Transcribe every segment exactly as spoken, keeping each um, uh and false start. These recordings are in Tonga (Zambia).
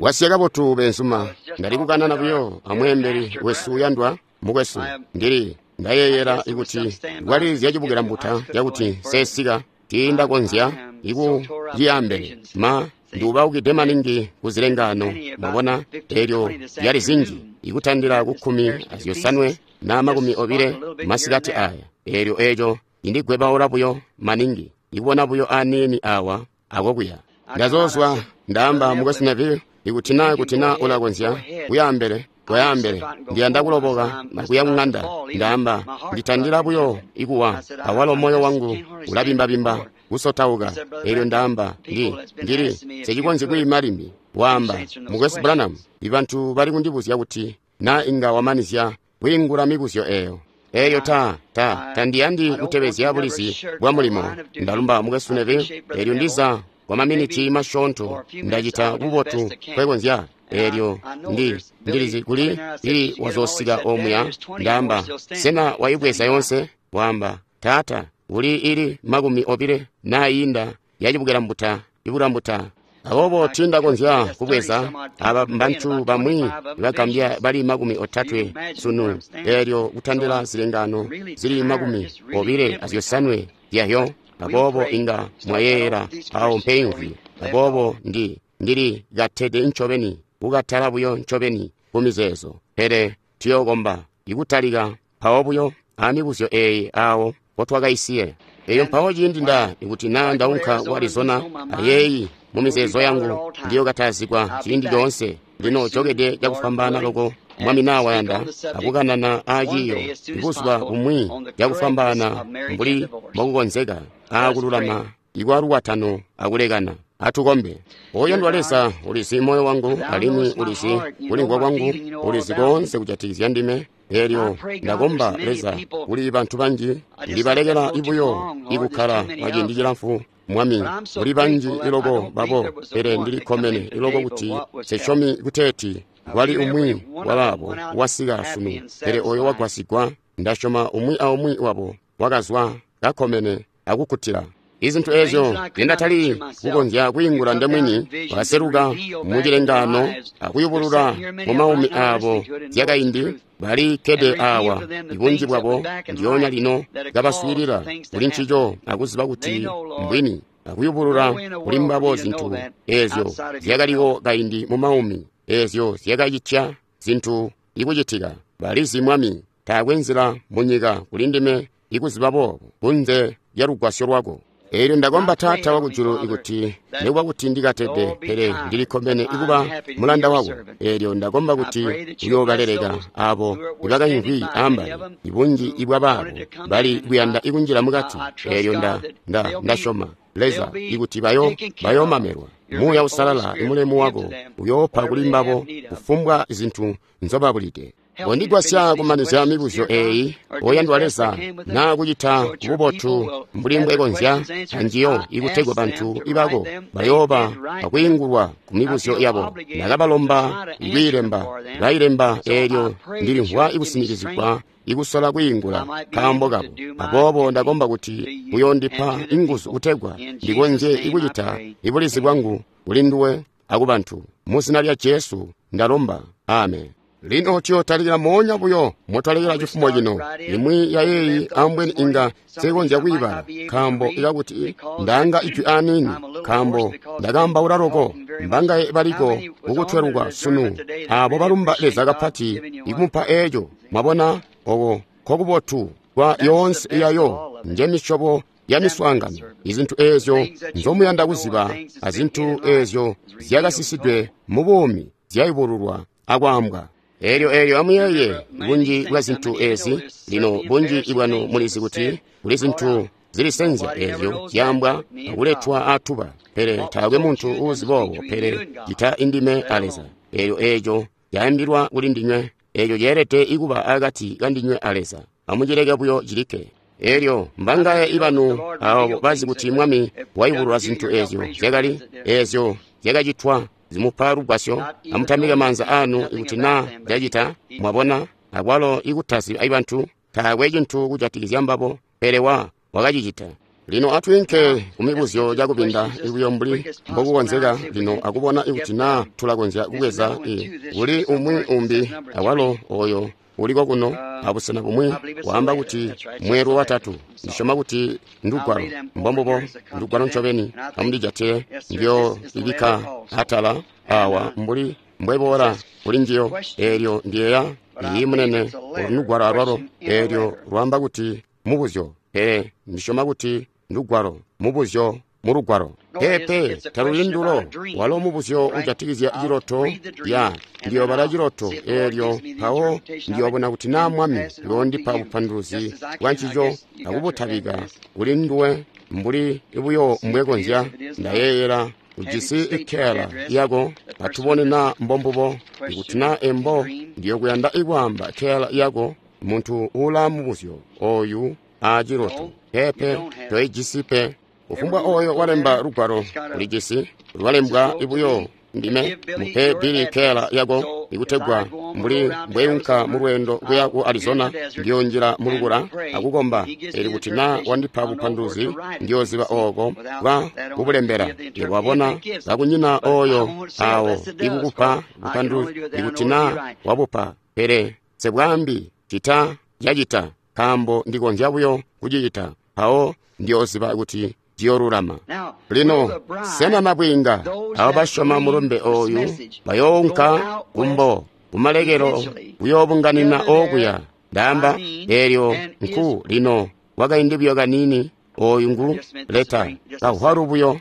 Wasiya kabotu beenzuma. Ndali kukanana buyo amweembeli wesu uyandwa mukwesu. Ndili ndayeeyela ikuti kwali zyacibukila mbuta cakuti sesika tiindakonzya ikuciyaambele ma ndiubaukide maningi kuzilengano mwabona elyo lyali zinji ikutandila ku kkumi azyosanwe na makumi obile masikati aya elyo eco indigwebaula buyo maningi ikubona buyo aniini awa akokuya ndazozwa ndaamba mukwesu Neville ikuti na ikuti na ulakonzya kuyaambele kuyaambele ndiyanda kuloboka kuya kung'anda ndaamba nditandila buyo ikuwa awalo moyo wangu ulabimbabimba kusotauka elyo ndaamba ndi ndili secikonzyi kwiima limbi waamba mukwesu Branham ibantu bali kundibuzya kuti na inga wamanizya kwiingula mibuzyo eyo eyo ta ta tandiyandi kutebezya bulizi bwa mulimo ndalumba mukwesu Neville elyo ndiza kwa maminiti masyoonto ndacita bubotu kwekonzya elyo ndi ndilizi kuli ili wazosika omuya ndaamba sena waibweza yonse waamba taata uli ili makumi obile naayinda yacibukila mbuta ibula mbuta aboobo tindakonzya kubweza aba mbantu bamwi bagambya bali makumi otatwe sunu elyo kutandila zilengano zili makumi obile azyosanwe zyahyo aboobo inga mwayeeyela awo mpeimvwi aboobo ndi ndili katede ncobeni kukatala buyo ncobeni kumizeezo pele tuyookomba ikutalika mpawo buyo amibuzyo eeyi awo potwakaisiye eyo mpawo ciindi nda ikuti na ndaunka ku Arizona ayeeyi mu mizeezo yangu ndiyokatazigwa ciindi coonse lino jokede cakufwambaana loko mwami naa wayanda akukanana aaciiyo ibuzuba bumwi cakufwambaana mbuli mbokukonzeka aakululama ikwalukwatano akulekana atukombe oyandwa Leza ulizi moyo wangu alimwi ulizi kulimvwa kwangu ulizi koonse kujatikizya ndime elyo ndakomba Leza kuli bantu banji ndibalekela ibuyo ikukkala kwaciindi cilamfu mwami kuli banji iloko babo pele ndilikkomene iloko kuti sesyomi kuteeti kwali umwi wabaabo wasika sunu pele oyo wagwasigwa ndasyoma umwi aumwi wabo wakazwa kakkomene akukkutila izintu ezyo zindatali kukonzya kwiingula ndemwini wakaseluka mucilengano akuyubulula mu maumi aabo zyakaindi bali kkede awa ibunji bwabo ndyonya lino kabaswiilila kuli ncico akuziba kuti mbwini akuyubulula kuli mbabo zintu ezyo zyakaliwo kaindi mu maumi ezyo zyakacitya zintu ikucitika balizi mwami taakwe nzila munyika kuli ndime ikuziba boobo kunze lya lugwasyo lwako elyo ndakomba taata wakujulu ikuti nikuba kuti ndikatede pele ndilikkomene ikuba mulanda wako elyo ndakomba kuti uyoobaleleka abo ibakayimvwi ambali ibunji ibwabaabo bali kuyanda ikunjila mukati elyo nda nda ndasyoma Leza ikuti bayo bayoomamelwa Muuya Usalala imulemu wako uyoopa kuli mbabo kufumbwa zintu nzobabulide kondigwasya kumanizya mibuzyo eeyi oyandwa Leza naa kucita bubotu mbuli mbwekonzya anjiyo ikutegwa bantu ibako bayooba akwiingulwa ku mibuzyo yabo ndakabalomba ikwiilemba bayilemba eelyo ndilimvwa ikusinikizigwa ikusola kwiingula kaambo kabo aboobo ndakomba kuti uyoondipa inguzu kutegwa ndikonzye ikucita ibulizi bwangu kuli nduwe akubantu muzina lya Jesu ndalomba amen lino tuyotalikila moonya buyo motwalekela cifumo cino imwi ya yeeyi ambweni inga sekonzya kwiibala nkaambo ikakuti ndanga ijwi aniini nkaambo ndakambaula loko mbangaye baliko kukutweluka sunu abo balumba Leza kapati ikumupa eeco mwabona oko kokubotu kwa yoonse yayo njemisyobo ya miswaangano izintu eezyo nzomuyanda kuziba azintu eezyo zyakasisidwe mu buumi zyayubululwa akwaambwa elyo elyo amuyeeye bunji bwa zintu ezi lino bunji bwanu mulizi kuti kuli zintu zilisenzya ezyo zyaambwa akuletwa atuba pele taakwe muntu uuzi boobo pele cita indime a Leza elyo eeco caambilwa kuli ndinywe eeco ceelede ikuba akati kandinywe a Leza amucileke buyo cilikke elyo mbangaye ibanu abo bazi kuti mwami wayubulula zintu ezyo zyakali ezyo zyakacitwa zimupa lugwasyo amutambike maanza anu ikuti naa zyacita mwabona akwalo ikutazi ibantu taakwe cintu kujatikizya mbabo pele wa wakacicita Lino atwiinke kumibuzyo cakubinda buyo mbuli mbokukonzeka lino akubona ikuti naa tulakonzya kubweza i kuli umwi umbi awalo oyo uliko kuno abusena bumwi waamba kuti mweelwe watatu. Ndisyoma kuti ndugwalo, mbombubo, ndugwalo ncobeni. Amundijatile ndiyo ibikka atala awa mbuli mbweboola kuli njiyo. Eelyo ndiyeeya iyi munene olu ndugwalo alwalo. Eelyo lwaamba kuti mubuzyo, pele ndisyoma kuti ndugwalo, mubuzyo mulugwalo. Peepe, taluli ndulo. Walo mubuzyo ujatikizya ciloto. Ya, ndiyobala ciloto eelyo mpawo ndiyobona kuti naa Mwami uyoondipa bupanduluzi bwa ncico akubutabika kuli nduwe mbuli buyo mbwekonzya. Ndayeeyela ujisi ikkeyala yako, atubone naa mbombubo. Ikuti naa embo, ndiyokuyanda ikwaamba kkeyala yako muntu uulaa mubuzyo oyu aaciloto. Peepe, toijisi pe. Kufumbwa oyo walemba lugwalo ulijisi lwalembwa buyo ndime. Mupe Billy keyala yako ikutegwa mbuli mbweunka mulweendo kuya ku Arizona, ndiyonjila mulukula akukomba. Eli kuti naa wandipa bupanduluzi, ndiyoziba ooko bwa kubulembela. Yebo wabona, kakunyina oyo awo ikukupa bupanduluzi ikuti naa wabupa, pele sebwaambi cita cacita, nkaambo ndikonzya buyo kucicita, mpawo ndiyoziba kuti ciyoolulama. Lino sena nabwiinga abo basyoma mulumbe oyu bayounka kumbo kumalekelo kuyoobunganina okuya? Ndaamba eelyo nku lino kwakaindi buyo kaniini. Oyu ngu leta kahwalu buyo.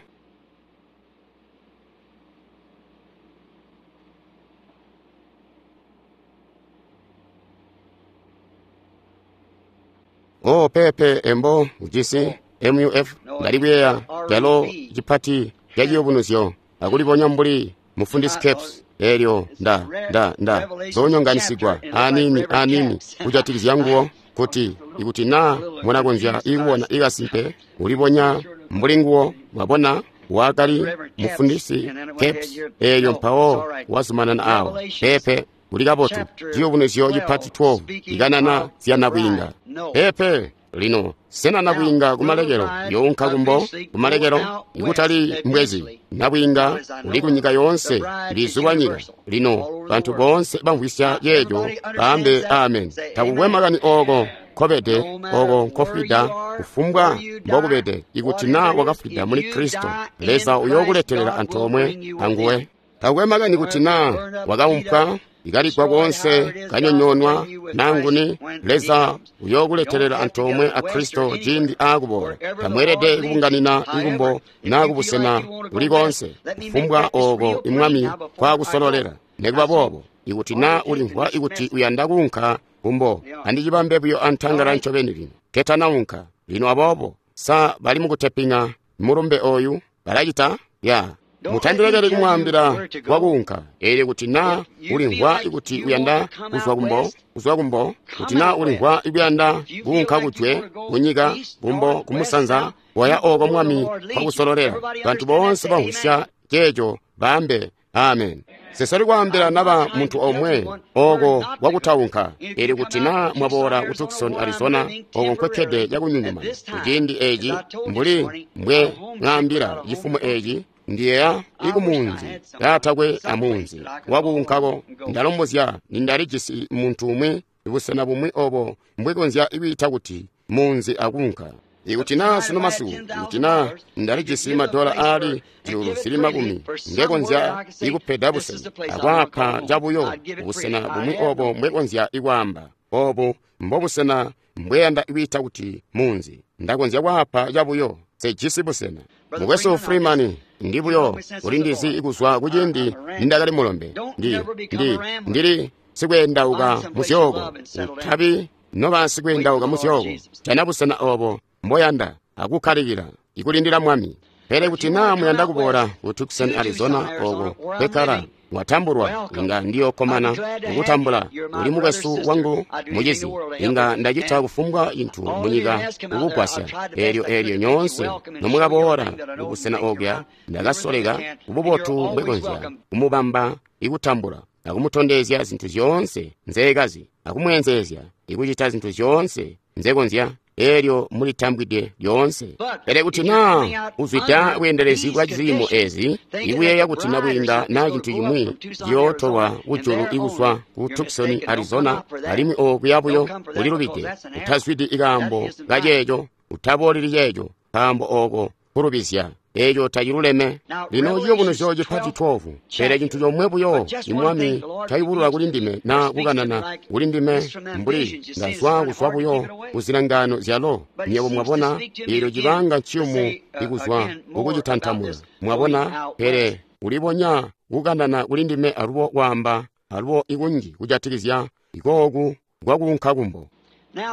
O peepe, embo ujisi M U F. Ndali kuyeeya calo cipati ca ciyubunuzyo akulibonya mbuli mufundisi Caps. Eelyo nda nda nda zoonyonganisigwa aniini aniini kujatikizya nguwo, kuti ikuti naa munakonzya ikubona ikasimpe ulibonya mbuli nguwo. Mwabona, wakali mufundisi Caps. Eelyo mpawo wazumanana awo. Peepe, uli kabotu. Ciyubunuzyo cipati twelve ikanana zya nabwiinga. Peepe. Lino sena nabwiinga kumalekelo younka kumbo kumalekelo ikutali mbwezi. Nabwiinga uli kunyika yoonse, lizulwa nyika. Lino bantu boonse bamvwisya yeejo baambe amen. Takukwe makani ooko nkobede, ooko nkofwida, kufumbwa mbokubede, ikuti naa wakafwida muli Kristo, Leza uyookuletelela antoomwe anguwe. Takukwe makani kuti naa wakaumpwa, ikaligwa koonse, kanyonyoonwa, nanguni, Leza uyookuletelela antoomwe a Kristo ciindi aakuboola. Tamweelede kubunganina ikumbo naa kubusena kuli koonse, kufumbwa ooko imwami kwaakusololela. Nikuba boobo, ikuti naa ulimvwa ikuti uyanda kuunka kumbo, andicibambe buyo antangala ncobeni lino ketanaunka. Lino aboobo, sa bali mukutepinga mulumbe oyu? Balacita? Ya. Mutandilekele kumwaambila kwakuunka. Eelyo kuti naa ulimvwa ikuti uyanda kuzwa kumbo, kuzwa kumbo, kuti naa ulimvwa ikuyanda kuunka kujwe, kunyika, kumbo, kumusanza, waya ooko Mwami kwakusololela. Bantu boonse bamvwisya ceeco baambe amen. Sesali kwaambila naba muntu omwe ooko kwakutaunka. Eelyo kuti naa mwaboola ku Tucson, Arizona, ooko nkwekkede cakunyunyuma kuciindi eeci, mbuli mbwe mwaambila cifumo eeci, ndiyeeya ikumunzi kaatakwe amunzi wakuunkako. Ndalombozya nindalijisi muntu umwi busena bumwi obo mbwekonzya kwiita kuti munzi akuunka. Ikuti naa sunu masiku, ikuti naa ndalijisi madola aali zyuulu zili makumi, ngekonzya ikupeda busena akwaapa cabuyo busena bumwi obo mbwekonzya ikwaamba obu mbobusena mbweyanda kwiita kuti munzi. Ndakonzya kwaapa cabuyo, sejisi busena. Mukwesu Freeman, ndi buyo ulindizi kuzwa kuciindi nindakali mulombe. Ndi ndi ndili sikweendauka muzyooko. Utabi noba sikweendauka muzyooko, jana busena obo mboyanda akukkalikila ikulindila Mwami. Pele kuti naa muyanda kuboola ku Tucson, Arizona, ooko kwekkala mwatambulwa, inga ndiyokkomana kukutambula. Uli mukwesu wangu mucizi, inga ndacita kufumbwa cintu munyika kukugwasya. Eelyo eelyo nyoonse nomukaboola kubusena okuya, ndakasoleka kububotu mbwekonzya kumubamba ikutambula akumutondezya zintu zyoonse nzeekazi, akumweenzeezya ikucita zintu zyoonse nzekonzya. Eelyo mulitambwide lyoonse. Pele kuti naa uzwida bweendelezi bwa ziimo ezi, ikuyeeya kuti nabwiinga naa cintu cimwi ciyootolwa kujulu ikuzwa ku Tucson, Arizona, alimwi okuya buyo ulilubide. Utazwidi ikaambo kaceeco, utabooleli ceeco, nkaambo ooko kulubizya. Eeco taciluleme. Lino ciyubunuzyo cipati twelve. Pele cintu comwe buyo imwami cayubulula kuli ndime naa kukanana kuli ndime mbuli ndazwa kuzwa buyo kuzilangano zyalo. Nywebo mwabona, eelyo cibanga nciyumu ikuzwa kukucitantamuna. Mwabona, pele ulibonya kukanana kuli ndime alubo kwaamba alubo ikunji kujatikizya ikooku kwakuunka kumbo.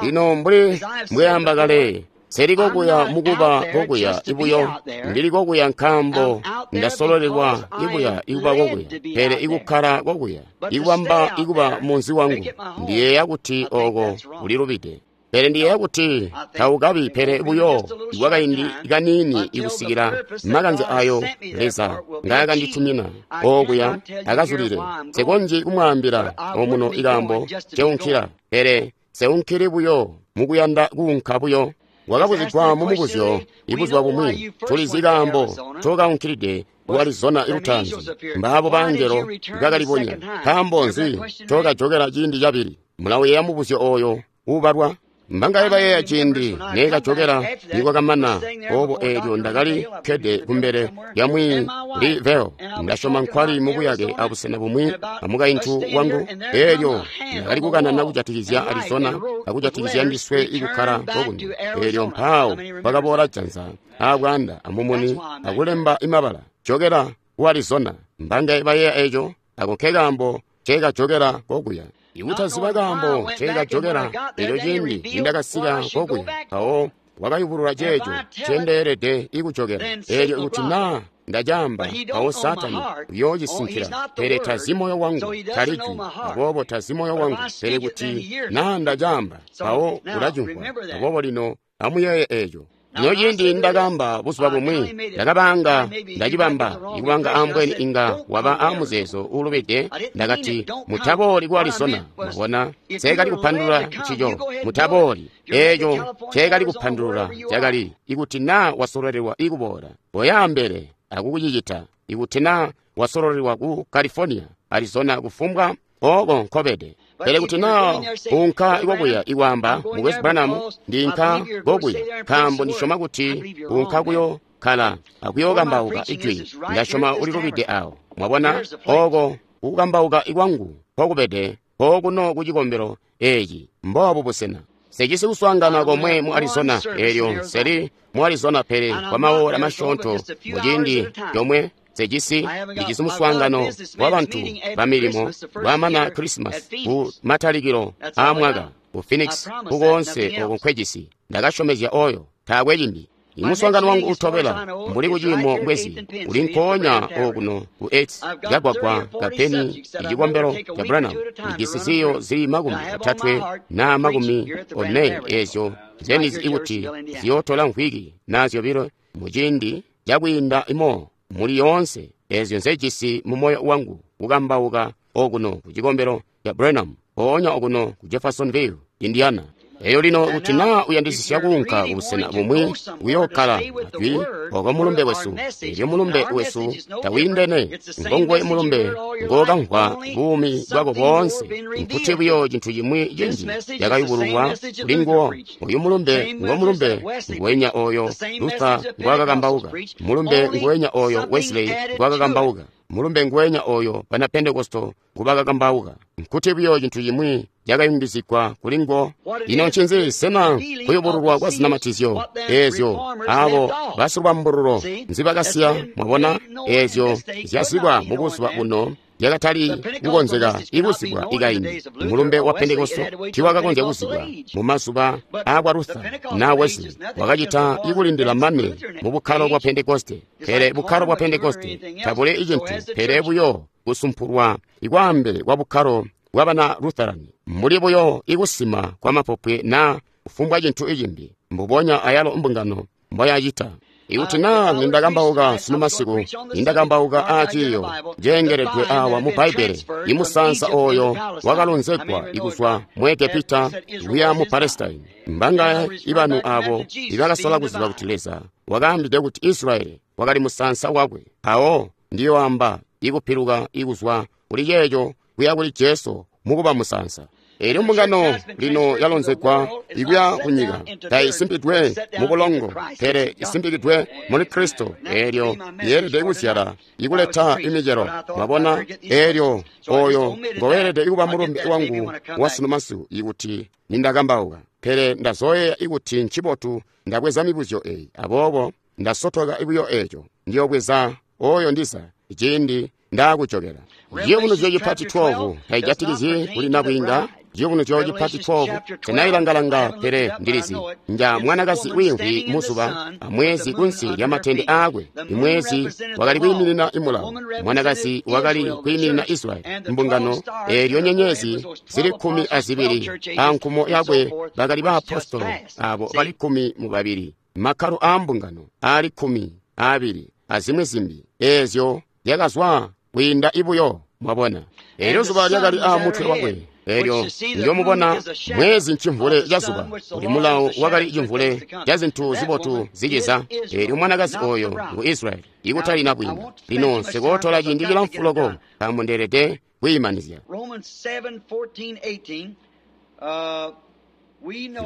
Lino mbuli mbweamba kale, Nseli kokuya mukuba kokuya ibuyo, ndili kokuya nkaambo ndasololelwa ibuya ikuba kokuya, pele ikukkala kokuya, ikubamba ikuba munzi wangu, ndiyeeya kuti ooko ulilubide. Pele ndiyeeya kuti taukabi pele buyo ikwakaindi kaniini ikusikila makanze ayo Leza ngaakanditumina okuya akazulile. Nsekonzyi kumwaambila omuno ikaambo nceunkila, pele nseunkili buyo mukuyanda kuunka buyo. Wakabuzigwa mumubuzyo ibuzuba bumwi, tulizi kaambo ncokaunkilide ku Arizona ilutaanzi. Mbaabo bangelo bakalibonya. Nkaambo nzi ncokajokela ciindi cabili? Mulaweeya mubuzyo ooyo uubalwa. Mbangaye bayeeya ciindi neekajokela nikwakamana oobo eelyo ndakali kkede kumbele lya Mwi Lee Vayle. Ndasyoma nkwali mubuyake abusena bumwi amukaintu wangu. Eelyo ndakali kukanana kujatikizya Arizona akujatikizya ndiswe ikukkala kokuno. Eelyo mpaawo kwakaboola janza aabwaanda amumuni akulemba imabala, jokela ku Arizona. Mbangaye bayeeya eeco? Ako nkekaambo nceekajokela kokuya. Ikutaziba kaambo nceekajokela eelyo ciindi nindakasika kokuya, mpawo wakayubulula ceeco ncendeelede ikujokela. Eelyo ikuti naa ndacaamba, mpawo Saatani uyoocisinkila. Pele tazi moyo wangu, tali jwi, aboobo tazi moyo wangu. Pele kuti naa ndacaamba, mpawo ulacimvwa. Aboobo lino amuyeeye eeco. Lino ciindi ndakaamba buzuba bumwi, ndakabanga ndacibamba, ikubanga ambweni inga waba aamuzeezo uulubide. Ndakati, mutabooli ku Arizona. Mwabona, nseekali kupandulula ncico. Mutabooli. Eeco nceekali kupandulula cakali, ikuti naa wasololelwa ikuboola, koyaambele akukucicita. Ikuti naa wasololelwa ku California, Arizona, kufumbwa ooko nkobede. Pele kuti naa unka ikokuya ikwaamba, Mukwesu Branham, ndinka kokuya nkaambo ndisyoma kuti unka kuyo kkala akuyookambauka ijwi, ndasyoma ulilubide awo. Mwabona, ooko kukambauka ikwangu nkokubede kookuno ku cikombelo eeci, mboobu busena. Nsejisi kuswaangana komwe mu Arizona, eelyo nseli mu Arizona pele kwa maola masyoonto muciindi comwe. Nsejisi ndijisi muswaangano wa bantu ba milimo bwamana Krisimasi ku matalikilo aamwaka ku Phoenix, kukoonse oko nkwejisi. Ndakasyomezya oyo, taakwe cimbi. Imuswaangano wangu utobela mbuli kuciimo mbwezi uli nkoonya okuno ku eight kagwagwa ka Penny icikombelo ca Branham. Ndijisi ziyo zili makumi otatwe na makumi one eezyo nzenizi ikuti ziyootola mvwiki na zyobilo muciindi cakwiinda imo muli yoonse eezyo nzejisi mu moyo wangu kukambauka okuno ku cikombelo ca Branham, mpoonya okuno ku Jeffersonville, Indiana. Eyo lino kuti naa uyandisisya kuunka kubusena bumwi kuyookkala ajwi oko mulumbe wesu, eelyo mulumbe wesu tawiindene, ngonguwe mulumbe ngookamvwa buumi bwako boonse. Nkuti buyo cintu cimwi cinji cakayubululwa kuli nguwo. Oyu mulumbe ngo mulumbe nguwenya oyo Luther ngwaakakambauka, mulumbe nguwenya oyo Wesley ngwaakakambauka, mulumbe nguwenya oyo bana Pentekosto ngubakakambauka. Nkuti buyo cintu cimwi cakayungizigwa kuli nguwo. Ino ncinzi? Sena kuyubululwa kwa zinamatizyo eezyo abo basilubambululo nzibakasiya? Mwabona, eezyo zyazibwa mubuzuba buno zyakatali kukonzeka ikuzibwa ikaindi. Mulumbe wa Pentekosto tiwakakonzya kuzibwa mumazuba aakwa Luther na Wesley. Wakacita ikulindila mane mu bukkalo bwa Pentekoste. Pele bukkalo bwa Pentekoste tabuli icintu pele buyo kusumpulwa ikwaambele kwa bukkalo bwabana Lutherani, mbuli buyo ikusima kwa mapopwe na kufumbwa cintu icimbi, mbubonya ayalo mbungano mboyacita. Ikuti naa nindakambauka sunu masiku, nindakambauka aaciiyo ceengeledwe awa mu Bbaibbele, imusaansa oyo wakalonzegwa ikuzwa mu Egepita kuya mu Palestine. Mbanga ibanu abo ibakasola kuziba kuti Leza wakaambide kuti Israyeli wakali musaansa wakwe. Mpawo ndiyoamba ikupiluka ikuzwa kuli ceeco kuya kuli Jesu mukuba musaansa. Eelyo mbungano lino yalonzegwa ikuya kunyika, taisimpidwe mu bulongo, pele isimpikidwe muli Kristo. Eelyo yeelede kuzyala ikuleta imicelo. Mwabona, eelyo oyo ngoweelede kuba mulumbe wangu wa sunu masiku ikuti nindakambauka. Pele ndazoyeeya ikuti ncibotu ndabweza mibuzyo eyi, aboobo ndasotoka buyo eeco. Ndiyobweza oyo ndiza ciindi ndaakujokela. Ciyubunuzyo cipati twelve taijatikizyi kuli nabwiinga. Ciyubunuzyo cipati twelve tenayilangalanga, pele ndilizi nja mwanakazi wiimvwi muzuba amwezi kunsi lyamatende aakwe. Imwezi wakali kwiiminina imulawo, mwanakazi wakali kwiiminina Israyeli mbungano. Eelyo nyenyezi zili kkumi azibili ankumo yakwe bakali baapostolo abo bali kkumi mubabili, makkalo aambungano aali kkumi aabili azimwi zimbi eezyo zyakazwa kwiinda ibuyo. Mwabona, eelyo zuba lyakali aamutwe wakwe. Eelyo ndiyomubona mwezi ncimvule ca zuba, kuti mulawo wakali cimvule ca zintu zibotu ziciza. Eelyo mwanakazi oyo ngu Israyeli, ikutali nabwiinga. Lino nsikootola ciindi cilamfu loko, nkaambo ndeelede kwiimanizya.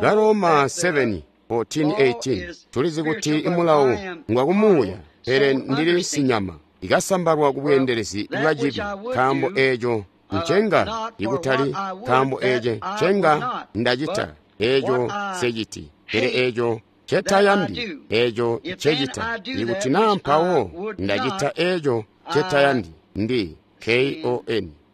Baroma seven fourteen eighteen tulizi kuti imulawo ngwakumuuya, pele ndili sinyama ikasambalwa ku bweendelezi bwa cibi. Nkaambo eeco ncenga ikutali nkaambo eece ncenga ndacita, eeco nseciti, pele eeco ncetayandi eeco ncecita. Ikuti naa mpawo ndacita eeco ncetayandi, ndi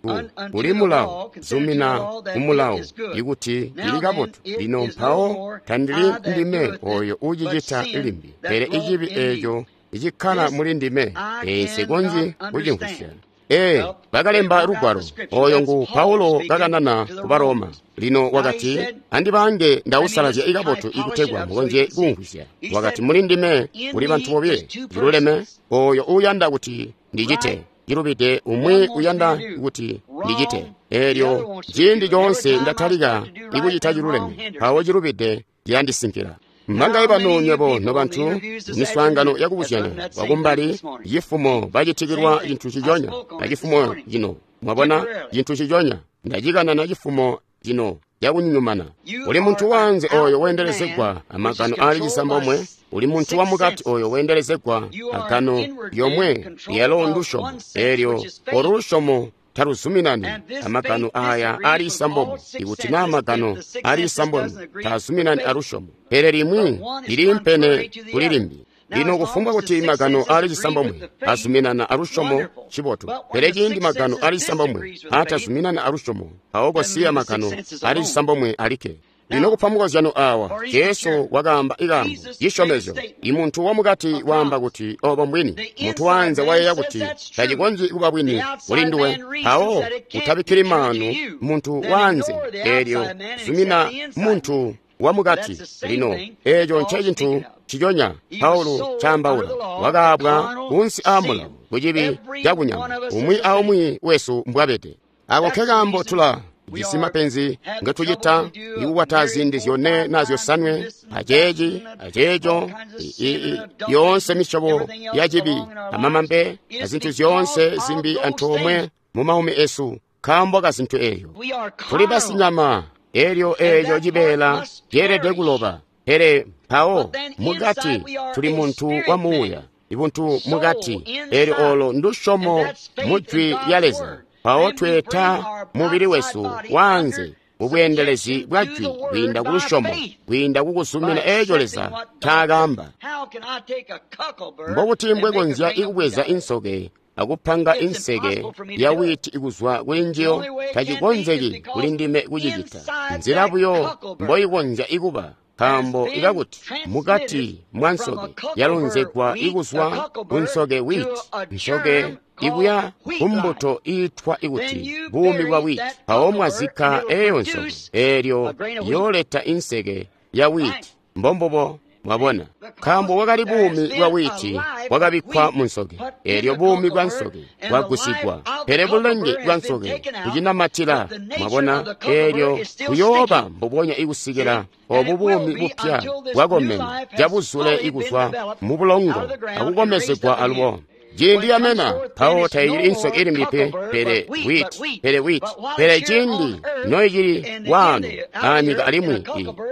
kon kuli mulawo, zumina kumulawo ikuti cili kabotu. Lino mpawo tandili ndime oyo uucicita limbi, pele icibi eeco icikkala muli ndime. Ee, nsikonzyi kucimvwisya. Ee, bakalemba lugwalo oyo ngu Paulo kakanana ku Baroma. Lino wakati, andibange ndausalazya ikabotu ikutegwa mukonzye kumvwisya. Wakati, muli ndime kuli bantu bobile, ciluleme oyo uuyanda kuti ndicite, cilubide umwi uyanda kuti ndicite. Eelyo ciindi coonse ndatalika ikucita ciluleme, mpawo cilubide cilandisinkila. Mbangaye banu nywebo nobantu miswaangano yakubuzyanya wakumbali cifumo bacitikilwa cintu ciconya acifumo cino. Mwabona, cintu ciconya ndacikanana cifumo cino cakunyumana. Uli muntu wanze oyo weendelezegwa amagano aali cisambomwe, uli muntu wamukati oyo weendelezegwa agano yomwe lyalo ndusyomo. Eelyo olu lusyomo taluzuminani amagano aya ali isambomwe. Ikuti naa magano ali isambomwe taazuminani alusyomo, pele limwi liliimpene kuli limbi. Lino kufumbwa kuti magano ali cisambomwe azuminana alusyomo, cibotu. Pele ciindi magano ali cisambomwe atazuminana alusyomo, mpawo kosiya magano ali cisambomwe alikke. Lino kupa mukozyano awa, Jesu wakaamba ikaambo cisyomezyo. Imuntu wamukati waamba kuti obo mbwini, muntu wanze wayeeya kuti tacikonzyi kuba bwini kuli nduwe. Mpawo utabikkili maanu muntu wanze, eelyo zumina muntu wamukati. Lino eeco ncecintu ciconya Paulo caambaula. Wakaabwa kunsi aamulawo kucibi cakunyama, umwi aumwi wesu mbwabede. Ako nkekaambo tula jisi mapenzi ngetucita ikukwata ziindi zyone na zyosanwe, aceeci aceeco, yoonse misyobo ya cibi amamambe azintu zyoonse zimbi antoomwe mu maumi esu, nkaambo ka zintu eeyo. Tuli basinyama, eelyo eeco cibeela ceelede kuloba. Pele mpawo mukati tuli muntu wa muuya, ibuntu mukati, eelyo olo ndusyomo mu Jwi lya Leza. Mpawo tweeta mubili wesu wanze mubweendelezi bwa Jwi kwiinda ku lusyomo, kwiinda kukuzumina eeco Leza ncaakaamba. Mbokuti mbwekonzya ikubweza insoke akupanga inseke ya wiiti ikuzwa kuli njiyo? Tacikonzeki kuli ndime kucicita. Nzila buyo mboikonzya ikuba, nkaambo ikakuti mukati mwa nsoke yalonzegwa ikuzwa ku nsoke wiiti, nsoke ikuya kumbuto iitwa ikuti buumi bwa wiiti. Mpawo mwazikka eeyo nsoke, eelyo yooleta inseke ya wiiti. Mbombubo. Mwabona, nkaambo wakali buumi bwa wiiti bwakabikkwa mu nsoke, eelyo buumi bwa nsoke bwagusigwa, pele bulenge bwa nsoke bucinamatila. Mwabona, eelyo buyooba mbubonya ikusikila obu buumi bupya bwakomena cabuzule ikuzwa mu bulongo akukomezegwa alubo. Ciindi yamena, mpawo taicili insoke ilimbi pe, pele wiiti, pele wiiti, pele ciindi noicili waano aanyika alimwi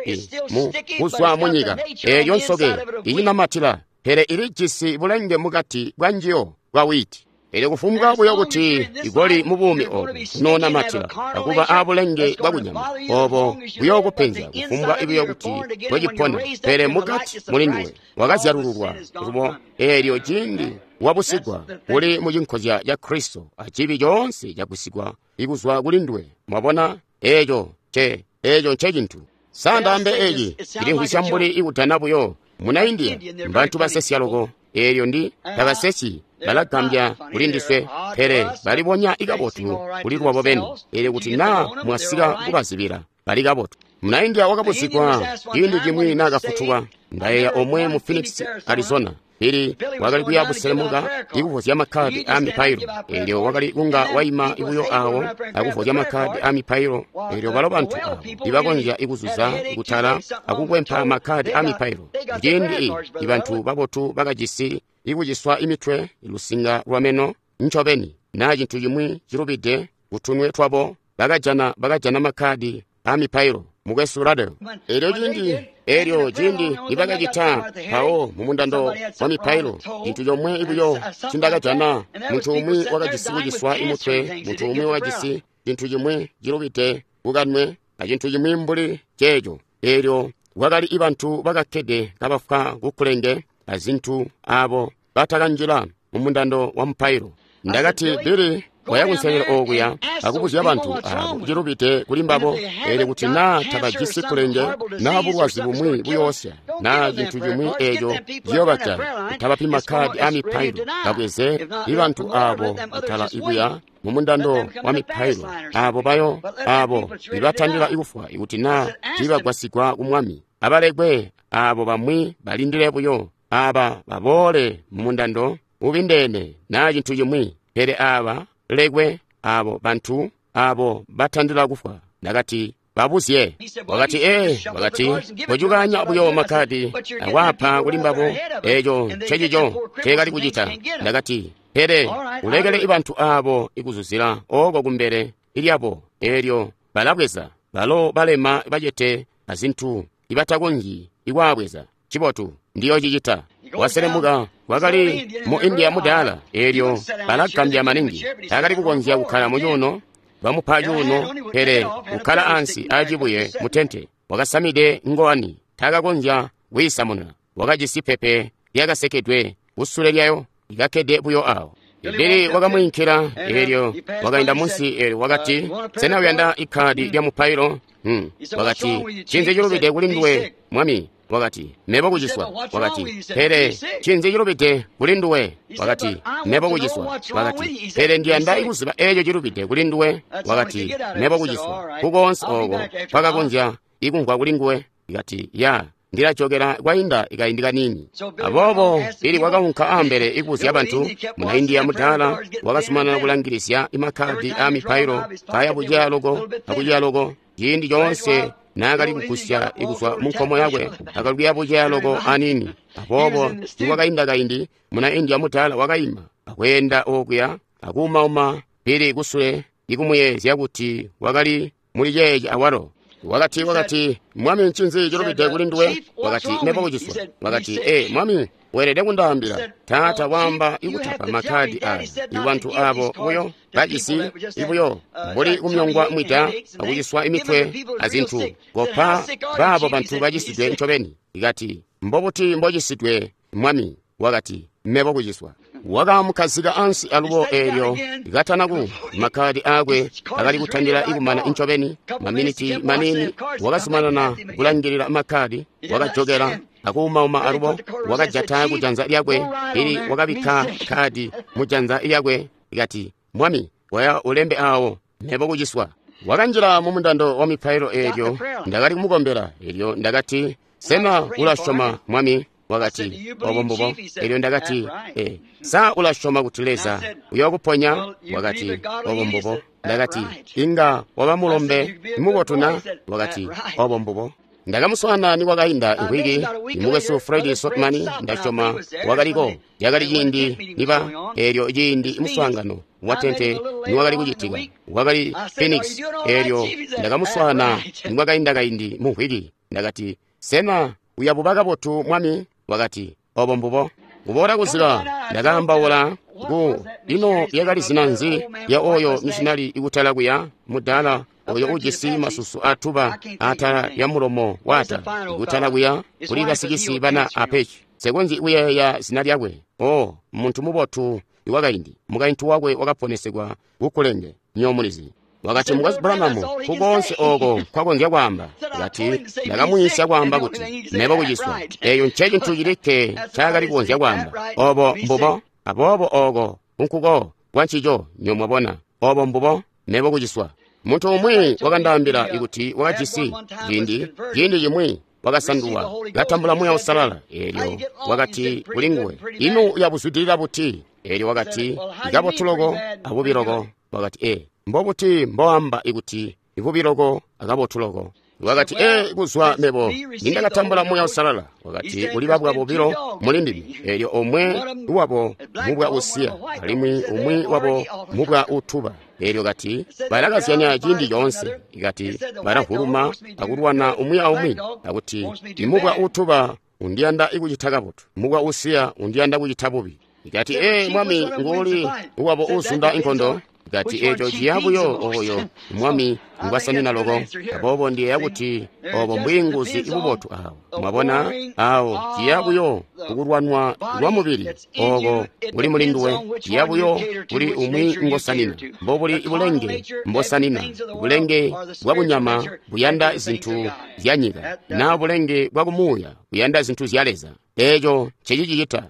i, i, mu kuzwa mu nyika, eeyo nsoke icinamatila, pele ilijisi bulenge mukati bwa njiyo bwa wiiti. Elyo kufumbwa buyo kuti ikoli mu buumi obu kunoonamatila akuba abulenge bwakunyama obo buyookupenzya kufumbwa buyo kuti bwecipona, pele mukati muli nduwe wakazyalululwa lubo. Eelyo ciindi wabusigwa uli mu cinkozya ca Kristo, acibi coonse cagusigwa ikuzwa kuli nduwe. Mwabona, eeco nce eeco nce cintu. Sa ndaambe eci cilimvwisya mbuli ikutana buyo. Muna India mbantu basesya loko. Eelyo ndi tabasesyi, balagambya kuli ndiswe, pele balibonya ikabotu kuli lwabo beni. Eelyo kuti naa mwasika kubazibila, bali kabotu. Muna India wakabuzigwa ciindi cimwi naakafutuka. Ndayeeya omwe mu Phoenix, Arizona. Pili wakali kuya buselemuka ikuvozya makkadi a mipailo. Eelyo wakali kunga waima buyo awo akuvozya makkadi a mipailo. Eelyo balo bantu abo ibakonzya ikuzuza kutala akukwempa makkadi a mipailo. Ciindi ibantu babotu bakajisi ikuciswa imitwe, lusinga lwameno ncobeni, naa cintu cimwi cilubide kutunwe twabo, bakajana bakajana makkadi a mipailo. Mukwesu Ruddell. Eelyo ciindi eelyo ciindi nibakacita mpawo mu mundando wa mipailo, cintu comwe buyo cindakajana, muntu umwi wakajisi kuciswa imutwe, muntu umwi wakajisi cintu cimwi cilubide kukanwe, acintu cimwi mbuli ceeco. Eelyo kwakali ibantu bakakkede kabafwa kukulenge azintu abo batakanjila mu mundando wa mupailo. Ndakati, Billy, waya kunselelo okuya akubuzya bantu abo cilubide kuli mbabo. Eelyo kuti naa tabajisi kulenge naa bulwazi bumwi buyoosya naa cintu cimwi eeco ciyobajaya, kutabapi makkadi a mipailo, babweze ibantu abo kutala ikuya mu mundando wa mipailo, abo bayo abo ibatandila ikufwa ikuti naa tiibagwasigwa ku Mwami. Abalekwe abo bamwi balindile buyo, aba baboole mu mundando ubindeene naa cintu cimwi, pele aba lekwe abo bantu abo batandila kufwa. Ndakati, babuzye. Wakati, ee, wakati, kocukanya buyo makkadi akwapa kuli mbabo. Eeco ncecico nceekali kucita. Ndakati, pele ulekele ibantu abo ikuzuzila oko kumbele ilyabo, eelyo balabweza balo balema bacete azintu ibatakonzyi ikwaabweza. Cibotu, ndiyocicita. Waselemuka wakali mu India mudaala. Eelyo balagambya maningi, taakali kukonzya kukkala mu cuuno, bamupa cuuno, pele kukkala ansi acibuye mu tente. Wakasamide ngowani, taakakonzya kuyisamuna. Wakajisi pepe lyakasekedwe kusule lyayo likakkede buyo awo. Billy wakamwiinkila, eelyo wakainda munsi, eelyo wakati, sena uyanda ikkadi lya mupailo? Hmm. Wakati, ncinzi cilubide kuli nduwe, mwami? Wakati, mebo kuciswa. Wakati, pele ncinzi cilubide kuli nduwe? Wakati, mebo kuciswa. Wakati, pele ndiyanda kuziba eeco cilubide kuli nduwe. Wakati, mebo kuciswa. Kukoonse ooko kwakakonzya ikumvwa kuli nguwe. Ikati, ya, ndilajokela kwainda ikaindi kanini. Aboobo Billy wakaunka ambele ikubuzya bantu. Muna India mudaala wakazumanana kulangilizya imakkadi a mipailo kaya buceya loko akuceya loko. Ciindi coonse naakali kugusya ikuzwa mu nkomo yakwe akali kuya buceya loko anini. Aboobo nikwakainda kaindi, muna India mudaala wakaima akweenda okuya akuumauma Billy kusule ikumuyeezya kuti wakali muli ceeci awalo. Wakati, wakati, mwami, ncinzi cilubide kuli nduwe? Wakati, mebo kuciswa. Wakati, ee, mwami, weelede kundaambila. Taata waamba ikutapa makkadi aya ibantu abo buyo bajisi ibuyo mbuli kumyongwa mwida akuciswa imitwe azintu, kopa baabo bantu bacisidwe ncobeni. Ikati, mbobuti mbocisidwe, mwami? Wakati, mebo kuciswa. Wakamukhazika ansi alubo eelyo katanaku makkadi aakwe akali kutandila ikumana ncobeni. Maminiti manini wakazumanana kulangilila makkadi, wakajokela akuumauma alubo, wakajata kujanza lyakwe ili wakabikka kadi mujanza lyakwe. Ikati, mwami, waya ulembe awo, mebo kuciswa. Wakanjila mu mundando wa mipailo eelyo ndakali kumukombela. Eelyo ndakati, Sena ulasyoma Mwami? Wakati, obo mbubo. Elyo ndakati, e, sa ulasyoma kuti Leza uyookuponya? Wakati, obo mbubo. Ndakati, inga waba mulombe mubotu na? Wakati, obo mbubo. Ndakamuswaana nikwakainda imvwiki, mukwesu Fred Sotman, ndasyoma wakaliko. Yakali ciindi niba eelyo ciindi muswaangano wa tente niwakali kucitika, wakali Phoenix. Eelyo ndakamuswaana nikwakainda kaindi mu mvwiki. Ndakati, sena uyabuba kabotu Mwami? Wakati, obo mbubo. Kuboola kuzika, ndakaambaula ku ino yakali zina nzi ya oyo mishinali ikutala kuya mudala oyo ujisi masusu atuba atala ya mulomo wata ikutala kuya kuli basikisi bana apechi. Sekonzi kuyeeya zina lyakwe. Oh, muntu mubotu iwakaindi. Mukaintu wakwe wakaponesegwa kukulenge nyomulizi. Wakati, Mukwesu Branham, kukonse oko kwakonzya kwaamba. Wakati, ndakamuyiisya kwaamba kuti mebo kuciswa. Eyo nce cintu cilikke ncaakali kukonzya kwaamba. Obo mbubo. Aboobo oko nkuko kwancico nyomwabona. Obo mbubo, mebo kuciswa. Muntu umwi wakandaambila kuti wakajisi ciindi ciindi cimwi wakasandulwa katambula Muuya Uusalala. Eelyo wakati kuli nguwe, ino uyabuzwidilila buti? Eelyo wakati, kabotu loko abubi loko. Wakati, e, mbobuti mboamba ikuti ibubi loko akabotu loko? Wakati, e, kuzwa mebo nindakatambula Muuya Uusalala. Wakati, kuli babwa bobilo muli ndime. Eelyo omwe wabo mubwa usiya, alimwi umwi wabo mubwa utuba. Eelyo kati, balakazyanya ciindi coonse. Ikati, balavuluma akulwana umwi aumwi. Akuti, imubwa utuba undiyanda ikucita kabotu, mubwa usiya undiyanda kucita bubi. Ikati, e, Mwami nguuli wabo uzunda inkondo? Ikati, eco ciya buyo oyo Mwami ngwasanina loko. Aboobo ndiyeeya kuti obo mbwiinguzi ibubotu awo. Mwabona awo ciya buyo kukulwanwa lwa mubili oko kuli mulinduwe, ciya buyo kuli umwi ngosanina. Mbobuli bulenge mbosanina, bulenge bwa kunyama buyanda zintu zya nyika, na bulenge bwa kumuuya buyanda zintu zya Leza. Eco ncecicicita.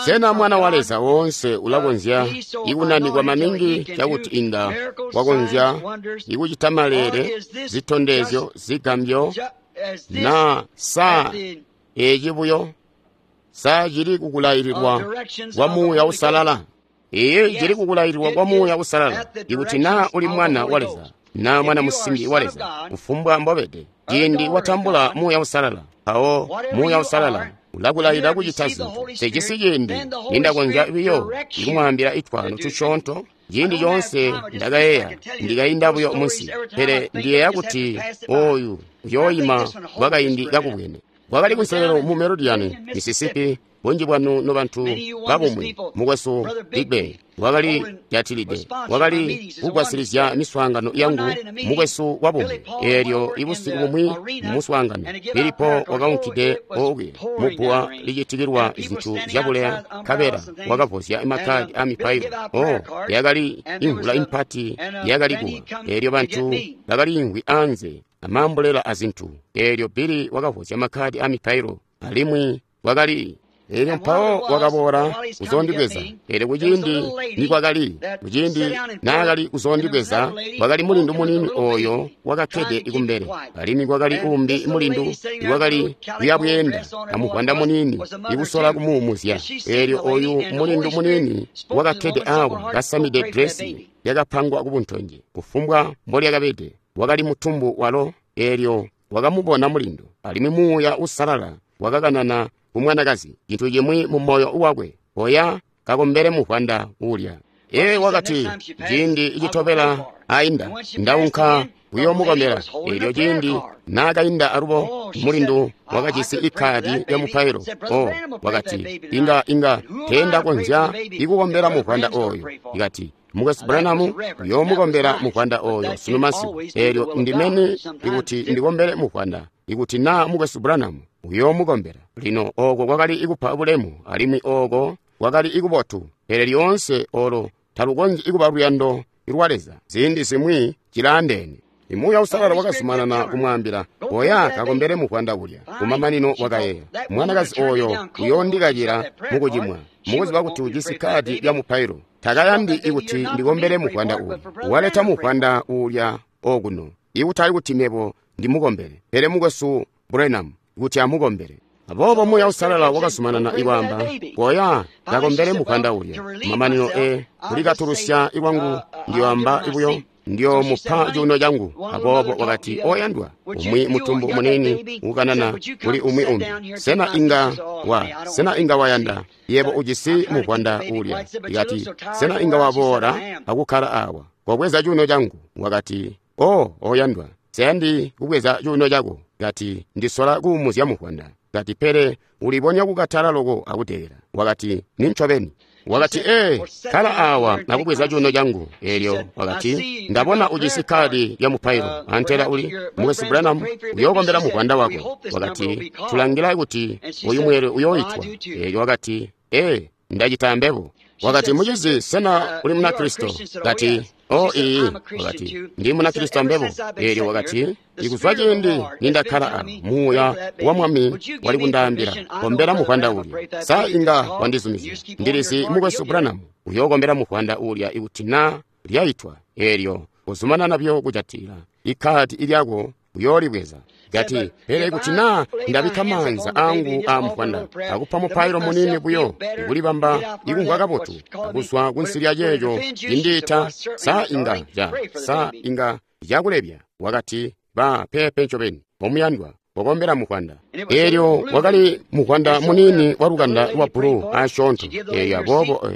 Sena mwana wa Leza woonse ulakonzya ikunanikwa maningi cakuti inga wakonzya ikucita maleele, zitondezyo, zigambyo, na sa eci buyo sa cili kukulaililwa kwa Muuya Uusalala? Iye cili kukulaililwa kwa Muuya Uusalala ikuti na uli mwana wa Leza na mwana musimbi wa Leza, kufumbwa mbobede, ciindi watambula Muuya Uusalala, mpawo Muuya Uusalala ulakulailila kucita zintu. Sejisi ciindi nindakonzya biyo ikumwaambila itwano tusyoonto. Ciindi coonse ndakayeeya ndikainda buyo munsi, pele ndiyeeya kuti oyu uyooyima kwakaindi kakubwene. Kwakali kunselelo mu Meridian, Mississippi. Bunji bwanu nobantu babumwi, mukwesu Digbe wakali jatilide, wakali kugwasilizya miswaangano yangu, mukwesu wabumwi. Eelyo ibusiku bumwi muswaangano, Filipo wakaunkide okuya mubbuwa licitikilwa zintu zyabuleya, nkabela wakavozya makkadi a mipailo. Oh, yakali imvula impati yakali kuwa. Eelyo bantu bakaliimvwi anze amambulela azintu. Eelyo Bili wakavozya makkadi a mipailo, alimwi wakali Eelyo mpawo wakaboola kuzondibweza. Eelyo kuciindi nikwakali, kuciindi naakali kuzondibweza, kwakali mulindu muniini oyo wakakkede kumbele, alimwi kwakali umbi mulindu iwakali kuyabweenda amuvwanda muniini ikusola kumuumuzya. Eelyo oyu mulindu muniini wakakkede awo kasamide dresi yakapangwa kubuntonje, kufumbwa mbolyakabede, wakali mutumbu walo. Eelyo wakamubona mulindu, alimwi Muuya Uusalala wakakanana kumwanakazi cintu cimwi mu moyo wakwe, oya kakombele muvwanda ulya. Ee, wakati, ciindi citobela ainda ndaunka kuyoomukombela. Eelyo ciindi naakainda alubo, mulindu wakajisi ikkaadi lya mupailo. Oh, wakati, inga inga teendakonzya ikukombela muvwanda oyo. Ikati, Mukwesu Branham uyoomukombela muvwanda oyo sunu masiku. Eelyo ndimeni ikuti ndikombele muvwanda, ikuti naa Mukwesu Branham uyoomukombela. Lino oko kwakali ikupa bulemu, alimwi oko kwakali ikubotu, pele lyoonse olo talukonzyi ikuba luyando lwa Leza. Ziindi zimwi cilaandeene. Muuya Uusalala wakazumanana kumwaambila, oya kakombele muvwanda ulya. Kumamanino wakayeeya, mwanakazi oyo uyoondikakila mukucimwa, mukuziba kuti ujisi kkaadi lya mupailo. Takayandi ikuti ndikombele muvwanda uyu. Waleta muvwanda ulya okuno, ikutali kuti mebo ndimukombele, pele mukwesu Branham kuti amukombele. Aboobo Muuya Uusalala wakazumanana ikwaamba, koya kakombele muvwanda ulya. Mamanino e kulikatulusya lwangu ndiyoamba buyo ndiyomupa cuuno changu. Aboobo wakati, oyandwa, umwi mutumbu munini ukanana kuli umwi umbi, sena inga wa sena inga wayanda yebo ujisi muvwanda ulya? Ikati, sena inga waboola akukkala awa kobweza cuuno changu? Wakati, o oyandwa, seyandi kubweza cuuno chako. Kati, ndisola kuumuzya muvwanda. Kati, pele ulibonya kukatala loko akudelela. Wakati, nincobeni. Wakati, ee, kala awa nakubweza cuuno changu. Elyo wakati, ndabona ujisi kadi lya mupailo. Antela uli Mukwesu Branham uyookombela muvwanda wako. Wakati, tulangila kuti uyu mweelwe uyooitwa. Elyo wakati, ee, ndacita mbebo. Wakati, mucizi, sena uli Munakristo? Kati, o ii. Wakati, ndi Munakristo mbebo. Elyo wakati, ikuzwa ciindi nindakkala awa, Muuya wa Mwami wali kundaambila, kombela muvwanda ulya. Sa inga wandizumizya? Ndilizi Mukwesu Branham uyookombela muvwanda ulya ikuti na lyaitwa. Elyo uzumanana byo kujatila ikadi ilyako uyoolibweza. Kati, pele kuti na ndabikka maanza angu a muvwanda akupa mupailo munini buyo ikulibamba ikumvwa kabotu akuzwa kunsi lya ceeco cindiita, sa inga ja sa inga cakulebya. Wakati, ba pepe ncobeni, omuyandwa, kokombela muvwanda. Elyo wakali muvwanda munini wa lukanda lwa bulu asyoonto. Elyo aboobo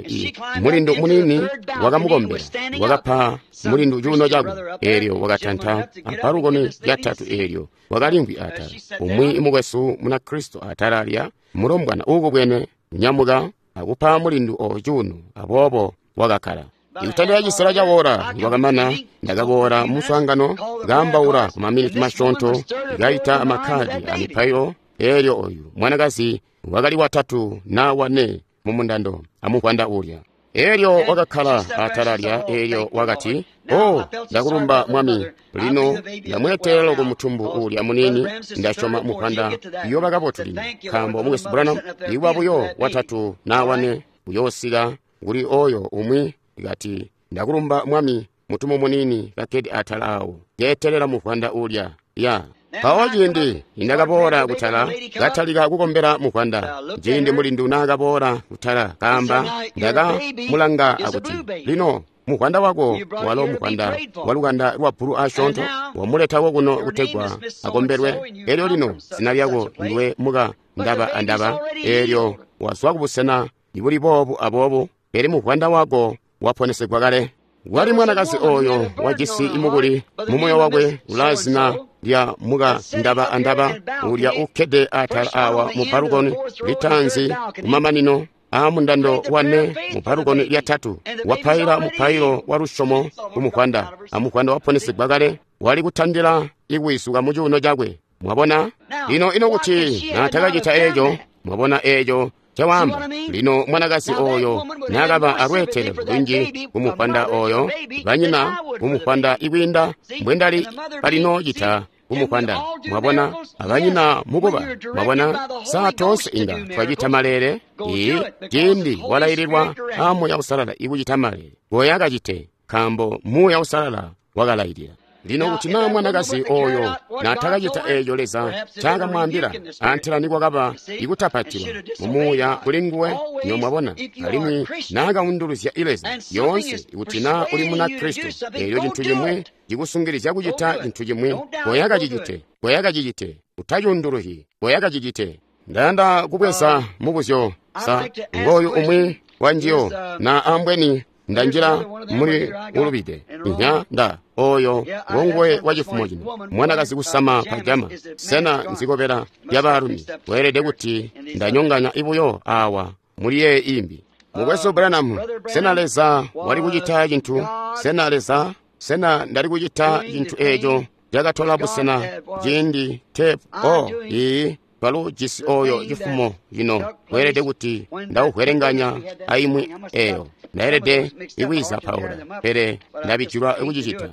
mulindu munini wakamukombela, wakapa mulindu cuuno cakwe. Elyo wakatanta abalukoni lyatatu. Elyo wakalimvwi atala. Umwi mukwesu Munakristo atala lya mulombwana uukubwene nyamuka akupa mulindu oyo cuuno. Aboobo wakakkala. Ikutandila cisela ca woola niwakamana, ndakaboola muswaangano kaambaula ku maminiti masyoonto, kaita amakkadi a mipailo. Elyo oyu mwanakazi wakali watatu na wane mu mundando amuvwanda ulya. Elyo wakakkala atala lya. Elyo wakati, o, ndakulumba Mwami, lino ndamweetelela loko mutumbu ulya munini. Ndasyoma muvwanda uyooba kabotu lino, nkaambo Mukwesu Branham iwa buyo watatu na wane uyoosika kuli oyo umwi. Kati, ndakulumba Mwami, mutumbu munini kakkede atala awo keetelela muvwanda ulya. Ya mpawo ciindi nindakaboola kutala katalika kukombela muvwanda, ciindi mulindu naakaboola kutala kaamba, ndakamulanga akuti, lino muvwanda wako walo muvwanda wa lukanda lwa bulu asyoonto, wamuletako kuno kutegwa akombelwe. Elyo lino zina lyako ndiwe muka ndaba andaba. Elyo wazwa kubusena ibuli boobu aboobu, pele muvwanda wako waponesegwa kale. Wali mwanakazi oyo wajisi imukuli mumoyo wakwe ulazina lya muka ndaba andaba ulya ukkede atala awa mu balukoni litanzi kumamanino a mundando wane mu balukoni lyatatu, wapaila mupailo wa lusyomo kumuvwanda, amuvwanda waponesegwa kale, wali kutandila ikuwisuka mu cuuno cakwe. Mwabona? Lino ino kuti naatakacita eeco, mwabona eeco cawamba. Lino mwanakazi oyo nakaba alweetelelo lunji kumuvwanda oyo, banyina kumuvwanda ikwiinda mbwendali balino cita kumuvwanda. Mwabona, abanyina mukuba. Mwabona, saa toonse inga twacita malele. Ii, ciindi walaililwa a Muuya Uusalala ikucita malele, goya kacite, nkaambo Muuya Uusalala wakalailila. Lino kuti naa mwanakazi oyo naatakacita eeco Leza ncakamwaambila, antela nikwakaba ikutapatilwa mumuuya kuli nguwe. Nyo mwabona, alimwi naakaunduluzya Leza yoonse. Kuti naa uli Munakristo, eelyo cintu cimwi cikusungilizya kucita cintu cimwi, goya kacicite, goya kacicite, utacuunduluhi, goya kacicite. Ndayanda kubweza mubuzyo sa ngooyu umwi wanjiyo, na ambweni ndanjila muli ulubide. Inya nda oyo ngonguwe wa cifumo cino, mwanakazi kusama pajama. Sena nzikobela lya baalumi? Weelede kuti ndanyonganya ibuyo awa muli yee imbi. Mukwesu Branham, sena Leza wali kucita cintu? Sena Leza, sena ndali kucita cintu eeco cakatola busena ciindi tepu? O ii, twalu jisi oyo cifumo cino. Weelede kuti ndauhwelenganya aimwi eyo. Ndaelede ikwiza Paula, pele ndabijilwa kucicita.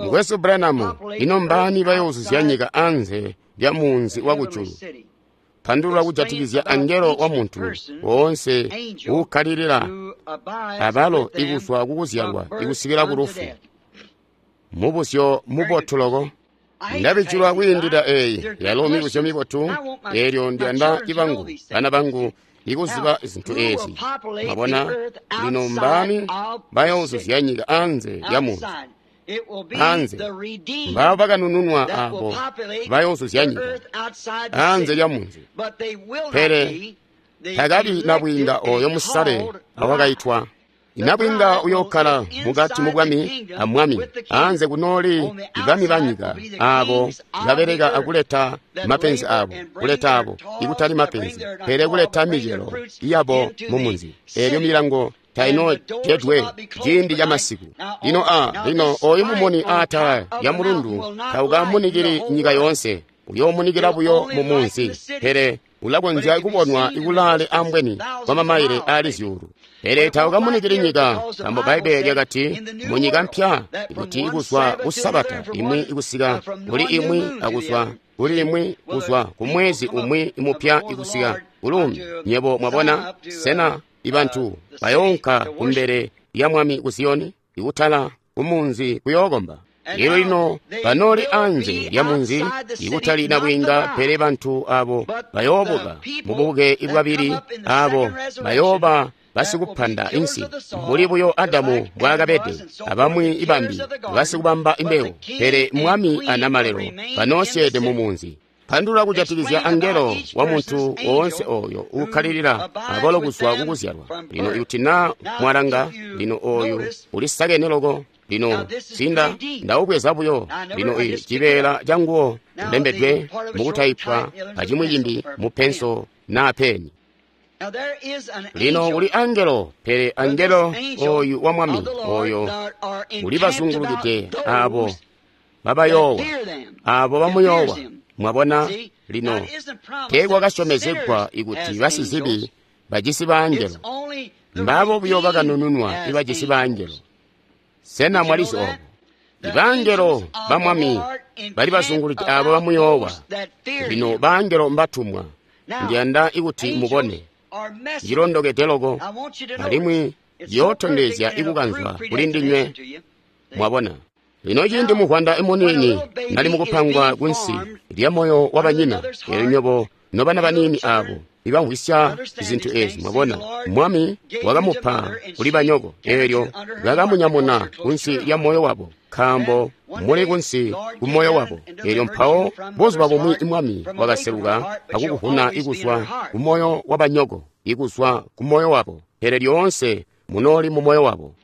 Mukwesu Branham, ino mbaani bayoozuzya nyika anze lya munzi wa kujulu? Pandulula kujatikizya angelo wa muntu woonse uukkalilila abalo ikuzwa kukuzyalwa ikusikila ku lufu. Mubuzyo mubotu loko. Ndabijulwa kwiindila eyi yalo mibuzyo mibotu, eelyo ndiyanda ibangu bana bangu ikuziba zintu ezi. Mwabona, lino mbaani bayoozuzya nyika anze lya munzi? Anze mbabo bakanununwa abo bayoozuzya nyika anze lya munzi. Pele takabi nabwiinga oyo musale awakaitwa. Nabwiinga uyookkala mukati mu bwami amwami, anze kunooli bami banyika abo babeleka akuleta mapenzi abo, kuleta abo ikutali mapenzi, pele kuleta micelo yabo mu munzi. Eelyo milango tainojedwe ciindi ca masiku. Lino a lino oyu mumuni aatala lya mulundu taukamunikili nyika yoonse, uyoomunikila buyo mu munzi, pele ulakonzya kubonwa ikulaale ambweni kwa mamaile ali zyuulu. Pele taukamunikili nyika, nkaambo Bbaibbele lyakati mu nyika mpya ikuti ikuzwa ku Sabata imwi ikusika kuli imwi, akuzwa kuli imwi kuzwa ku mwezi umwi mupya ikusika kulumbi. Nyebo mwabona, sena ibantu bayoonka kumbele lya Mwami ku Ziyoni ikutala kumunzi kuyookomba? Lino lino banooli anze lya munzi ikutali nabwiinga, pele bantu abo bayoobuka mububuke bwabili, abo bayooba basikupanda insi mbuli buyo Adamu mbwaakabede, abamwi ibambi basikubamba imbewu, pele Mwami anamalelo banoosyeede mu munzi. Pandulula kujatikizya angelo wa muntu woonse oyo uukkalilila abalo kuzwa kukuzyalwa. Lino ikuti naa mwalanga, lino oyu ulisakene loko. Lino sinda ndaubweza buyo. Lino i cibeela canguwo ulembedwe mukutaipwa acimwi cimbi mu penso naa peni. Lino kuli angelo, pele angelo oyu wa Mwami oyo ulibazungulukide abo babayoowa, abo bamuyoowa. Mwabona, lino teekwakasyomezegwa ikuti basizibi bajisi baangelo. Mbabo buyo bakanununwa ibajisi baangelo. Sena mwalizi obo? Ibaangelo ba Mwami bali bazungulukide abo bamuyoowa. Lino baangelo mbatumwa. Ndiyanda ikuti mubone cilondokede loko, alimwi ciyootondezya ikukanzwa kuli ndinywe. Mwabona, lino ciindi muvwanda muniini nali mukupangwa kunsi lya moyo wa banyina, eelyo nywebo nobana baniini abo ibamvwisya zintu ezi, mwabona, Mwami wakamupa kuli banyoko, eelyo bakamunyamuna kunsi lya moyo wabo, nkaambo muli kunsi ku moyo wabo. Eelyo mpawo buzuba bumwi Mwami wakaseluka akukuvuna ikuzwa ku moyo wa banyoko, ikuzwa ku moyo wabo, pele lyoonse munooli mu moyo wabo.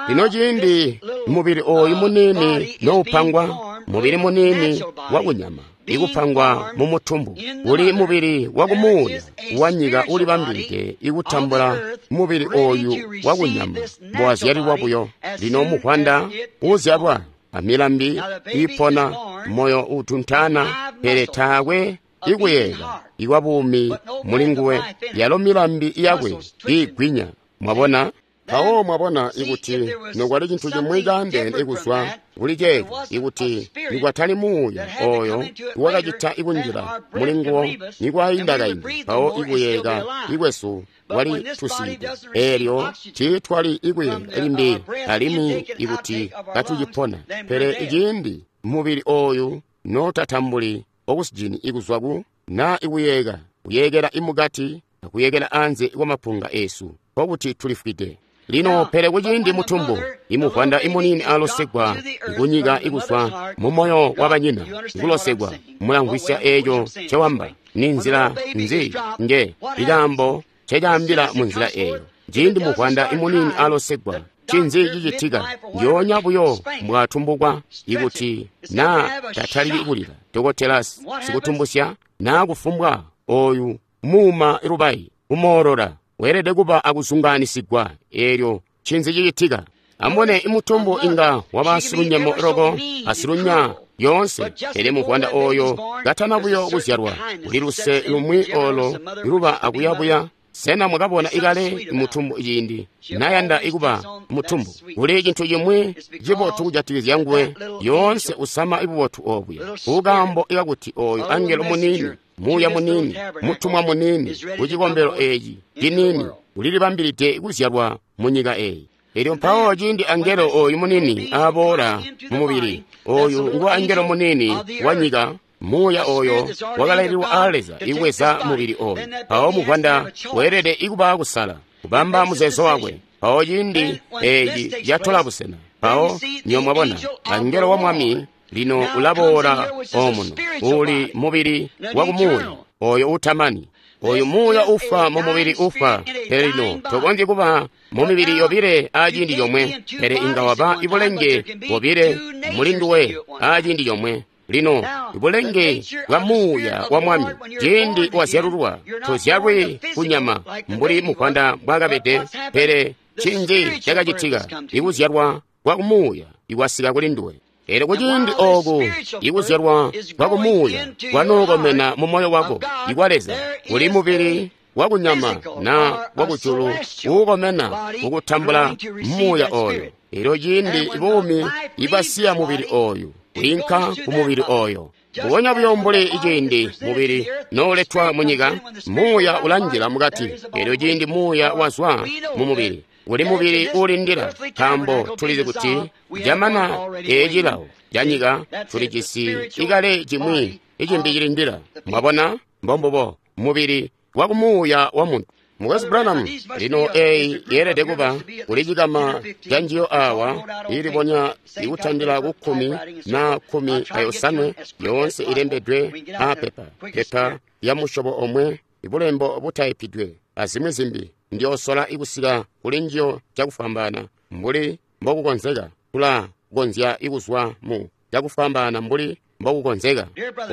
Lino ciindi mubili oyu muniini noupangwa, mubili muniini wakunyama ikupangwa mu mutumbu, uli mubili wakumuuya wanyika ulibambilide ikutambula mubili oyu wakunyama mbowazyalilwa buyo. Lino muvwanda uzyalwa amilambi iipona, moyo utuntaana, pele taakwe ikuyeeka ikwa buumi muli nguwe, yalo milambi yakwe iigwinya. Mwabona? Mpawo mwabona ikuti nokwali cintu cimwi caandeene ikuzwa kuli ceeco, ikuti nikwatali muuya oyo iwakacita ikunjila muli nguwo nikwainda kaindi, mpawo ikuyeeka ikwesu kwali tusiide, eelyo tiitwali ikuyeeka limbi alimwi ikuti katucipona. Pele iciindi mubili oyu notatambuli okusijini ikuzwa ku naa ikuyeeka, kuyeekela imukati akuyekela anze kwamapunga esu, nkokuti tulifwide. Lino pele kuciindi mutumbu imuvwanda imuniini alosegwa ikunyika ikuzwa mu moyo wa banyina, ikulosegwa, mulamvwisya eeco ncewamba. Ni nzila nzi nge ikaambo ncecaambila mu nzila eeyo? Ciindi muvwanda imuniini alosegwa, ncinzi cicitika? Ndyoonya buyo mbwatumbukwa, ikuti naa tataliki kulila, dokotela sikutumbusya naa kufumbwa oyu muuma lubayi kumoolola weelede kuba akuzungaanisigwa. Eelyo ncinzi cicitika? Amubone, imutumbu inga waba silunyemo loko asilunya yoonse, pele muvwanda oyo katana buyo kuzyalwa, kuli luse lumwi olo luba akuyabuya. Sena mwakabona ikale mutumbu ciindi nayanda ikuba mutumbu? Kuli cintu cimwi cibotu kujatikizya nguwe, yoonse usama ibubotu obuya, kukaambo ikakuti oyo angelo muniini, muuya muniini, mutumwa muniini kucikombelo eeci ciniini ulilibambilide kuzyalwa mu nyika eyi. Elyo mpawo ciindi angelo oyu munini aboola mu mubili, oyu ngu angelo munini wa nyika, muuya oyo wakalaililwa aa Leza ibweza mubili oyu. Mpawo muvwanda weelede ikuba kusala, kubamba muzeezo wakwe. Mpawo ciindi eci catola busena. Mpawo nyo mwabona, angelo wa Mwami lino ulaboola omuno, uli mubili wa kumuuya, oyo utamani. Oyu muuya ufwa mu mubili ufwa, pele lino tokonzyi kuba mu mibili yobile aciindi comwe, pele inga waba ibulenge bobile muli nduwe aciindi comwe. Lino ibulenge bwa muuya wa Mwami, ciindi wazyalulwa, tozyalwi kunyama mbuli muvwanda mbwaakabede, pele cinji cakacitika, ikuzyalwa kwa kumuuya ikwasika kuli nduwe. Elyo kuciindi ooku ikuzyalwa kwa kumuuya kwanookomena mu moyo wako ikwa Leza, uli mubili wakunyama na wakujulu uukomena kukutambula muuya oyo. Elyo ciindi buumi ibwasiya mubili oyu, bwiinka ku mubili oyo. Mbubonya buyo mbuli ciindi mubili nooletwa munyika, muuya ulanjila mukati. Elyo ciindi muuya wazwa mu mubili, uli mubili uulindila, nkaambo tulizi kuti jamana ecilawo canyika tulijisi ikale cimwi icimbi cilindila. Mwabona, mbombubo mubili wa kumuuya wa muntu. Mukwesu Branham, lino eyi yeelede kuba kuli cikama ca njiyo awa ilibonya ikutandila ku kkumi na kkumi ayosanwe, yoonse ilembedwe aapepa, pepa ya musyobo omwe, ibulembo butaipidwe, azimwi zimbi. Ndiyoosola ikusika kuli njiyo cakufwambaana mbuli mbokukonzeka. Tulakonzya ikuzwa mu cakufwambaana mbuli mbokukonzeka.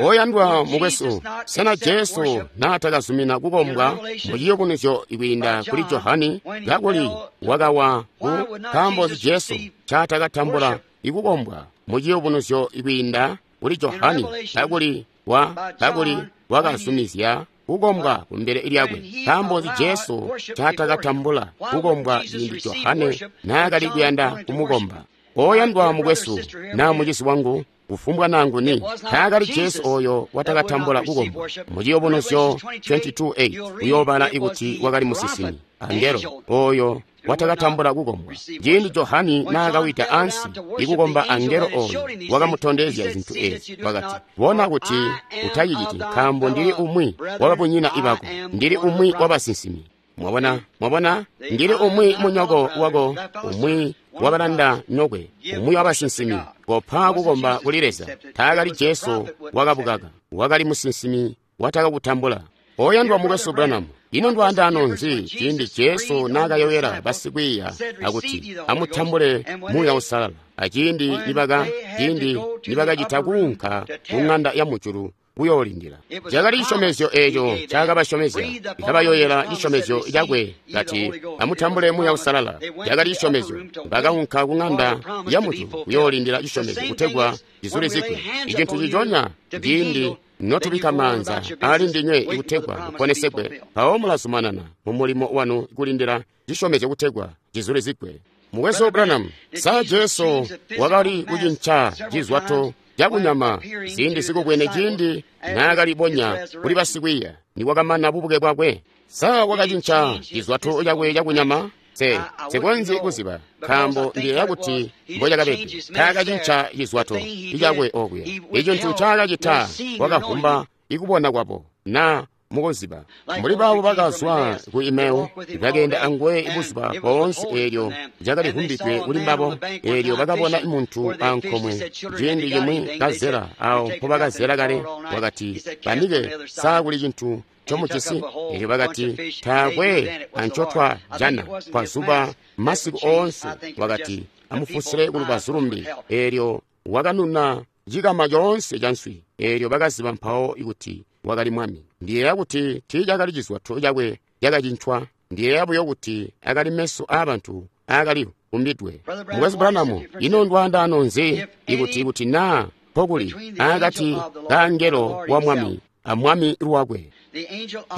Oyandwa mukwesu, sena Jesu naatakazumina kukombwa mu ciyubunuzyo kwiinda kuli Johani, kakuli wakawa ku nkaambo nzi Jesu ncaatakatambula ikukombwa mu ciyubunuzyo kwiinda kuli Johani, kakuli wa kakuli wakazumizya kukombwa kumbele lyakwe? Nkaambo nzi Jesu ncaatakatambula kukombwa ciindi Johane naakali kuyanda kumukomba? Oyandwa mukwesu naa mucizi wangu, kufumbwa nanguni, taakali Jesu oyo watakatambula kukombwa. Mu ciyubunuzyo twenty-two eight uyoobala ikuti wakali musinsimi, angelo oyo watakatambula kukombwa. Ciindi Johani naakawida ansi ikukomba angelo oyo wakamutondezya zintu ezi, wakati, bona kuti utaciciti, nkaambo ndili umwi wababunyina ibako, ndili umwi wabasinsimi. Mwabona, mwabona, ndili umwi munyoko wako, umwi wabalanda nyokwe, umwi wabasinsimi. Kopa kukomba kuli Leza. Taakali Jesu wakabukaka, wakali musinsimi watakakutambula. Oyandwa mukwesu Branham, ino ndwaandaano nzi ciindi Jesu naakayoyela basikwiiya akuti amutambule Muuya Uusalala, aciindi nibaka ciindi nibakacita kuunka ku ng'anda ya mujulu kuyoolindila? Cakali cisyomezyo eeco ncaakabasyomezya, ikabayoyela cisyomezyo cakwe kati amutambule Muuya Uusalala. Cakali cisyomezyo. Bakaunka ku ng'anda ya mujulu kuyoolindila cisyomezyo kutegwa cizulizigwe. Icintu ciconya ciindi notubika maanza ali ndinywe ikutegwa muponesegwe, mpawo mulazumanana mu mulimo wanu kulindila cisyomezyo kutegwa cizulizigwe. Mukwesu Branham, sa Jesu wakali kucinca cizwato cakunyama ziindi zikubwene ciindi naakalibonya kuli basikwiiya nikwakamana bubuke bwakwe? Sa wakacinca cizwato cakwe cakunyama? Se sikonzyi kuziba, nkaambo ndiyeeya kuti mbocakabede. Taakacinca cizwato cakwe okuya. Icintu ncaakacita wakavumba ikubona kwabo na mukuziba. Mbuli baabo bakazwa ku Imeu, bakeenda anguwe buzuba boonse, eelyo cakalivumbidwe kuli mbabo. Eelyo bakabona muntu ankomwe ciindi cimwi kazela awo mpobakazela kale. Wakati, banike, sa kuli cintu ncomujisi? Eelyo bakati, taakwe ancotwajana twazuba masiku oonse. Wakati, amufusile kulubazu lumbi. Eelyo wakanuna cikama coonse ca nswi. Eelyo bakaziba mpawo kuti wakali Mwami. Ndiyeeya kuti tiicakali cizwato cakwe cakacincwa. Ndiyeeya buyo kuti akali meso aabantu aakali vumbidwe. Mukwesu Branham, ino ndwaandaano nzi ikuti kuti naa mpokuli akati kaangelo wa Mwami a Mwami lwakwe?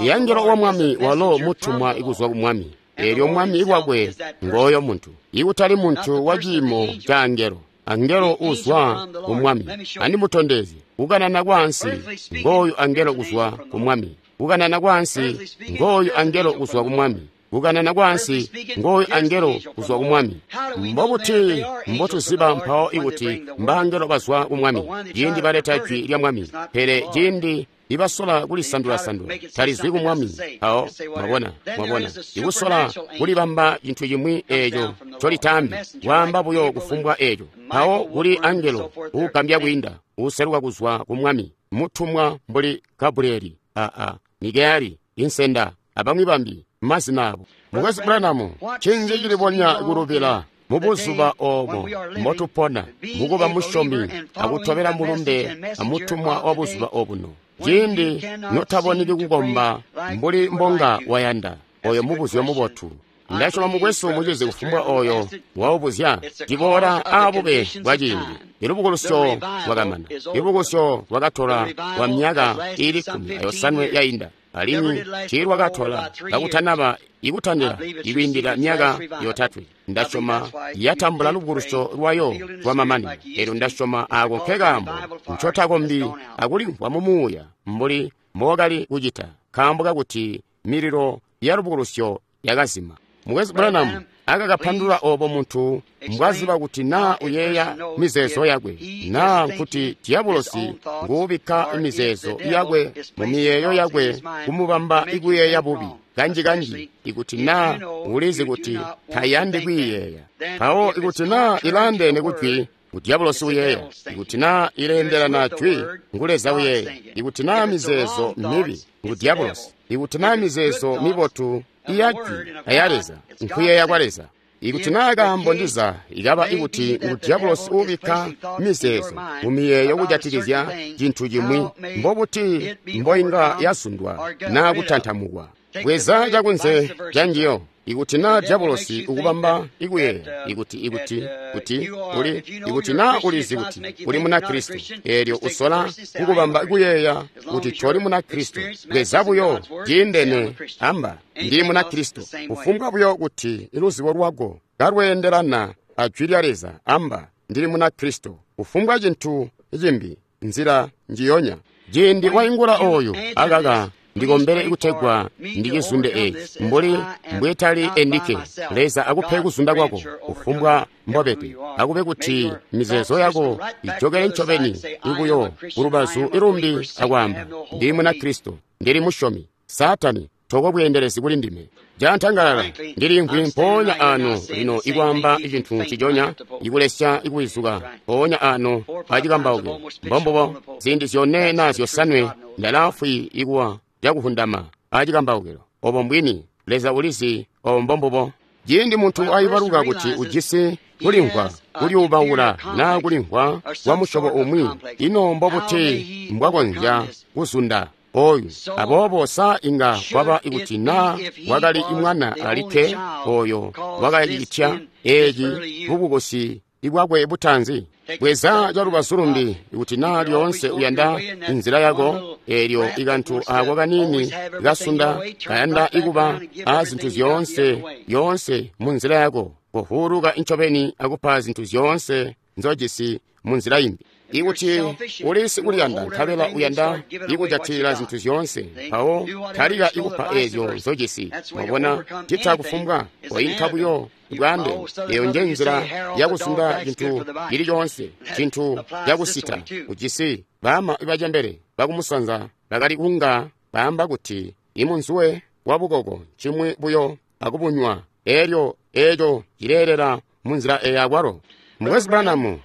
Iangelo wa Mwami walo mutumwa ikuzwa ku Mwami. Eelyo Mwami lwakwe ngooyo muntu, ikutali muntu wa ciimo ca angelo. Angelo uzwa ku Mwami. Andimutondezye kukanana kwaansi, ngooyu angelo kuzwa ku Mwami. Kukanana kwaansi, ngooyu angelo kuzwa ku Mwami. Kukanana kwaansi ngooyu angelo kuzwa ku Mwami. Mbobuti mbotuziba mpawo ikuti mbangelo bazwa ku Mwami ciindi baleta jwi lya Mwami, pele ciindi ibasola kulisandula-sandula talizwi ku Mwami. Mpawo mwabona, mwabona, ikusola kulibamba cintu cimwi eeco ncolitaambi, waamba buyo kufumbwa eeco. Mpawo kuli angelo uugambya kwiinda uuseluka kuzwa ku Mwami, mutumwa mbuli Gabrieli, aa Mikayeli, insenda, abamwi bambi mazina abo. Mukwesu Branham, ncinzi cilibonya kulubila mubuzuba oobo mbotupona mukuba musyomi akutobela mulumbe amutumwa wa buzuba obuno, ciindi notaboneki kukomba mbuli mbonga wayanda? Oyo mubuzyo mubotu. Ndasyoma mukwesu mucizi kufumbwa oyo waubuzya ciboola aabube bwa ciindi. Ilubukulusyo lwakamana. Ilubukulusyo lwakatola kwa myaka iili kkumi ayosanwe yainda, alimwi tiilwakatola kakutanaba ikutandila ikwiindila myaka yotatwe. Ndasyoma yatambula lubukulusyo lwayo lwamamanino. Elyo ndasyoma aako nkekaambo ncotakombi akulimvwa mumuuya mbuli mbowakali kucita, nkaambo kakuti mililo ya lubukulusyo yakazima. Mukwesu Branham akakapandulula oobo muntu mbwaziba kuti naa uyeeya mizeezo yakwe, naa nkuti diabolosi nguubikka mizeezo yakwe mu miyeeyo yakwe kumubamba ikuyeeya bubi kanji-kanji, ikuti naa ulizi kuti tayandi kwiiyeeya. Mpawo ikuti naa ilaandeene kujwi, ngu diabolosi uyeeya. Ikuti naa ileendelana jwi, ngu Leza uyeeya. Ikuti naa mizeezo mibi, ngu diabolosi. Ikuti naa mizeezo mibotu iyajwi aya Leza, nkuyeeya kwa Leza. Ikuti naa kaambo ndiza ikaba ikuti ngu diabolosi uubikka mizeezo mumiyeeyo kujatikizya cintu cimwi, mbobuti mboinga yazundwa naa kutantamukwa? Bweza cakunze canjiyo. Ikuti naa diabolosi ukubamba ikuyeeya ikuti ikuti kuti uli ikuti naa ulizi kuti uli Munakristo, eelyo usola kukubamba kuyeeya kuti toli Munakristo, bweza buyo ciindene, amba ndi Munakristo. Kufumbwa buyo kuti luzibo lwako kalweendelana a jwi lya Leza, amba ndili Munakristo. Kufumbwa cintu cimbi, nzila njiyonya. Ciindi waingula oyu, akaka ndikombele kutegwa ndicizunde eeci mbuli mbwetali endike. Leza akupe kuzunda kwako kufumbwa mbobede, akube kuti mizeezo yako ijokele ncobeni ikuyo kulubazu ilumbi akwaamba ndili Munakristo, ndili musyomi. Saatani toko bweendelezi kuli ndime. Jantangalala ndilimvwi mpoonya ano lino ikwaamba cintu nciconya, ikulesya ikuwizuka mpoonya ano acikambauko. Mbombubo, ziindi zyone naa zyosanwe ndalaafwi ikuwa cakuhundama acikambaukilo. Obo mbwini, Leza ulizi obo mbombubo. Ciindi muntu aibaluka kuti ujisi kulimvwa kulyuubaula naa kulimvwa kwa musyobo umwi, ino mbobuti mbwakonzya kuzunda oyu? Aboobo sa inga kwaba ikuti naa wakali mwana alikke oyo wakacitya eeci bubukusi ibwakwe butaanzi? Bweza calubazu lumbi, ikuti naa lyoonse uyanda inzila yako, eelyo ikantu aako kaniini kasunda kayanda ikuba a zintu zyoonse yoonse munzila yako, kuvuuluka ncobeni akupa zintu zyoonse nzojisi munzila imbi. Ikuti uli sikuliyanda nkabela uyanda ikujatilila zintu zyoonse, mpawo talika ikupa eezyo nzojisi. Mwabona, cita kufumbwa koinka buyo bwaambe. Eyo nje nzila yakuzunda cintu cili coonse, cintu cakusita. Ujisi baama bacembele bakumusanza bakali kunga baamba kuti imunzuwe wabukoko ncimwi buyo akubunywa, elyo eeco cileelela munzila eya akwalo. Mukwesu Branham,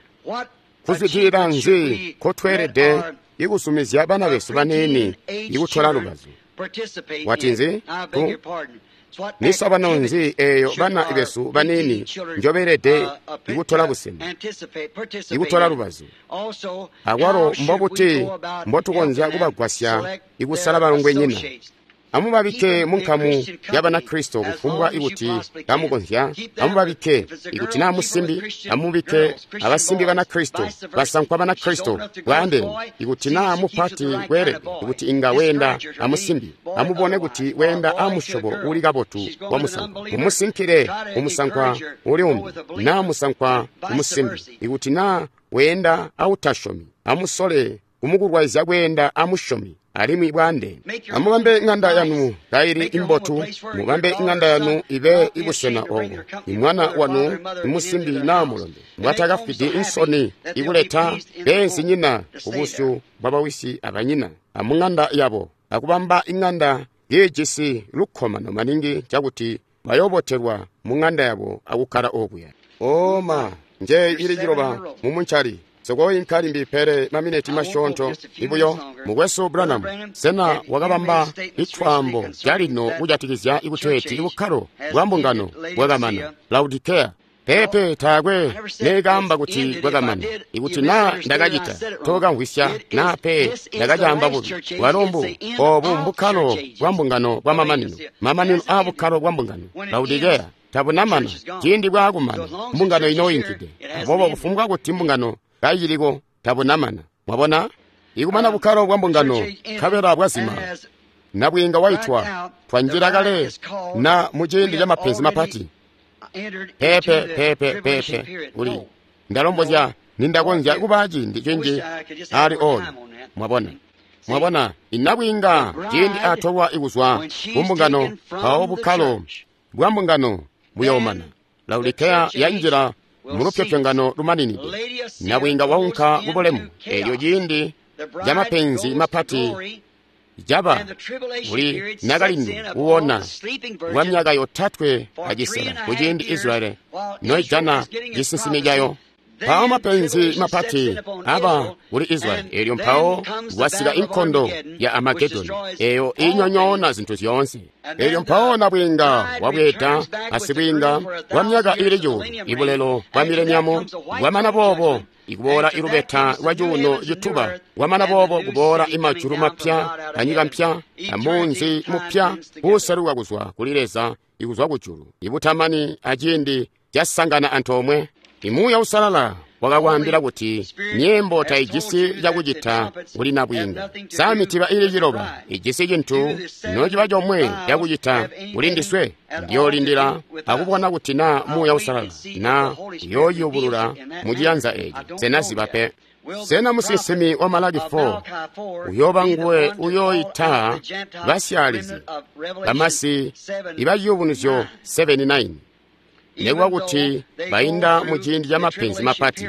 kuzwidilila nzi nkotweelede ikusumizya bana besu baniini ikutola lubazu? Watinzi? Misobano nzi eeyo bana besu baniini njobeelede ikutola busena, ikutola lubazu? Akwalo mbobuti mbotukonzya kubagwasya ikusala balongwenyina? Amubabike munkamu ya Banakristo kufumbwa ikuti kamukonzya. Amubabike ikuti naa musimbi, amubike abasimbi Banakristo, basankwa Banakristo bwaandeene. Ikuti naa mupati kweelede ikuti inga weenda amusimbi, amubone kuti weenda amusyobo uli kabotu wa musankwa. Mumusinkile umusankwa uli umbi naa musankwa umusimbi. Ikuti naa weenda autasyomi, amusole kumukulwaizya kweenda amusyomi alimwi bwaandeene. Amubambe ng'anda yanu kaili imbotu, mubambe ng'anda yanu ibe ibusena obo imwana wanu imusimbi naa mulombe mbwatakafwidi insoni ikuleta beenzinyina kubusyu bwabawisi abanyina amung'anda yabo, akubamba ing'anda iijisi lukkomano maningi cakuti bayobotelwa mung'anda yabo akukkala okuya. Oma nje ili ciloba mumuncali sikoyinka limbi pele mamineti masyoonto ibuyo. Mukwesu Branham, sena wakabamba itwaambo calino kujatikizya ikuteeti ibukkalo bwa mbungano bwakamana Laodikea? Peepe, taakwe neekaamba kuti bwakamana. Ikuti naa ndakacita, tookamvwisya naa pe ndakacaamba bubi. Bwalo mbu oobu mbukkalo bwa mbungano bwa mamanino, mamanino aa bukkalo bwa mbungano Laodikea tabunamana. Ciindi bwaakumana, mbungano inooyinkide. Aboobo kufumbwa kuti mbungano kaiciliko, tabunamana. Mwabona? Ikumana bukkalo bwa mbungano nkabela bwazima, nabwiinga waitwa, twanjila kale na muciindi ca mapenzi mapati. Peepe, peepe, peepe, uli ndalombozya nindakonzya kuba ciindi cinji ali oyo. Mwabona? Mwabona, inabwiinga ciindi atolwa ikuzwa kumbungano, mpawo bukkalo bwa mbungano buyoomana. Laodikea yanjila mulupyopyongano lumaninide. Nabwiinga waunka kubulemu. Eelyo ciindi ca mapenzi mapati caba kuli nakalindu uwona kwa myaka yotatwe acisela kuciindi Israeli noijana cisinsimi cayo. Mpawo mapenzi mapati aba kuli Israeli. Eelyo mpawo kwasika inkondo ya Amagedoni eyo inyonyoona zintu zyoonse. Eelyo mpawo nabwiinga wabweeda asibwiinga kwa myaka ili cuulu, ibulelo bwa mileniamu bwamana boobo ikuboola ilubeta lwa cuuno cituba, kwamana boobo kuboola imajulu mapya anyika mpya amunzi mupya uuseluka kuzwa kuli Leza ikuzwa kujulu, ibutamani aciindi casangana antoomwe. Imuuya Usalala wakakwaambila kuti nyimbo taijisi cakucita kuli nabwiinga. Sa mitiba ili ciloba ijisi cintu nociba comwe cakucita kuli ndiswe? Ndiyoolindila akubona kuti naa Muuya Usalala na uyooyubulula muciyanza eeci. Sena ziba pe. Sena musinsimi wa Malaki four uyooba nguwe uyooita basyaalizi bamasi ibaciyubunuzyo seven nine, nekuba kuti bainda muciindi ca mapenzi mapati?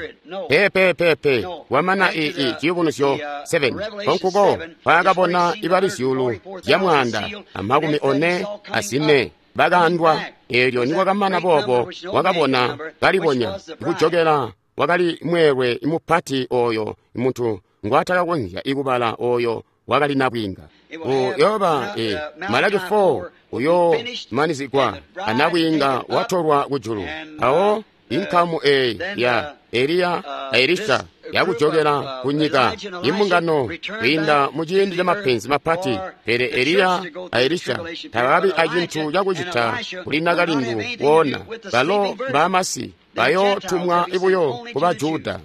Peepe, peepe, kwamana ii ciyubunuzyo seven konkuko mpaakabona ibali zyuulu zya mwaanda amakumi one azine bakaandwa. Eelyo nikwakamana boobo wakabona kalibonya kujokela wakali mweelwe mupati oyo muntu ngwaatakakonzya ikubala, oyo wakali nabwiinga. Uyooba e Malaki four uyoomanizigwa anabwiinga watolwa kujulu. Mpawo inkamu eyi ya Eliya a Elisha yakujokela kunyika imbungano kwiinda muciindi ca mapenzi mapati. Pele Eliya a Elisha tababi acintu cakucita kuli nakalindu woona. Balo mbamasi bayootumwa ibuyo kuba Juda.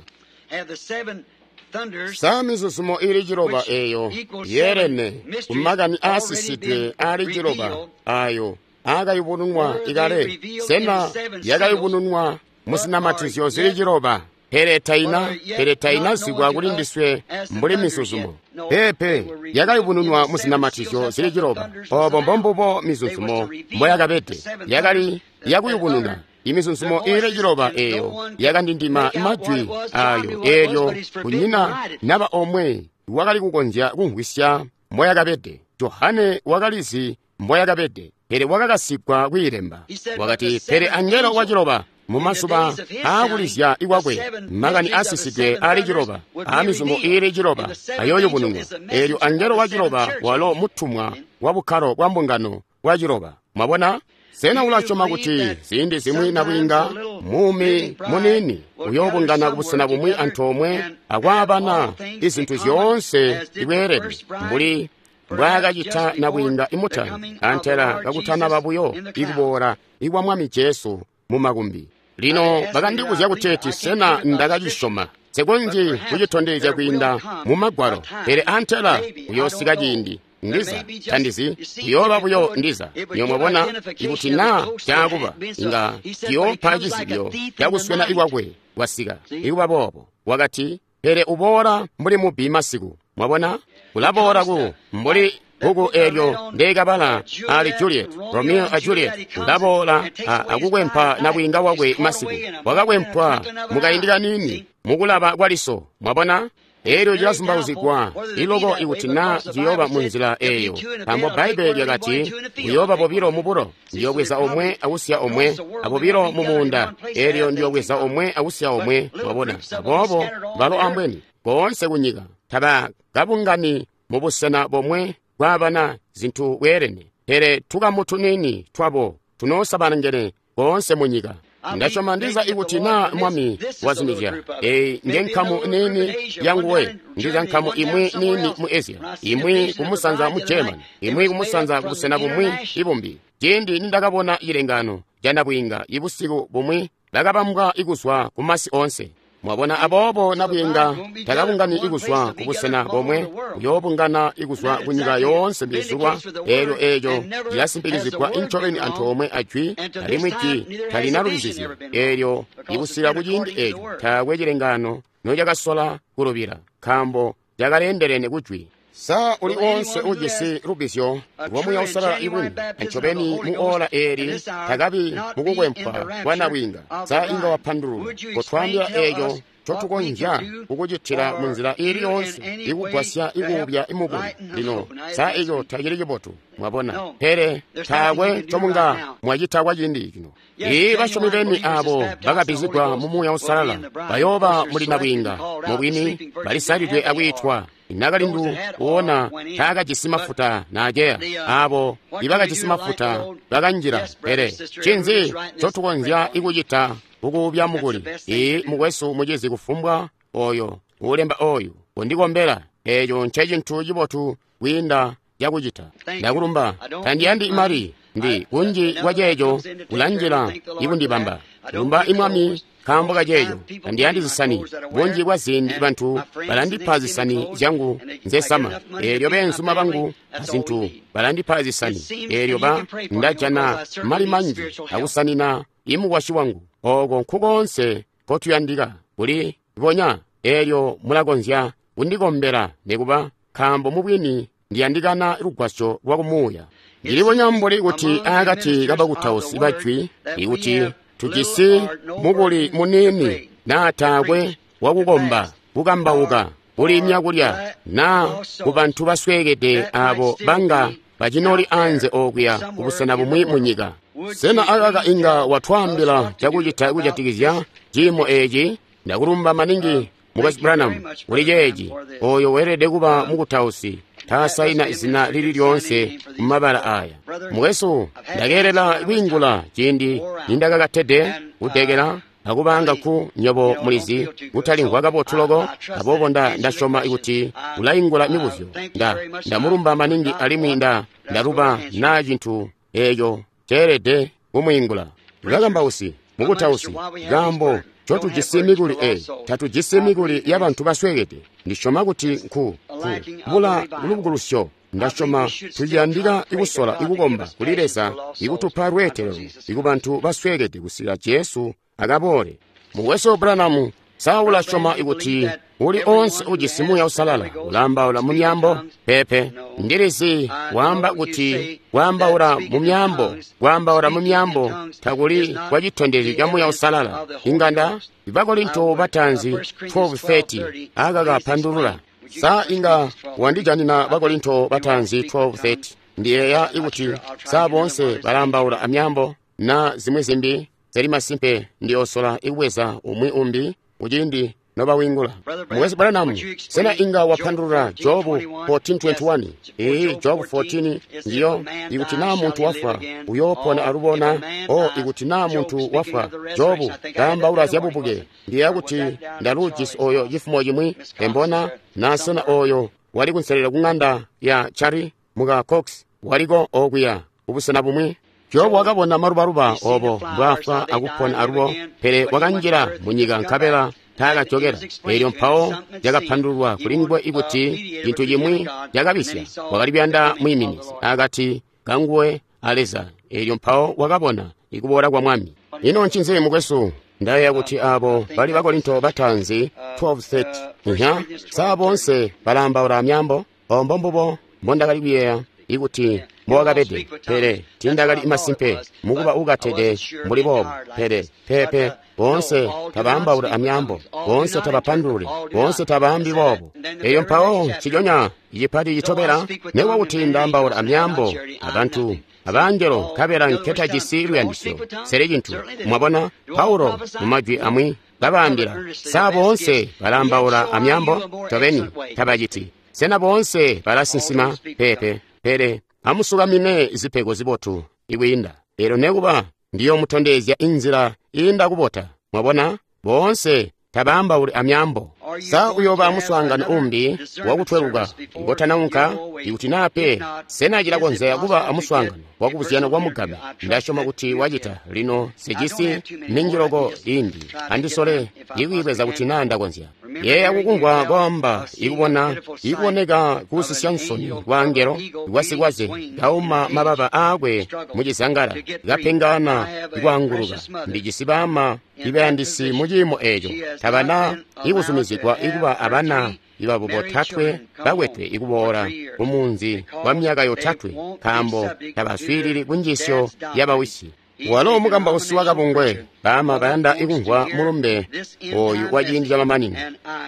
Sa mizuzumo ili ciloba eyo yeelene kumakani aasisidwe aali ciloba ayo aakayubununwa ikale? Sena yakayubununwa muzinamatizyo zili ciloba? Pele taina, pele tainazibwa kuli ndiswe mbuli mizuzumo. Peepe, yakayubununwa muzinamatizyo zili ciloba. Obo mbombubo mizuzumo mboyakabede, yakali yakuyubununa imizuzumo ili ciloba eyo yakandindima majwi ayo. Eelyo kunyina naba omwe wakali kukonzya kumvwisya mboyakabede. Johane wakalizi mboyakabede, pele wakakasigwa kwiilemba. Wakati, pele angelo wa ciloba mumazuba aakulizya ikwakwe makani aasisidwe aali ciloba aamizumo iili ciloba ayooyubununwa. Eelyo angelo wa ciloba walo mutumwa wa bukkalo bwa mbungano bwa ciloba. Mwabona? Sena ulasyoma kuti ziindi zimwi nabwiinga muumi muniini uyoobungana kubusena bumwi antoomwe akwaabana izintu zyoonse ibweelede mbuli mbwaakacita nabwiinga imutali antela kakutanaba buyo ikuboola ikwa Mwami Jesu mumakumbi? Lino bakandibuzya kuteeti sena ndakacisyoma. Nsikonzyi kucitondezya kwiinda mu Magwalo, pele antela kuyoosika ciindi ndiza tandizi kuyooba buyo ndiza. Niyo mwabona, ikuti naa caakuba inga ciyoopa cizibyo cakuswena ikwakwe kwasika ikuba boobo. Wakati, pele uboola mbuli mubbi masiku. Mwabona? Kulaboola ku mbuli bbuku eelyo ndeekabala ali Juliet, Romeo a Juliet, ulaboola akukwempa nabwiinga wakwe masiku. Wakakwempwa mukaindi kaniini mukulaba kwaliso. Mwabona? Eelyo cilazumbauzigwa iloko ikuti naa ciyooba munzila eeyo, nkaambo Bbaibbele lyakati kuyooba bobilo mubulo, ndiyobweza omwe akusiya omwe, abobilo mumuunda, eelyo ndiyobweza omwe akusiya omwe. Mwabona? Aboobo balo ambweni koonse kunyika tabakabungani mubusena bomwe bwabana zintu bweelene, pele tukamu tuniini twabo tunoosabalangene koonse munyika. Ndasyoma ndiza ikuti naa Mwami wazumizya, eyi nge nkamu niini yanguwe, ndiza nkamu imwi niini mu Asia, imwi kumusanza mu Germany, imwi kumusanza kubusena bumwi ibumbi. Ciindi nindakabona cilengano ca nabwiinga ibusiku bumwi, bakabambwa ikuzwa kumasi oonse. Mwabona? Aboobo nabwiinga takabungani ikuzwa kubusena bomwe, uyoobungana ikuzwa kunyika yoonse mbizulwa. Eelyo eeco cilasimpikizigwa incobeni antoomwe ajwi, alimwi jwi talina lubizizyo. Eelyo ikusika kuciindi eeco taakwe cilengano nocakasola kulubila, nkaambo cakaleendelene kujwi. Sa uli onse ujisi lubizyo lwa Muuya Uusalala ibwini ncobeni mu ola eeli takabi mukukwempwa kwa nabwiinga? Sa inga wapandulula kotwaambila eeco ncotukonzya kukucitila munzila iili yoonse ikugwasya ikuubya imukuli? Lino sa eco tacili cibotu? Mwabona? Pele taakwe ncomunga mwacita kwa ciindi cino. Ii basyomi beni abo bakabbizigwa mu Muuya Uusalala bayooba muli nabwiinga, mubwini balisalidwe akwiitwa. Nakalindu uona taakajisi mafuta naaceya, abo ibakajisi mafuta bakanjila. Pele ncinzi ncotukonzya ikucita kukuubya mukuli? Ii mukwesu, mucizi, kufumbwa oyo ulemba oyu undikombela, eeco ncecintu cibotu kwiinda cakucita. Ndakulumba. Tandiyandi mali, ndi kunji kwa ceeco kulanjila ikundibamba. Lumba imwami nkaambo kaceeco. Tandiyandi zisani. Bunji bwa ziindi bantu balandipa zisani zyangu nzesama. Eelyo beenzuma bangu azintu balandipa zisani. Eelyo ba ndajana mali manji akusanina imukwasyi wangu. Ooko nkukoonse nkotuyandika kuli bonya. Eelyo mulakonzya kundikombela nikuba, nkaambo mubwini ndiyandikana lugwasyo lwa kumuuya. Ndilibonya mbuli kuti akati kabakutausi bajwi ikuti tujisi mukuli muniini naa taakwe wakukomba, kukambauka, kulimya kulya, naa kubantu basweekede abo banga bacinoli anze okuya kubusena bumwi munyika. Sena akaka inga watwaambila cakucita kujatikizya ciimo eeci? Ndakulumba maningi Mukwesu Branham kuli ceeci. Oyo weelede kuba mukutausi taasaina zina lili lyoonse mumabala aya. Mukwesu, ndakeelela kwiingula ciindi nindakakatede kudekela akubanga ku nyobo mulizi kutalimvwa kabotu loko, aboobo nda ndasyoma kuti ulaingula mibuzyo. Nda ndamulumba maningi alimwi nda ndaluba naa cintu eeco ceelede kumwiingula. Bakambausi, mukutausi, kaambo ncotujisi mikuli eyi, tatujisi mikuli yabantu basweekede. Ndisyoma kuti nku ku bula lubukulusyo. Ndasyoma tuciyandika ikusola ikukomba kuli Leza ikutupa lweetelelo ikubantu basweekede kusikila Jesu akaboole. Mukwesu Branham, sa ulasyoma ikuti uli onse ujisi Muuya Uusalala ulaambaula mu myaambo? Peepe. Ndilizi waamba kuti kwaambaula mu myaambo, kwaambaula mu myaambo takuli kwa citondezyo ca Muuya Uusalala. Inganda Bakorinto bataanzi twelve thirty akakapandulula. Sa inga wandijanina Bakorinto bataanzi twelve thirty? Ndiyeeya ikuti sa boonse balaambaula amyaambo na zimwi zimbi zili masimpe ndiyoosola ikubweza umwi umbi kuciindi nobawingula. Mukwesu Branham, sena inga wapandulula Jobu fourteen twenty-one? Ee, Jobu fourteen ndiyo ikuti naa muntu wafwa uyoopona alubona. O ikuti naa muntu wafwa, Jobu kaambaula zyabubuke. Ndiyeeya kuti ndaluujisi oyo cifumo cimwi embona naa sena oyo wali kunselera kung'anda ya Chari muka Cox waliko okuya kubusena bumwi. Jobu wakabona malubaluba obo mbwaafwa akupona alubo, pele wakanjila munyika nkabela taakajokela. Eelyo mpawo cakapandululwa kuli nguwe ikuti cintu cimwi cakabisya, wakali kuyanda mwiiminizi akati kanguwe a Leza. Eelyo mpawo wakabona ikuboola kwa Mwami. Ino ncinzi mukwesu? Ndayeeya kuti abo bali Bakorinto bataanzi twelve thirty. Nya, sa boonse balaambaula myaambo? Obo mbombubo mbondakali kuyeeya ikuti mbowakabede, pele tiindakali masimpe mukuba ukatede mbuli boobo. Pele peepe, boonse tabaambaula amyaambo, boonse tabapandululi, boonse tabaambi boobo. Eyo mpawo nciconya icipati citobela, nekuba kuti ndaambaula amyaambo abantu abangelo nkabela nketajisi luyandisyo, sele cintu. Mwabona Paulo mu majwi amwi kabaambila, sa boonse balaambaula amyaambo? Ncobeni tabaciti. Sena boonse balasinsima? Peepe. Pele amusukamine zipego zibotu ikwiinda. Elyo nekuba ndiyomutondezya inzila iinda kubota. Mwabona, boonse tabaambauli amyaambo. Sa uyooba muswaangano umbi wakutweluka ngotanaunka? Ikuti naa pe, sena cilakonzya kuba amuswaangano wakubuzyana kwa mugame? Ndasyoma kuti wacita. Lino sijisi minji loko imbi, andisole ikwiibweza kuti naa ndakonzya. Yeeya kukumvwa kwaamba ikubona ikuboneka kuusisya nsoni kwa angelo kwasikwaze kauma mababa aakwe mucizangala kapengana ikwaanguluka. Ndijisi baama ibayandisi mu ciimo eeco, tabana ikuzumizigwa ikuba abana ibabo botatwe bakwetwe ikuboola kumunzi kwa myaka yotatwe nkaambo tabaswiilili kunjiisyo yabawisi. Walo mukambausi wakabungwe, baama bayanda ikumvwa mulumbe oyu wa ciindi camamanino.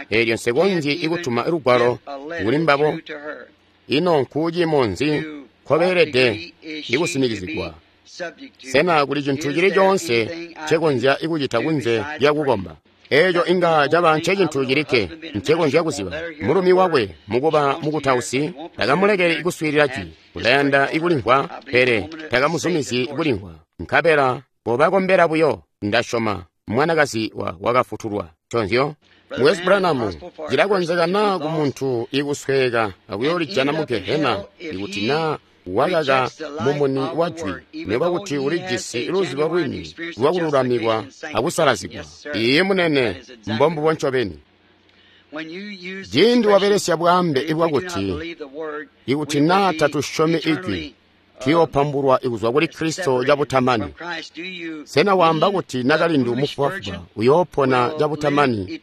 Eelyo nsekonzyi ikutuma lugwalo kuli mbabo. Ino nkuuciimo nzi nkobeelede ikusinikizigwa? Sena kuli cintu cili coonse ncekonzya ikucita kunze lyakukomba? Eeco inga caba ncecintu cilikke ncekonzya kuziba. Mulumi wakwe mukuba mukutausi takamulekeli kuswiilila jwi. Ulayanda ikulimvwa, pele takamuzumizyi kulimvwa. Nkabela bobakombela buyo, ndasyoma mwanakazi wa wakafutulwa. Nconzyo Mukwesu Branham, cilakonzeka naa kumuntu ikusweeka akuyoolijana mu Gehena ikuti naa wakaka mumuni wa jwi, nekuba kuti ulijisi luzibo lwini lwakululamikwa akusalazigwa. Iye munene, mbombubo ncobeni. Ciindi wabelesya bwaambe bwakuti ikuti naa tatusyomi ijwi, tuyoopambulwa kuzwa kuli Kristo cabutamani. Sena waamba kuti nakalindu mufubafuba uyoopona cabutamani,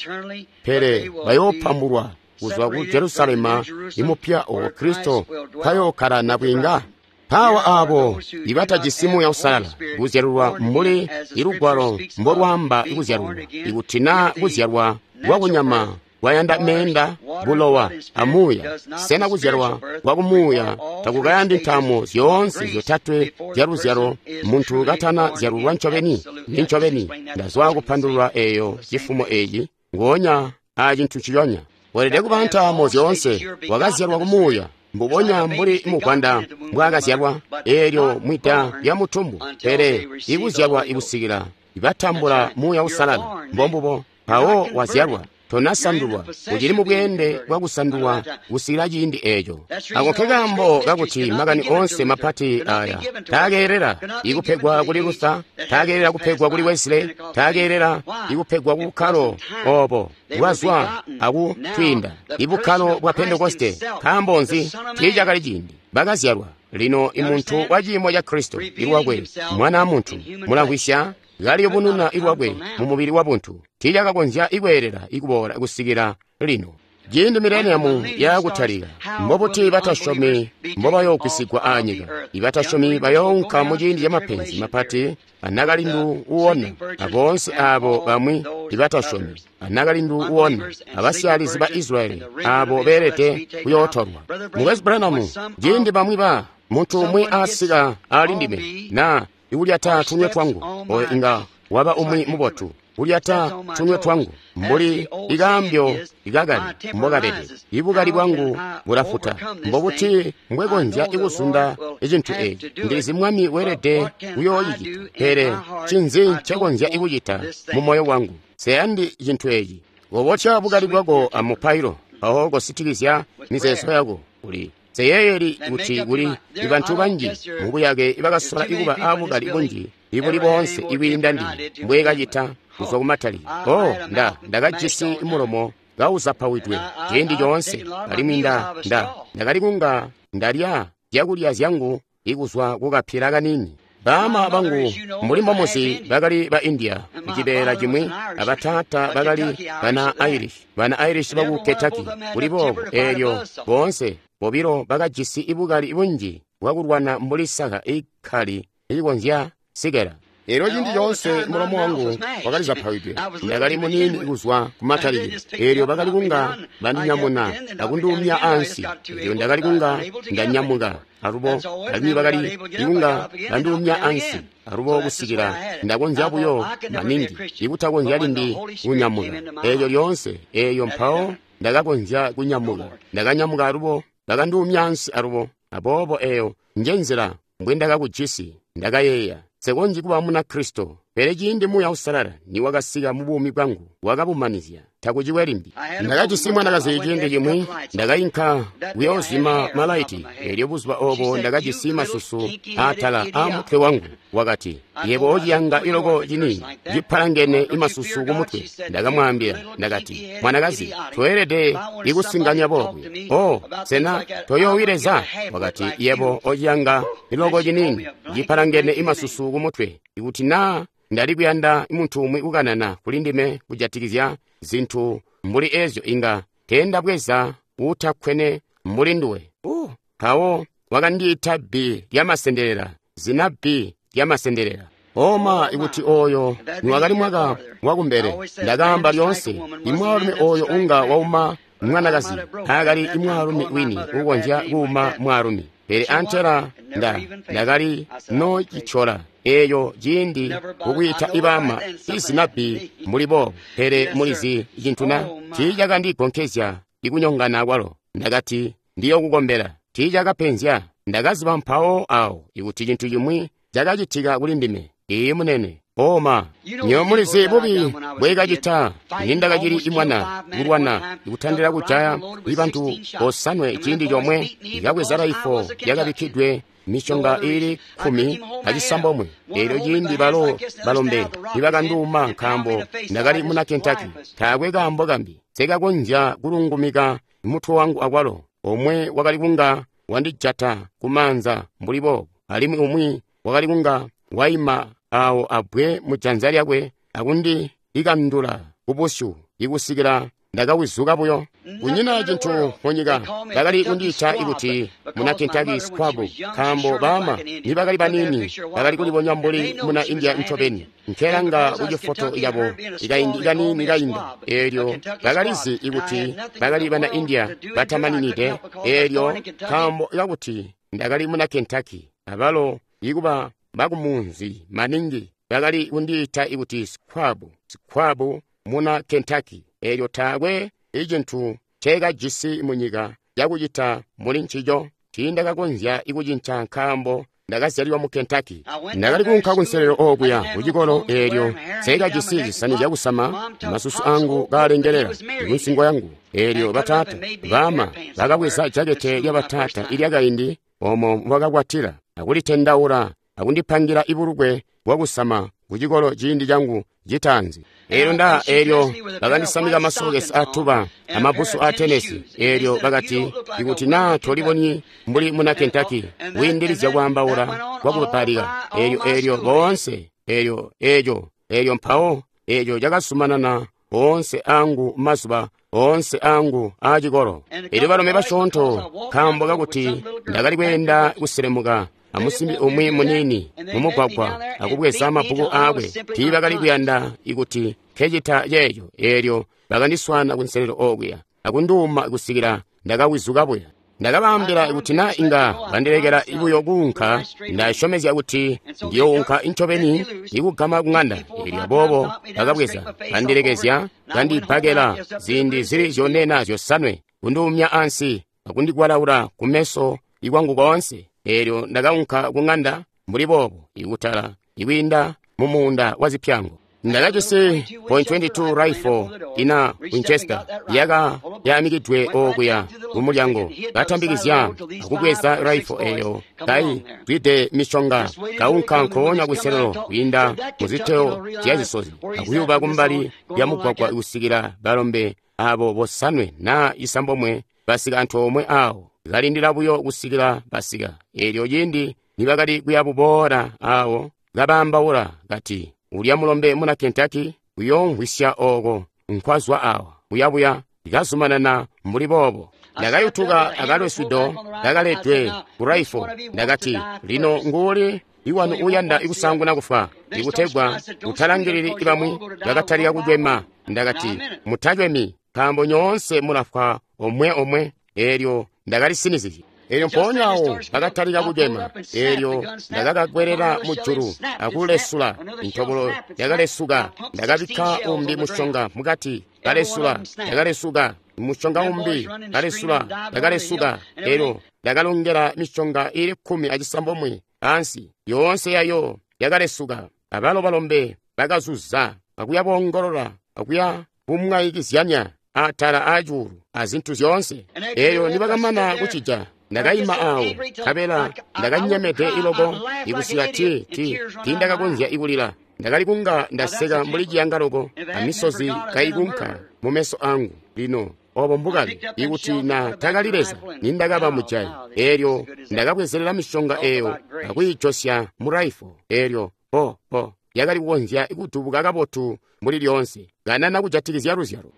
pele bayoopambulwa kuzwa ku Jerusalema imupya owo Kristo nkayookkala nabwiinga? Mpawa aabo ibatajisi Muuya Uusalala kuzyalulwa mbuli ilugwalo mbolwaamba kuzyalulwa, ikuti naa kuzyalwa kwakunyama kwayanda meenda, bulowa amuuya, sena kuzyalwa kwakumuuya takukayandi ntaamo zyoonse zyotatwe zyaluzyalo muntu katana zyalulwa ncobeni? Nincobeni ndazwa kupandulula eeyo cifumo eeci ngoonya acintu nciconya. Weelede kuba ntaamo zyoonse. Wakazyalwa kumuuya mbubonya mbuli muvwanda mbwaakazyalwa eelyo mwida lya mutumbu, pele ikuzyalwa ikusikila ibatambula Muuya Uusalala. Mbombubo mpawo wazyalwa, tonasandulwa, ucili mu bweende bwakusandulwa kusikila ciindi eeco. Ako nkekaambo kakuti makani oonse mapati aya taakeelela ikupegwa kuli Luther, taakeelela kupegwa kuli Wesley, taakeelela ikupegwa ku bukkalo obo bwazwa akutwiinda ibukkalo bwa Pentekoste. Nkaambo nzi? Tiicakali ciindi. Bakazyalwa lino imuntu wa ciimo ca Kristo ilwakwe, mwana muntu, mulamvwisya, kaliyubununa ilwakwe mu mubili wa buntu. Tiicakakonzya ikweelela ikuboola kusikila lino. Ciindi mileniamu yaakutalika, mbobuti batasyomi mbobayoogwisigwa aanyika? Ibatasyomi bayoonka mu ciindi camapenzi mapati, anakalindu uwona, aboonse aabo bamwi ibatasyomi, anakalindu uwona, abasyaalizi ba Israyeli aabo beelede kuyootolwa. Mukwesu Branham, ciindi bamwi ba muntu umwi asika ali ndime naa ikulyata tunwe twangu, oyo inga waba umwi mubotu. Kulyata tunwe twangu mbuli ikaambyo ikakali mbokabede, ibukali bwangu bulafuta. Mbobuti mbwekonzya ikuzunda icintu eeci? Ndilizi Mwami weelede kuyoocicita, pele ncinzi ncekonzya ikucita mu moyo wangu? Seyandi cintu eeci. Kobotya bukali bwako amupailo, mpawo kositikizya mizeezo yako. Uli seyeeyeli kuti kuli ibantu banji mubuyake ibakasola ikuba aabukali bunji ibuli boonse ikwiinda ndime mbwekacita kuzwa kumatali. Oh, nda ndakajisi mulomo kauzapawidwe ciindi coonse, alimwi nda nda ndakali kunga ndalya zyakulya zyangu ikuzwa kukapila kaniini. Baama bangu mbuli mbomuzi bakali ba India kucibeela cimwi, abataata bakali bana Irish, bana Irish baku Kentucky kuli boobo. Eelyo boonse Bobilo bakajisi bukali bunji bwakulwana mbuli saka ikkali ilikonzya sikela. Elyo ciindi coonse mulomo wangu wakali zapawidwe. Ndakali muniini kuzwa kumatalikilo. Elyo bakali kunga bandinyamuna akunduumya ansi. Elyo ndakali kunga ndanyamuka alubo, alimwi bakali kunga banduumya ansi alubo kusikila ndakonzya buyo maningi ikutakonzya limbi kunyamuka. Elyo lyoonse eyo mpawo ndakakonzya kunyamuka. Ndakanyamuka alubo, bakanduumya ansi alubo. Aboobo eyo nje nzila mbwendakakujisi. Ndakayeeya, nsekonzyi kuba Munakristo. Pele ciindi Muuya Uusalala niwakasika mu buumi bwangu, wakabumanizya. Takuciwe limbi. Ndakajisi mwanakazi ciindi cimwi, ndakainka kuyoozima malaiti. Elyo buzuba obo ndakajisi masusu atala a mutwe wangu. Wakati, yebo ociyanga iloko cini cipalangene imasusu kumutwe. Ndakamwaambila, ndakati, mwanakazi, toelede ikusinganya boobu. Oh, sena toyoowi Leza? Wakati, yebo ociyanga iloko ciniini cipalangene imasusu kumutwe. Ikuti naa ndali kuyanda muntu umwi kukanana kuli ndime kujatikizya zintu mbuli ezyo, inga teendabweza utakkwene mbuli nduwe. Uh, mpawo wakandiita bbi lyamasendelela, zina bbi lyamasendelela. Oma, ikuti oyo niwakali mwaka wakumbele. Ndakaamba lyoonse, imwaalumi oyo unga wauma mwanakazi taakali imwaalumi wini ukonzya kuuma mwaalumi. Pele antela nda ndakali nocicola eyo ciindi kukwiita ibama izina bbi mbuli boobo. Pele mulizi cintu na tiicakandigonkezya ikunyongana kwalo. Ndakati ndiyokukombela. Tiicakapenzya. Ndakaziba mpawo awo ikuti cintu cimwi cakacitika kuli ndime. Iyi munene. Oma, nyo mulizi bubi bwekacita nindakacili imwana kulwana ikutandila kujaya ibantu bosanwe ciindi comwe. Ikabweza raifo yakabikkidwe mishonga ili kkumi acisambomwe. Elyo ciindi balo balombe nibakanduuma nkaambo ndakali muna Kentucky, taakwe kaambo kambi sekakonzya kulungumika mutwe wangu akwalo. Omwe wakali kunga wandijata kumaanza mbuli boobo, alimwi umwi wakali kunga waima awo abwe mujanza lyakwe akundi ikandula kubusyu ikusikila ndakawizuka buyo. Kunyina cintu munyika bakali kundiita ikuti muna Kentucky squab, nkaambo baama nibakali baniini bakali kulibonya mbuli muna India ncobeni. Nkelanga kucifoto yabo ikaindi kaniini kainda, eelyo bakalizi ikuti bakali bana India batamaninide. Eelyo nkaambo kakuti ndakali muna Kentucky, abalo ikuba bakumunzi maningi bakali kundiita ikuti squab, squab muna Kentucky. Eelyo taakwe icintu nceekajisi munyika cakucita muli ncico. Tiindakakonzya ikucinca nkaambo ndakazyalilwa mu Kentucky. Ndakali kuunka kunselelo okuya kucikolo, eelyo nseekajisi zisani zyakusama, masusu angu kaalengelela kunsingo yangu. Eelyo bataata baama bakabweza jakete lya bataata ilyakaindi omo bakakwatila akulitendaula akundipangira ibulukwe bwakusama kucikolo ciindi cangu citaanzi. Eelyo nda eelyo bakandisamika masokesi atuba amabbusu a tenesi. Eelyo bakati, ikuti naa tolibonyi mbuli muna Kentucky wiindilizya kwaambaula kwakupalika. Eelyo eelyo boonse eelyo eeco eelyo mpawo eeco cakazumanana oonse angu mazuba oonse angu aacikolo. Eelyo balome basyoonto nkaambo kakuti ndakali kweenda kuselemuka amusimbi umwi muniini mumugwagwa akubweza mabbuku aakwe, tiibakali kuyanda ikuti nkecita ceeco. Eelyo bakandiswaana kunselelo okuya akunduuma kusikila ndakawizuka buya. Ndakabaambila kuti naa inga bandilekela buyo kuunka, ndasyomezya kuti ndiyounka incobeni ikugama kuŋanda. Eelyo aboobo bakabweza bandilekezya, bandibbakela ziindi zili zyone naa zyosanwe, kunduumya ansi akundikwalaula kumeso ikwangu koonse. Eelyo ndakaunka kuŋanda mbuli boobo ikutala ikwiinda mumuunda wa zipyango. Ndakajisi point twenty-two rifle ina Winchester yaka yaamikidwe okuya kumulyango. Katambikizya akubweza rifle eyo kai zwide mishonga, kaunka nkoonya kuselelo kwiinda muziteo zyazisozi akuyuba kumbali lya mugwagwa kusikila balombe abo bosanwe naa isambomwe basika antoomwe awo. Kalindila buyo kusikila basika. Eelyo ciindi nibakali kuyabuboola awo, kabaambaula kati, ulya mulombe muna Kentucky uyoomvwisya ooko nkwazwa awa, buyabuya likazumanana mbuli boobo. Ndakayutuka akalwesudo kakaledwe ku raifo. Ndakati, lino nguuli iwanu uyanda ikusaanguna kufwa, ikutegwa utalangilili bamwi bakatalika kucwema. Ndakati, mutacwemi, nkaambo nyoonse mulafwa omwe omwe. Eelyo ndakalisinizizye. Eelyo mpoonya awo bakatalika kucwema. Eelyo ndakakakwelela mujulu akulesula. Intobolo yakalesuka. Ndakabikka umbi musyonga mukati, kalesula, ndakalesuka. Musyonga umbi kalesula, ndakalesuka. Eelyo ndakalongela misyonga ili kkumi acisambomwe ansi, yoonse yayo yakalesuka. Abalo balombe bakazuza akuya boongolola akuya bumwayikizyanya atala acuulu azintu zyoonse. Eelyo nibakamana kucija, ndakayima awo, nkabela ndakanyemede iloko ikusika ti ti tiindakakonzya ikulila. Ndakali kunga ndaseka mbuli ciyanga loko, amisozi kayikunka mumeso angu. Lino obo mbukali, ikuti na takali Leza, nindakaba mujayi. Eelyo ndakabwezelela misyonga eyo akuyijosya mu raifo. Eelyo po po yakali kukonzya kudubuka kabotu mbuli lyoonse. Kanana kujatikizya luzyalo.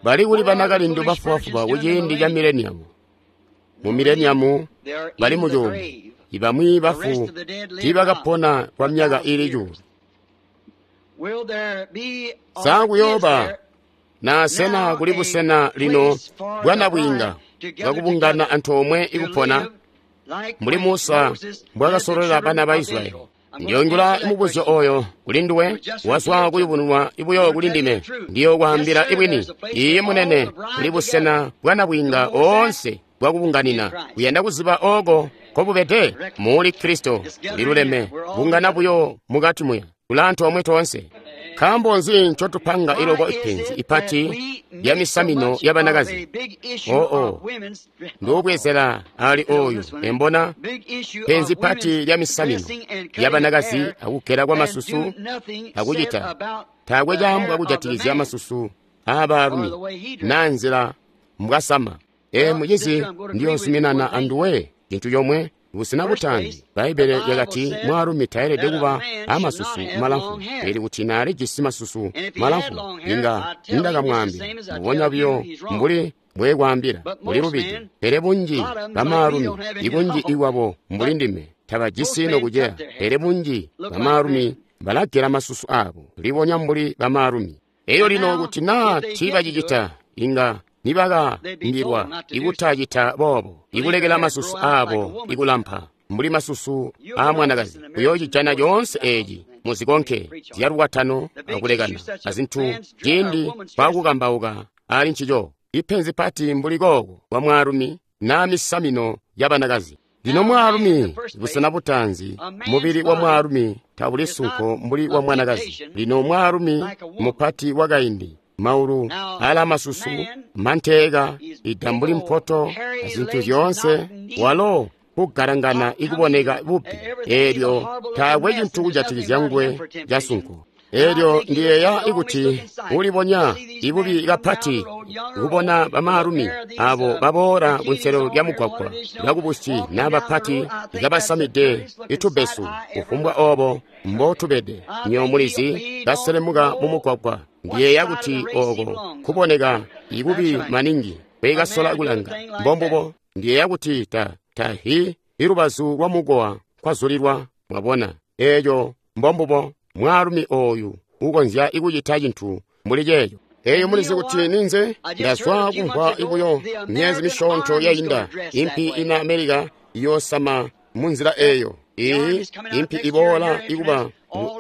Bali kuli banakalindu bafubafuba kuciindi ca mileniamu. Mu mileniamu bali mucuumbwe, ibamwi bafu tiibakapona kwa myaka ili cuulu. Sa kuyooba na sena kuli busena lino bwanabwiinga bwakubungana antoomwe ikupona mbuli Musa mbwakasololela bana ba Israyeli? Ndiyoingula mubuzyo oyo kuli nduwe, wazwa kuyubununwa ibuyo kuli ndime. Ndiyokwaambila ibwini, iye munene, kuli busena bwanabwiinga oonse bwakubunganina. Kuyanda kuziba oko nkobubede muli Kristo liluleme, bungana buyo mukati muya tula antoomwe toonse. Nkaambo nzi ncotupanga iloko ipenzi ipati lya misamino yabanakazi? Oo, nduubwezela ali oyu embona penzi pati lya misamino yabanakazi akugela kwa masusu akucita taakwe caambwa kujatikizya masusu aabaalumi naa nzila mbwasama. Ee mucizi, ndiyozuminana anduwe cintu comwe. Busena butaanzi, Bbaibbele lyakati mwaalumi tayelede kuba amasusu malamfu. Pele kuti naalijisi masusu malamfu, inga nindakamwaambila mbubonya buyo mbuli mbwekwaambila kuli lubide. Pele bunji bamaalumi, ibunji iwabo mbuli ndime, tabajisi nokuceya. Pele bunji bamaalumi balagela masusu aabo, libonya mbuli bamaalumi. Eyo lino kuti naa tiibacicita, inga nibakaambilwa ikutacita boobo, ikulekela masusu aabo ikulampa mbuli masusu aamwanakazi. Uyocijana coonse eeci muzikonke zyalukwatano akulekana azintu ciindi kwakukambauka ali ncico. Ipenzi pati mbuli kooko kwa mwaalumi naa misamino yabanakazi. Lino mwaalumi, busena butaanzi, mubili wa mwaalumi tabuli sunko mbuli wa mwanakazi. Lino mwaalumi mupati wakaindi, maulu ala masusu manteeka ida mbuli mpoto azintu zyoonse, walo kugalangana ikuboneka bubi. Eelyo taakwe cintu kujatikizya nguwe casunko. Eelyo ndiyeeya ikuti ulibonya ibubi kapati kubona bamaalumi abo baboola kunselelo lya mugwagwa bakubusi naa bapati kabasamide itubesu, kufumbwa obo mbotubede, nyo mulizi, baselemuka mumugwagwa. Ndiyeeya kuti oko kuboneka ibubi maningi kwekasola kulanga. Mbombubo, ndiyeeya kuti ta tahi ilubazu lwa mukowa kwazulilwa, mwabona. Eeyo mbombubo mwaalumi oyu ukonzya ikucita cintu mbuli ceeco. Eeyo mulizi kuti ninze ndazwa kumvwa ibuyo myezi misyoonto yainda, impi ina Amerika iyoosama munzila eeyo. Iyi impi iboola ikuba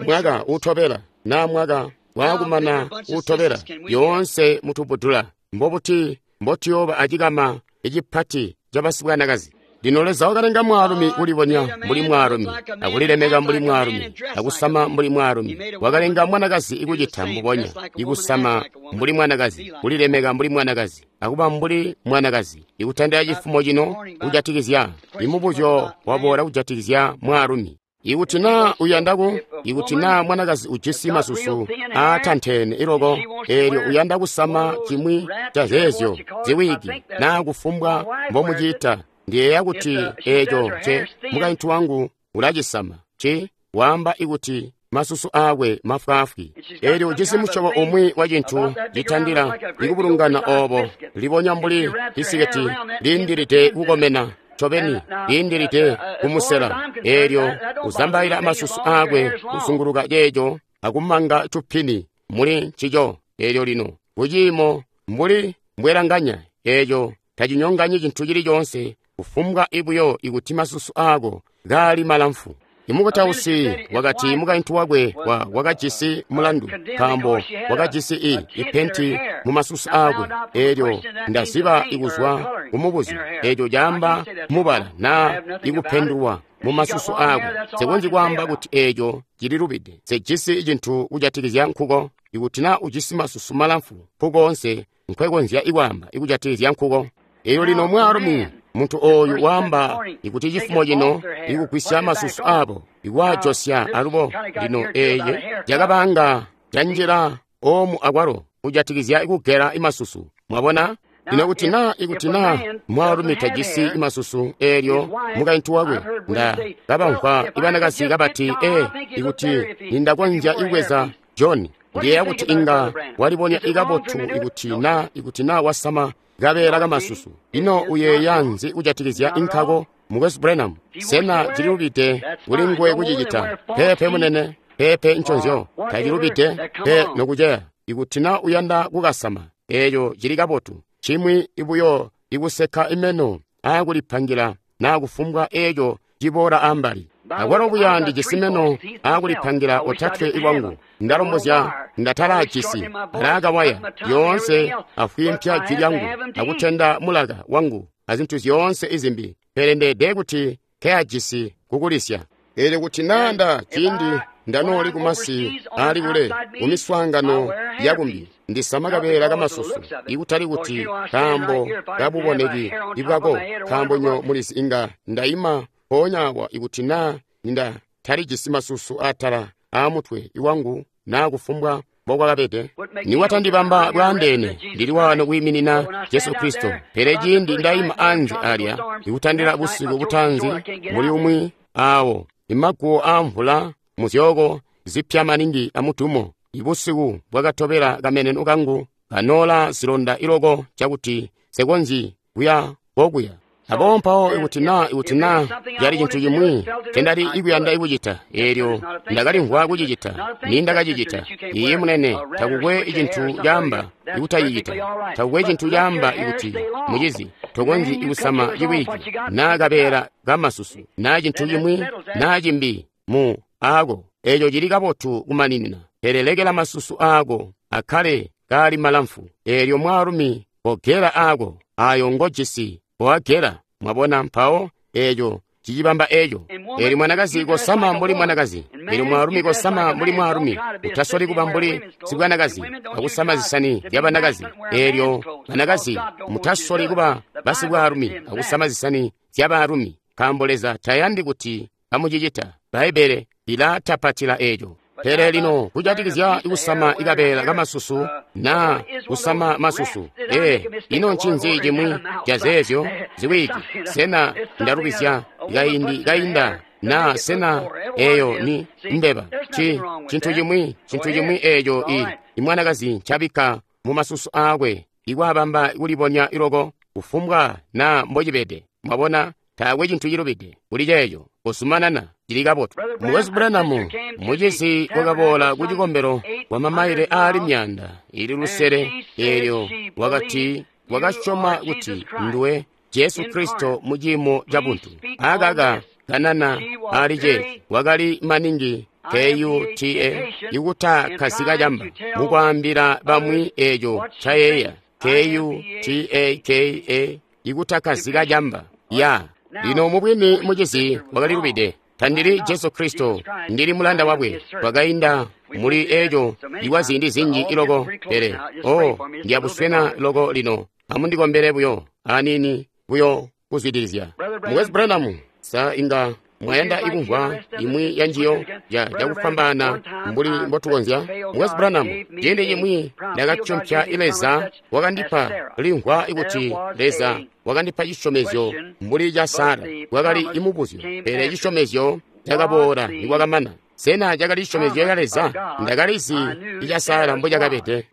mwaka utobela naa mwaka waakumana utobela, yoonse mutubudula. Mbobuti mbotuyooba acikama icipati cabasibwanakazi? Lino Leza wakalenga mwaalumi kulibonya mbuli mwaalumi, akulilemeka mbuli mwaalumi, akusama mbuli mwaalumi. Wakalenga mwanakazi ikucita mbubonya, ikusama mbuli mwanakazi, kulilemeka mbuli mwanakazi, akuba mbuli mwanakazi. Ikutandila cifumo cino kujatikizya imubuzyo waboola kujatikizya mwaalumi. Ikuti naa uyandaku, ikuti naa mwanakazi ujisi masusu aatanteene iloko, eelyo uyanda kusama cimwi ca zeezyo ziwigi naa kufumbwa mbomuciita, ndiyeeya kuti eeco nce mukaintu wangu ulacisama. Ci waamba ikuti masusu aakwe mafwaafwi. Elyo ujisi musyobo umwi wa cintu citandila ikubulungana obo, libonya mbuli bisiketi liindilide kukomena, ncobeni liindilide kumusela. Elyo uzambaila masusu aakwe kuzunguluka ceeco akumanga cupini muli ncico. Elyo lino kuciimo mbuli mbwelanganya, eeco tacinyonganyi cintu cili coonse, kufumbwa ibuyo ikuti masusu aako kaali malamfu. Imukutausi wakati mukaintu wakwe wa wakajisi mulandu nkaambo wakajisi i ipenti mu masusu aakwe. Elyo ndaziba ikuzwa kumubuzyo, eeco caamba mubala naa ikupendulwa mu masusu aakwe. Nsekonzyi kwaamba kuti eeco cililubide. Nsejisi cintu kujatikizya nkuko. Ikuti naa ujisi masusu malamfu nkukoonse nkwekonzya ikwaamba ikujatikizya nkuko. Elyo lino mwaalumi muntu ooyu waamba ikuti cifumo cino ikugwisya masusu aabo ikwaajosya alubo. Lino eeye cakabanga canjila oomu akwalo kujatikizya ikugela imasusu. Mwabona? Lino kuti naa ikuti naa mwaalumi tajisi imasusu, eelyo mukaintu wakwe, nda kabamvwa ibanakazi kabati, ee, ikuti nindakonzya ikubweza John, ndiyeeya kuti inga walibonya ikabotu ikuti naa ikuti naa wasama kabeela kamasusu. Ino uyeeya nzi kujatikizya inkako, Mukwesu Branham? Sena cililubide kuli nguwe kucicita? Peepe munene, peepe nconzyo, tacilubide pe nokuceya. Ikuti naa uyanda kukasama, eeco cili kabotu. Cimwi ibuyo ikuseka imeno aakulipangila naa kufumbwa eeco ciboola ambali. Akwalo buya ndijisi meno aakulipangila otatwe ikwangu, ndalombozya ndatalajisi alaakawaya yoonse afwimpya jwi lyangu akutenda mulaka wangu azintu zyoonse izimbi, pele ndeede kuti nkeyajisi kukulisya. Eelyo kuti naa nda ciindi ndanooli kumasi aali kule kumiswaangano yakumbi, ndisama kabeela kamasusu, ikutali kuti kaambo kabuboneki ibwako, nkaambo nyo mulizi inga ndaima mpoonya awa ikuti naa ninda talijisi masusu atala aamutwe iwangu naa kufumbwa mbokwakabede. Niwatandibamba bwaandeene, ndili waano kwiiminina Jesu Kristo. Pele ciindi ndaima anze alya ikutandila busiku butaanzi muli umwi aawo imaguwo aamvula muzyooko zipya maningi amutumo, ibusiku bwakatobela kameneno kangu kanoola zilonda iloko cakuti nsekonzyi kuya kokuya. Aboobo mpawo ikuti naa ikuti naa cali cintu cimwi ncendali ikuyanda ikucita, eelyo ndakalimvwa kucicita, nindakacicita. Iye munene, takukwe cintu caamba ikutacicita, takukwe cintu caamba ikuti mucizi tokonzyi ikusama ciwiki naa kabeela kamasusu naa cintu cimwi naa cimbi mu aako. Eeco cili kabotu kumaninina, pele lekela masusu aako akkale kaali malamfu. Eelyo mwaalumi kogela aako ayo ngojisi owagela. Mwabona? Mpawo eeco cicibamba eeco. Eelyo mwanakazi kosama mbuli mwanakazi, eelyo mwaalumi kosama mbuli mwaalumi. Utasoli kuba mbuli sibwanakazi akusama zisani zyabanakazi. Eelyo banakazi mutasoli kuba basibwaalumi akusama zisani zyabaalumi, nkaambo Leza tayandi kuti kamucicita. Bbaibbele lilatapatila eeco. Pele lino kujatikizya kusama ikabeela kamasusu naa kusama masusu, ee, ino ncinzi cimwi cazeezyo ziwiki? Sena ndalubizya kaindi kainda naa sena eeyo ni mbeba? Ci cintu cimwi, cintu cimwi eeco i imwanakazi ncabikka mu masusu aakwe ikwaabamba kulibonya iloko kufumbwa naa mbocibede. Mwabona, taakwe cintu cilubide kuli ceeco. Kuzumanana cili kabotu. Mukwesu Branham, mucizi wakaboola ku cikombelo kwa mamaile aali myaanda ili lusele, eelyo wakati wakasyoma kuti nduwe Jesu Kristo mu ciimo ca buntu. Akaka kanana ali ceeci wakali maningi K U T A ikutakkazika camba mukwaambila bamwi eeco ncayeeya. K U T A K A ikutakkazika camba ya. Lino mubwini mucizi wakalilubide. Tandili Jesu Kristo, ndili mulanda wakwe. Twakainda muli eeco ikwa ziindi zinji iloko, pele oh, ndiyabuswena loko lino. Amundikombele buyo aniini buyo kuzwidilizya. Mukwesu Branham, sa inga mwayanda ikumvwa imwi ya njiyo ya cakufwambaana mbuli mbotukonzya? Mukwesu Branham, ciindi cimwi ndakatyompya Leza wakandipa limvwa kuti Leza wakandipa cisyomezyo mbuli ca Sara. Kwakali imubuzyo, pele cisyomezyo cakaboola nikwakamana. Sena cakali cisyomezyo ca Leza? Ndakalizi ica Sara mbo cakabede.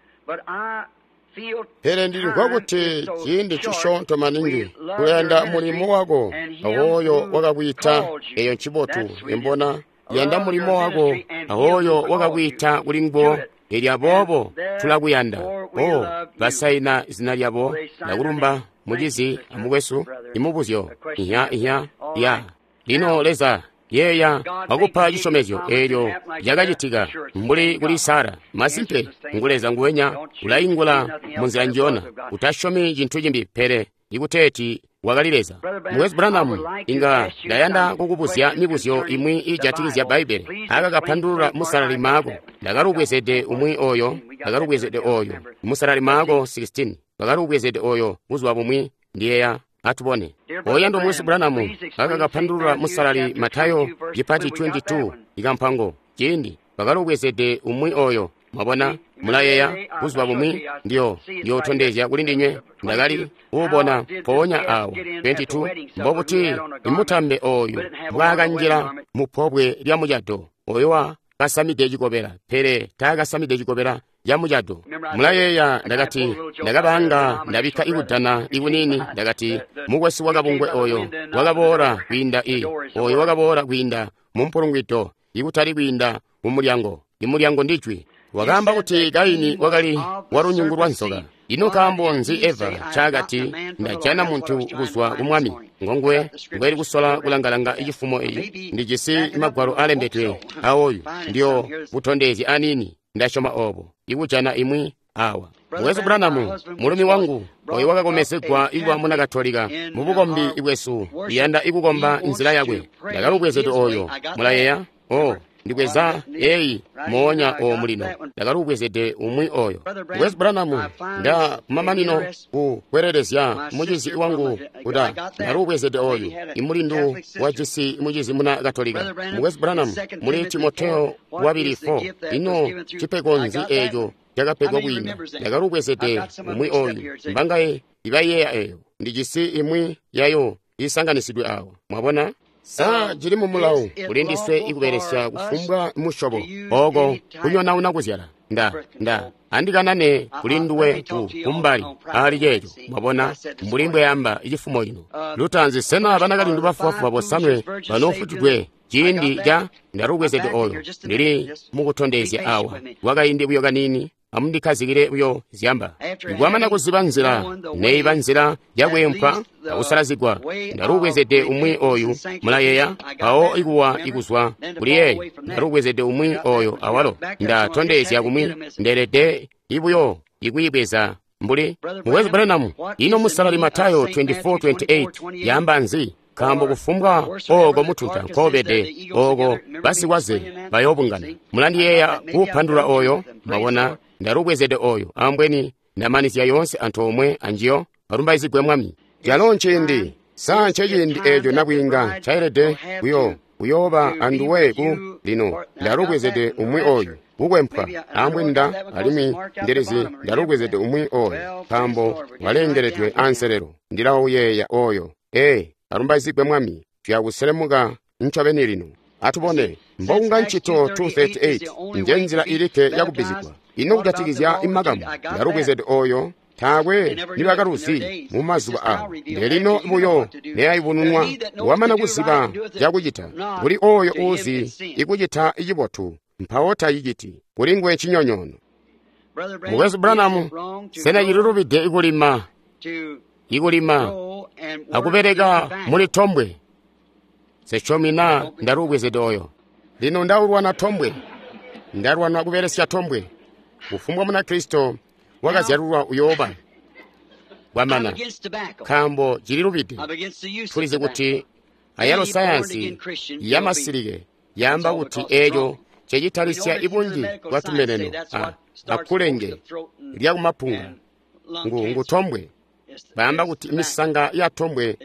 Pele ndilimvwa kuti ciindi cisyoonto maningi kuyanda mulimo wako awoyo wakakwiita. Eyo ncibotu imbona yanda mulimo wako awoyo wakakwiita kuli nguwo. Elyo aboobo tulakuyanda. O basaina zina lyabo. Ndakulumba mucizi amukwesu. Imubuzyo ihya ihya ya lino Leza yeeya wakupa cisyomezyo eelyo cakacitika mbuli kuli Sara. Masimpe ngu Leza nguwenya ulaingula munzila njiyona. Utasyomi cintu cimbi pele ikuteeti wakali Leza. Mukwesu Branham, inga ndayanda kukubuzya mibuzyo imwi iijatikizya Bbaibbele. Aka kapandulula musalali Maako. Ndakalubwezede umwi oyo, ndakalubwezede oyo. Musalali Maako sixteen. Ndakalubwezede oyo buzuba bumwi ndiyeya. Atubone. Oyando mukwesu Branham, aka kapandulula musalali Matayo chipati twenty-two ikampango. Ciindi bakalubwezede umwi oyo. Mwabona, mulayeya buzuba bumwi ndiyo ndiyotondezya kuli ndinywe. Ndakali kuubona mpoonya awo twenty-two mbobuti imutambe oyu mbwaakanjila mu pobwe lya mucado. Oyo wa kasamide cikobela, pele taakasamide cikobela ca mucado. Mulayeeya ndakati ndakabanga ndabikka ikudana ikunini. Ndakati mukwesu wakabungwe oyo wakaboola kwiinda i oyo wakaboola kwiinda mu mpulungwido ikutali kwiinda mu mulyango. Imulyango ndijwi. Wakaamba kuti Kaini wakali walunyungu lwa nzoka. Ino nkaambo nzi Eva ncaakati ndajana muntu kuzwa ku Mwami? Ngonguwe ngweli kusola kulangalanga cifumo eyi. Ndijisi magwalo alembedwe aoyu ndiyo butondezye anini. Ndasyoma obo ikujana imwi awa. Mukwesu Branham, mulumi wangu oyo wakakomezegwa ikuba muna Katolika mubukombi bwesu, iyanda ikukomba nzila yakwe. Ndakalubwezede oyo. Mulayeya? O ndikweza eyi moonya o mulino. Ndakalubwezede umwi oyo. Mukwesu Branham, nda kumamanino kukwerelezya mucizi wangu kuda ndakalubwezede oyu imulindu wajisi mucizi muna Katolika. Mukwesu Branham, muli Timoteo wabili four, ino cipego nzi eco cakapegwa kwiinda? Ndakalubwezede umwi oyu. Mbangaye ibayeeya eyo? Ndijisi imwi yayo isanganisidwe awa. Mwabona? Sa cili mu mulawo kuli ndiswe ikubelesya kufumbwa musyobo oko kunyonauna kuzyala. Nda nda andikanane kuli nduwe ku kumbali ali ceeco. Mwabona mbuli mbweyamba icifumo ino. Lutanzi sena banakalindu bafubafuba bosanwe banoofutudwe ciindi ca ndalubwezede oyo. Ndili mukutondezya awa kwakaindi buyo kanini. Amundikhazikile buyo zyamba. Ikwamana kuziba nzila neiba nzila yakwempwa akusalazigwa, ndalubwezede umwi oyu. Mulayeya mpawo ikuwa ikuzwa kuli yeeyo. Ndalubwezede umwi oyo awalo. Ndatondezya kumwi ndelede ibuyo ikuyibweza mbuli Mukwesu Branham. Ino musalali Matayo twenty-four twenty-eight yamba nzi? Nkaambo kufumbwa oko mutunta nkobede oko basikwaze bayobungana. Mulandiyeeya kuupandula oyo? Mwabona, ndalubwezede oyo. Ambweni ndamanizya yoonse antoomwe anjiyo. Alumbaizigwe Mwami. Calo nciindi sa nceciindi eeco nabwiinga ncaelede kuyo kuyooba anduwe ku lino. Ndalubwezede umwi oyu kukwempwa. Ambweni nda alimwi ndilizi ndalubwezede umwi oyo nkaambo walengeledwe anselelo. Ndilauyeeya oyo. Ee, alumbaizigwe Mwami. Tuyakuselemuka ncobeni lino. Atubone mbokunga ncito two thirty-eight nje nzila ilikke yakubbizigwa. Ino kujatikizya imakamu? Ndalubwezede oyo. Taakwe nibakaluzi mu mazuba awo. Ndelino buyo neyayubununwa. Wamana kuziba cakucita kuli oyo uuzi ikucita icibotu mpawo taciciti, kuli nguwe cinyonyoono. Mukwesu Branham, sena cililubide ikulima ikulima akubeleka muli tombwe? Sesyomi na ndalubwezede oyo. Lino ndaulwana tombwe, ndalwana kubelesya tombwe. Kufumbwa muna Kristo wakazyalulwa uyooba kwamana, nkaambo cililubide. Tulizi kuti ayalo sayansi yamasilike yaamba kuti eeco cecitalisya ibunji bwa tumeneno akulenge lyakumapunga ngu ngutombwe. Baamba kuti misanga ya tombwe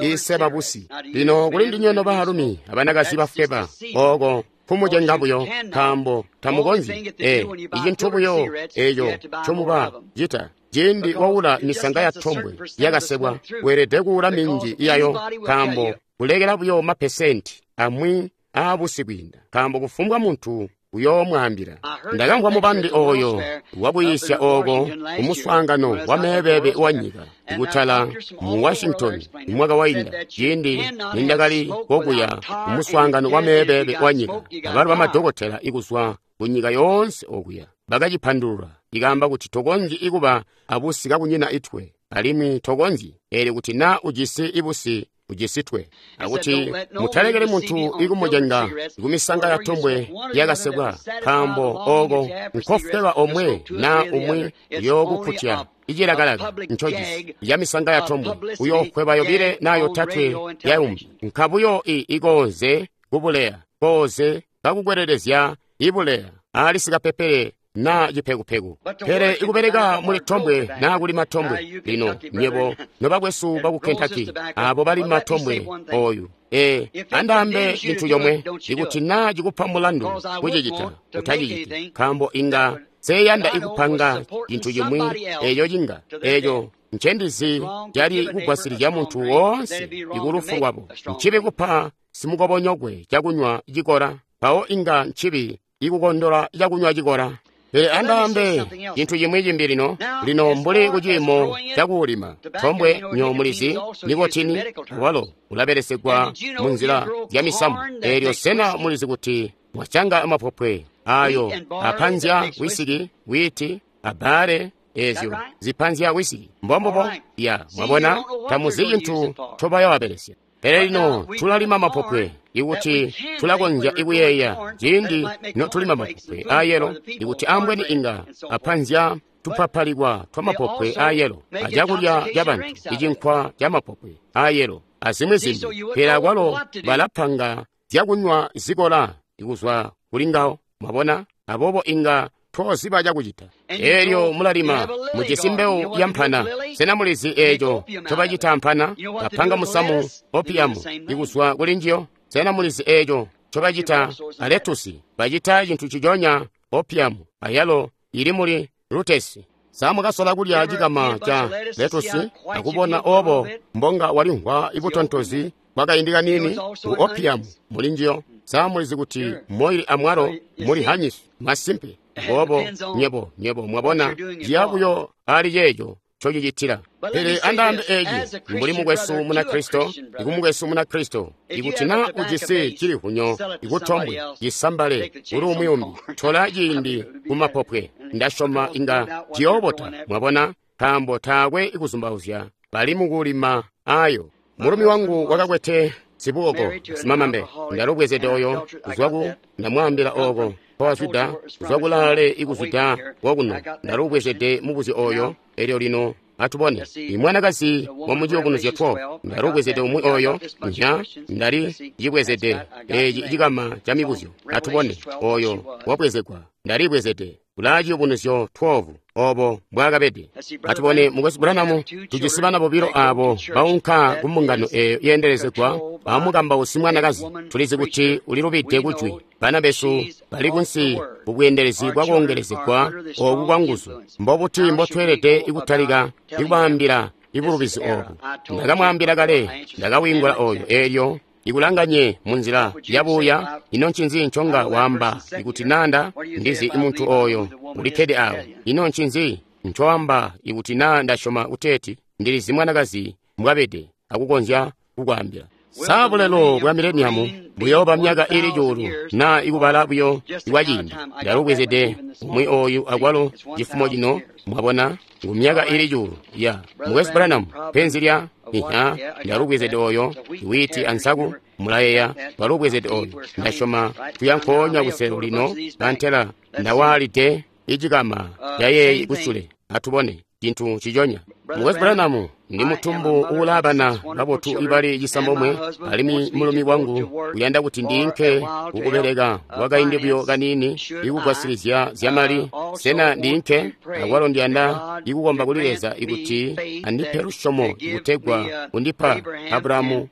iseba busi. Lino kuli ndinywe baalumi abanakazi bafweba oko kumucenga buyo, nkaambo tamukonzyi. E icintu buyo eco ncomuba cita ciindi waula misanga ya tombwe yakasebwa, weelede kuula minji yayo, nkaambo kulekela buyo mapesenti amwi aabusi kwiinda, nkaambo kufumbwa muntu uyoomwaambila. Ndakamvwa mubandi ooyo wakuyiisya ooko kumuswaangano wa meebebe wanyika kutala mu Washington mwaka wainda, ciindi nindakali kokuya kumuswaangano wa meebebe wanyika. Abalo bamadokotela ikuzwa kunyika yoonse okuya bakacipandulula, ikaamba kuti tokonzyi ikuba abusi kakunyina itwe, alimwi tokonzyi eelyo kuti naa ujisi ibusi ujisitwe, akuti mutalekeli muntu ikumucenga kumisanga ya tombwe yakasekwa, nkaambo ooko nkofweba omwe naa umwi uyookukutya icilakalaka ncojisi ya misanga ya tombwe, uyoofweba yobile naa yotatwe yaumbi, nkabuyo i ikonze kubuleya koze kakukwelelezya ibuleya ali sikapepele naa cipekupeku. Pele ikubeleka muli tombwe naa kulima tombwe, lino nyebo nobakwesu baku Kentucky abo balima tombwe oyu, ee, andaambe cintu comwe, ikuti naa cikupa mulandu kucicita, utaciciti, nkaambo inga seyanda ikupanga cintu cimwi eeco cinga eeco ncendizi cali kugwasilizya muntu woonse ikulufu lwabo. Ncibi kupa simukobonyokwe cakunywa cikola, mpawo inga ncibi ikukondola cakunywa cikola. Pele andaambe cintu cimwi cimbi lino, lino mbuli kuciimo cakuulima tombwe nyo mulizi nikotini walo ulabelesegwa munzila zya misamu. Eelyo sena mulizi kuti mwacanga mapopwe ayo apanzya wisiki, wiiti, abbaale, eezyo zipanzya wisiki? Mbombubo ya mwabona, tamuzi cintu ncobayowabelesya. Pele lino tulalima mapopwe ikuti tulakonzya ikuyeeya ciindi notulima mapopwe aayelo, ikuti ambweni inga apanzya tupapalikwa twamapopwe aayelo acakulya cabantu icinkwa camapopwe aayelo azimwi zimbi. Pele akwalo balapanga zyakunywa zikola ikuzwa kuli ngawo, mwabona, aboobo inga toziba cakucita. Eelyo mulalima mujisi mbewu ya mpana. Sena mulizi eeco ncobacita mpana? Bapanga musamu opiyamu ikuzwa kuli njiyo. Sena mulizi eeco ncobacita aletusi? Bacita cintu ciconya opiyamu ayalo ili muli lutesi. Sa mwakasola kulya cikama ca letusi akubona obo mbonga walimvwa ibutontozi bwakaindi kaniini? Ngu opiyamu muli njiyo. Sa mulizi kuti moili amwalo muli hanyisi? Masimpe. Aboobo nyebo nyebo mwabona ciya buyo ali ceeco ncocicitila. Pele andaambe eeci mbuli mukwesu Munakristo, ikumukwesu Munakristo, ikuti naa ujisi cilihunyo ikutombwe cisambale kuli umwi umbi, tola ciindi kumapopwe. Ndasyoma inga ciyoobota, mwabona, nkaambo taakwe ikuzumbauzya bali mukulima ayo. Mulumi wangu wakakwete sibuoko simamambe, ndalubwezede oyo kuzwa ku ndamwaambila ooko mpowazwida kuzwa kulaale ikuzwida wokuno, ndalubwezede mubuzyo oyo. Elyo lino atubone imwanakazi wamuciyubunuzyo twelve, ndalubwezede umwi oyo nya ndali cibwezede eci cikama ca mibuzyo. Atubone oyo wabwezegwa, ndalibwezede kulaa ciyubunuzyo twelve obo mbwaakabede. Atubone mukwesu Branham, tujisi bana bobilo abo baunka kumbungano eeyo yeendelezegwa amukambausi mwanakazi. Tulizi kuti ulilubide kujwi. Bana besu bali kunsi kubweendelezi bwakoongelezegwa ooku kwa nguzu. Mbobuti mbotweelede ikutalika ikubaambila ibulubizi oobu? Ndakamwaambila kale, ndakawingula oyo eelyo ikulanganye munzila yabuya. Ino ncinzi nconga waamba ikuti nanda ndizi imuntu oyo ulikkede awo? Ino ncinzi ncoamba ikuti naa ndasyoma kuteeti ndilizi mwanakazi mbwabede akukonzya kukwaambila? Sa bulelo bwa mileniamu buyooba myaka ili cuulu naa ikubala buyo ikwaciindi? Ndalubwezede umwi oyu akwalo cifumo cino, mwabona, ngu myaka ili cuulu ya mukwesu Branham penzi lya iha. Ndalubwezede oyo iwiiti ansaku, mulayeya, twalubwezede oyo. Ndasyoma tuya nkoonya kuselu lino antela ndawaalide icikama cayeeyi kusule. Atubone cintu ciconya. Mukwesu Branham, ndi mutumbu uulaabana babotu ibali cisambomwe, alimwi mulumi wangu uyanda kuti ndiinke kukubeleka kwakaindi buyo kaniini ikugwasilizya zyamali. Sena ndiinke? Akwalo ndiyanda ikukomba kuli Leza ikuti andipe lusyomo ikutegwa undipa Abrahamu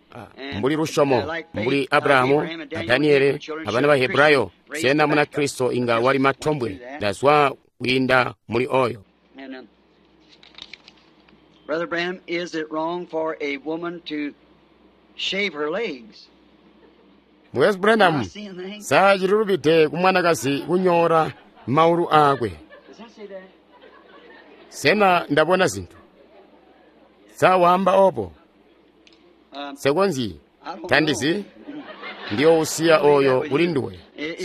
mbuli lusyomo mbuli Abrahamu a Daniele abana ba Hebrayo. Sena Munakristo inga walima tombwe? Ndazwa kwiinda muli oyo. Brother Branham, is it wrong for a woman to shave her legs? Mukwesu Branham, sa cililubide ku mwanakazi kunyoora maulu aakwe? Sena ndabona zintu? Sa waamba obo? Sekonzyi, tandizi, ndiyousiya oyo kuli nduwe.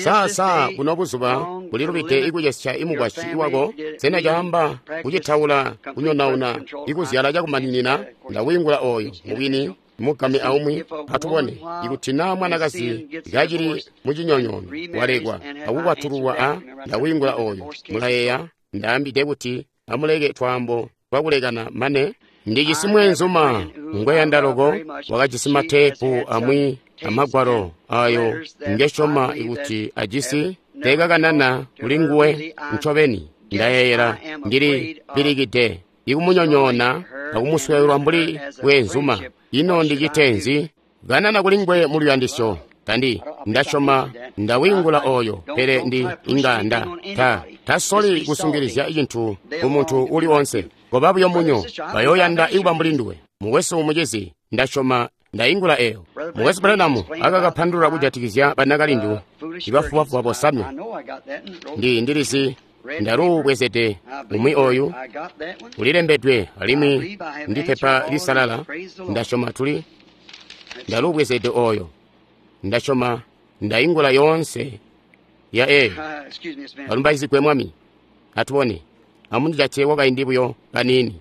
Sa sa buno buzuba bulilubide ikucesya imukwasyi wako? Sena caamba kucitaula kunyonauna ikuzyala cakumaninina? Ndawiingula oyo mubwini mugame aumwi. Atubone ikuti naa mwanakazi kacili mucinyonyoono walekwa akukwatululwa a ndawiingula oyo. Mulayeeya ndaambide kuti amuleke twaambo twakulekana mane ndijisi mweenzuma ngweyanda loko wakajisi mateepu amwi amagwalo ayo ngesyoma ikuti ajisi teekakanana kuli nguwe ncobeni. Ndayeeyela ndili pilikide ikumunyonyoona akumuswelwa mbuli bweenzuma. Ino ndicite nzi? Kanana kuli nguwe mu luyandisyo. Tandi ndasyoma ndawingula oyo, pele ndi inga nda ta tasoli kusungilizya cintu ku muntu uli onse. Koba buyo munyo, bayoyanda ikuba mbuli nduwe. Mukwesu mucizi, ndasyoma ndaingula eyo. Mukwesu Branham akakapandulula kujatikizya banakalindu ibafubafuba bosanwe. Ndi ndilizi ndaluubwezede umwi oyu ulilembedwe alimwi ndi pepa lisalala. Ndasyoma tuli ndaluubwezede oyo. Ndasyoma ndaingula yoonse ya eyo. Alumbaizigwe Mwami. Atubone, amundijate kwakaindi buyo kaniini.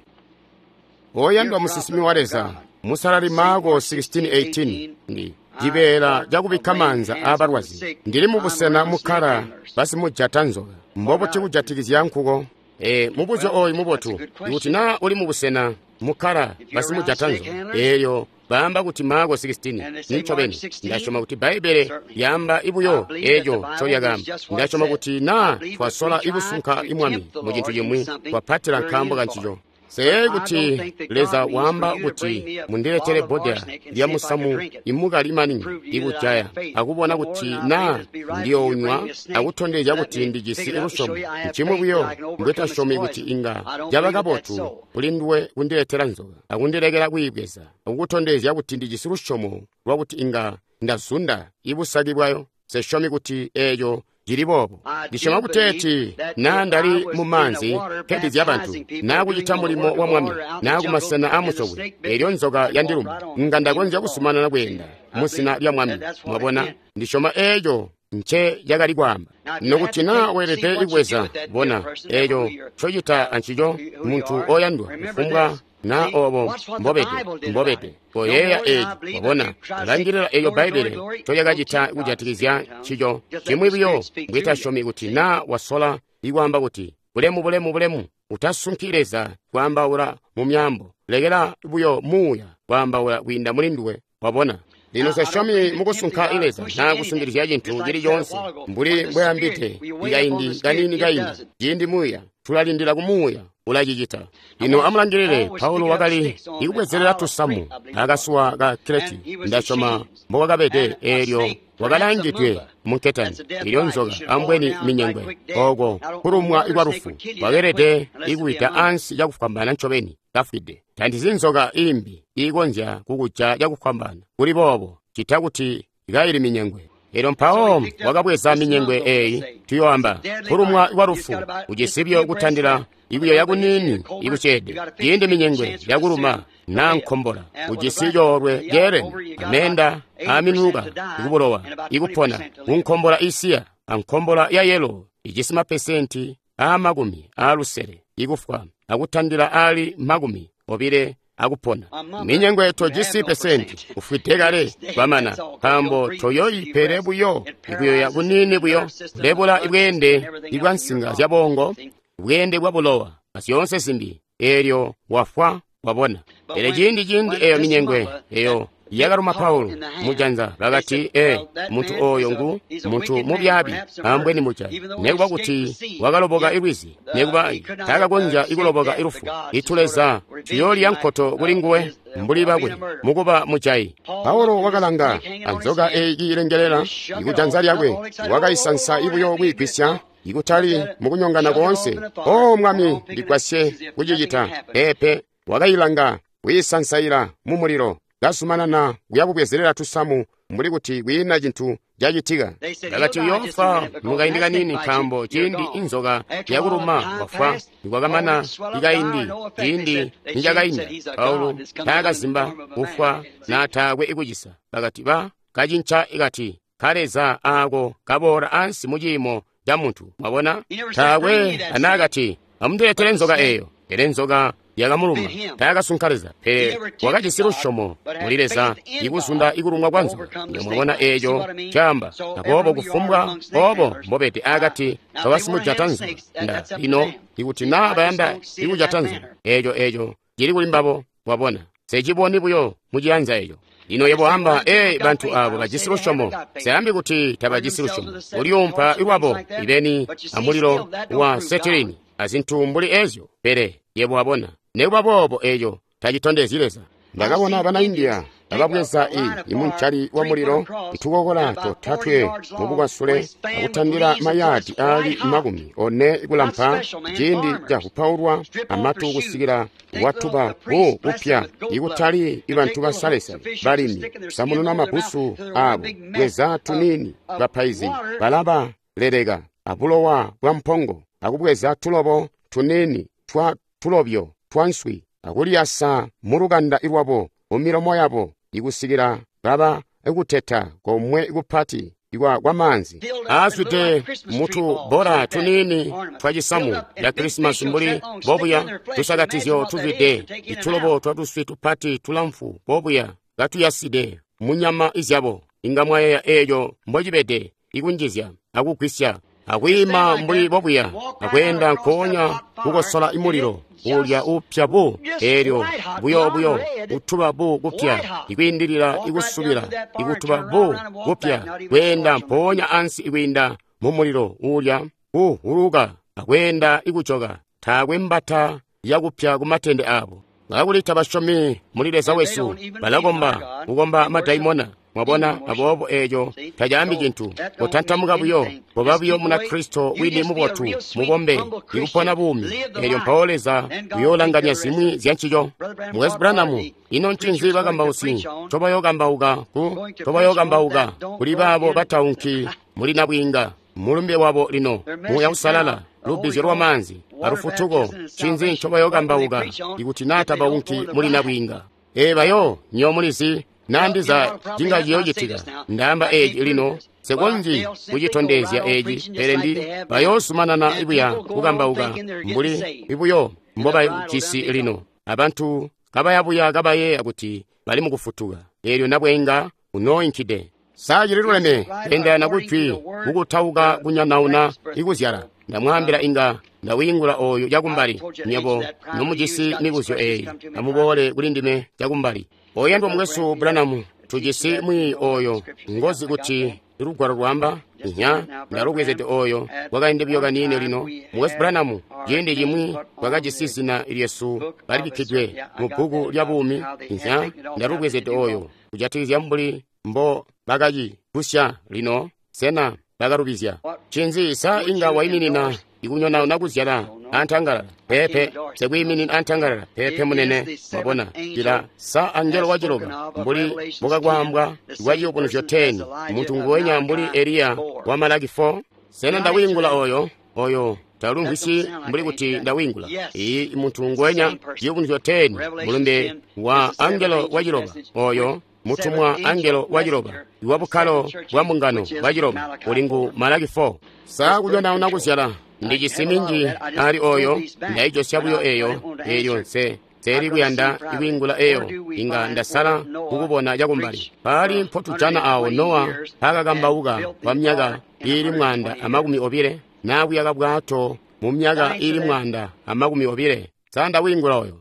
Oyandwa musinsimi wa Leza, musalali Marko sixteen eighteen ndi cibeela cakubikka maanza aabalwazi. Ndili mubusena mukkala basimujata nzoka. Mbobuti kujatikizya nkuko? E, mubuzyo oyu mubotu. Ikuti naa uli mubusena mukkala basimujata nzoka, eelyo baamba kuti Marko sixteen nincobeni. Ndasyoma kuti Bbaibbele lyaamba ibuyo eeco ncolyakaamba. Ndasyoma kuti naa twasola ikusunka imwami mu cintu cimwi, twapatila nkaambo kancico. Seyeeyi kuti Leza waamba kuti mundiletele bbodela lya musamu imukali maningi ikujaya akubona kuti naa ndiyounywa akutondezya kuti ndijisi lusyomo. Ncimwi buyo mbwetasyomi kuti inga caba kabotu kuli nduwe kundiletela nzoka akundilekela kwiibweza akukutondezya kuti ndijisi lusyomo lwakuti inga ndazunda ibusaki bwayo. Sesyomi kuti eeco cili boobo. Ndisyoma kuteeti naa ndali mu maanzi nkebizya bantu, naa kucita mulimo wa Mwami, naa kumasena aamusokwe, eelyo nzoka yandiluma, nga ndakonzya kuzumanana kweenda muzina lya Mwami. Mwabona, ndisyoma eeco nce cakali kwaamba. Nokuti naa weelede kubweza, bona eeco ncocita ancico muntu oyandwa, kufumbwa naa obo mbobede mbobede koyeeya eeci. Wabona, langilila eeyo Bbaibbele ncolyakacita kujatikizya ncico. Cimwi buyo mbwetasyomi kuti naa wasola ikwaamba kuti bulemu bulemu bulemu, utasunki Leza kwaambaula mu myaambo. Lekela buyo muuya kwaambaula kwiinda muli nduwe. Wabona, lino sesyomi mukusunka Leza naa kusungilizya cintu cili coonse mbuli mbweambide ikaindi kaniini kaindi. Ciindi muuya tulalindila ku muuya ulacicita. Lino amulangilile, Paulo wakali ikubwezelela tusamu akasuwa ka Kreti. Ndasyoma mbokwakabede eelyo wakalaangidwe munketani, ilyo nzoka ambweni minyengwe. Ooko kulumwa kwa lufu wakeelede ikuwida ansi cakufwambaana ncobeni kafwide. Tandizi nzoka imbi iikonzya kukuja cakufwambaana kuli boobo cita kuti kaili minyengwe. Elyo mpawo wakabweza minyengwe eeyi, tuyoamba kulumwa kwa lufu kucisibyo kutandila ikuyoya kuniini ikuceede. Ciindi minyengwe yakuluma naa nkombola ujisi coolwe ceelene ameenda aaminuka ikubulowa ikupona kunkombola isiya ankombola ya yelo ijisi mapesenti aamakumi aalusele ikufwa akutandila aali makumi obile akupona. Minyengwe tojisi pesenti ufwide kale kwamana, nkaambo toyoyipele buyo ikuyoya kuniini buyo kulebula ibweende ibwa nsinga zya bongo, bweende bwa bulowa azyoonse zimbi, eelyo wafwa. Wabona, pele ciindi ciindi eyo minyengwe eyo yakaluma Paulo mujanza, bakati e muntu oyo ngu muntu mubyaabi ambweni mujayi, nekuba kuti wakaloboka ilwizi, nekuba takakonzya ikuloboka ilufu. Ituleza tuyoolya nkoto kuli nguwe mbuli bakwe mukuba mujayi. Paulo wakalanga anzoka eyi iilengelela ikujanza lyakwe, wakaisansa ibuyo kwiigwisya ikutali mukunyongana koonse. O Mwami, ndigwasye kucicita. Peepe, wakailanga wiisansaila mumulilo, kazumanana kuya kubwezelela tusamu mbuli kuti kwiina cintu cacitika. Bakati uyoofwa mukaindi kaniini nkaambo ciindi inzoka yakuluma wafwa. Nikwakamana ikaindi ciindi nicakainda Paulo taakazimba kufwa na taakwe ikucisa. Bakati ba kacinca ikati kaleza aako kaboola ansi mu ciimo ca muntu. Mwabona, taakwe anaakati amundiletele nzoka eeyo, pele nzoka yakamuluma. Taakasunka Leza, pele wakajisi lusyomo muli Leza ikuzunda ikulumwa kwa nzoka. Mwabona eeco caamba. Aboobo kufumbwa oobo mbobede akati kabasimujata nzoka nda lino ikuti naa bayanda ikujata nzoka eeco eeco cili kuli mbabo. Mwabona, seciboni buyo muciyanza eeco. Lino yebo amba, ee, bantu abo bajisi lusyomo. Seambi kuti tabajisi lusyomo. Ulyuumpa lwabo ibeni amulilo wa setilini azintu mbuli ezyo, pele yebo wabona, nekuba boobo eeco tacitondezyi Leza. Ndakabona bana India ababweza i imuncali wa mulilo itukokola totatwe mubukwasule akutandila mayaadi aali makumi one kulampa ciindi cakupaulwa amatu kusikila watuba bu kupya ikutali ibantu basalesale balimi samununa mabusu abo bweza tunini bapaizi balaba leleka abulowa bwa mpongo akubweza tulobo tunini twa tulobyo twa nswi akuliyasa mulukanda lwabo mumilomo yabo ikusikila baba ikuteta komwe kupati ikwa kwamaanzi aazwide mutu bora tunini twa cisamu ya Krisimasi mbuli bobuya tusakatizyo tuzwide itulobo twa tuswi tupati tulamfu bobuya katuyaside munyama izyabo. Inga mwayeya eeco mbocibede ikunjizya akugwisya akwiima mbuli bobuya akweenda nkoonya kukosola imulilo ulya upya bu eelyo buyo buyo utuba bu kupya ikwiindilila ikusubila ikutuba bu kupya kweenda mpoonya ansi ikwiinda mumulilo ulya kuhuluka akweenda ikujoka taakwe mbata yakupya kumatende abo. Kakuli tabasyomi muli Leza wesu, balakomba kukomba madaimona. Mwabona, aboobo eeco tacaambi cintu. Kutantamuka buyo, koba buyo Munakristo wini mubotu, mubombe, ikupona buumi. Eelyo mpawo Leza uyoolanganya zimwi zya ncico. Mukwesu Branham, ino ncinzi bakambausi ncobayookambauka ku ncobayookambauka kuli baabo bataunki muli nabwiinga? Mulumbe wabo lino, Muuya Uusalala, lubbizyo lwamaanzi, alufutuko, ncinzi ncobayookambauka ikuti naa tabaunki muli nabwiinga? Ee bayo, nyo mulizi, nandiza cinga ciyoocitika. Ndaamba eeci lino, nsekonzyi kucitondezya eeci, pele ndi bayoozumanana buya kukambauka mbuli buyo mbobajisi lino. Abantu kabayabuya kabayeeya kuti bali mukufutuka, eelyo nabwiinga unooinkide. Sa cililuleme kweendelana kujwi kukutauka kunyanauna ikuzyala? Ndamwaambila inga ndawiingula ooyu cakumbali. Nywebo nomujisi mibuzyo eeyi, amuboole kuli ndime cakumbali. Oyandwa mukwesu Branham, tujisi mwiiyi oyo ngozi kuti lugwalo lwamba inya ndalubwezede oyo kwakaindi buyo kaniini lino. Mukwesu Branham, ciindi cimwi twakajisi zina lyesu balibikkidwe mu bbuku lya buumi. Inya ndalubwezede oyo kujatikizya mbuli mbo bakacigusya lino. Sena bakalubizya? Ncinzi sa inga waiminina ikunyonauna kuzyala antangalala? Peepe, sekwiiminina antangalala. Peepe munene. Mwabona cila sa angelo waciloba mbuli mbukakwaambwa kwa Ciyubunuzyo ten, muntu nguwenya mbuli Eliya wa Malaki four. Sena ndawiingula oyo? Oyo talumvwisi mbuli kuti ndawiingula. Iyi muntu nguwenya Ciyubunuzyo ten, mulumbe wa angelo waciloba oyo mutumwa angelo waciloba iwa bukkalo bwa mbungano bwaciloba uli ngu Malaki four. Sa kunyonauna kuzyala ndijisi minji ali oyo, ndaijosya buyo eyo eyo nse nseeli kuyanda ikwiingula eyo. Inga ndasala kukubona cakumbali. Paali mpotujana awo Nowa paakakambauka kwa myaka iili mwanda amakumi obile naakuyaka bwato mu myaka iili mwanda amakumi obile. Sa ndawiingula oyo?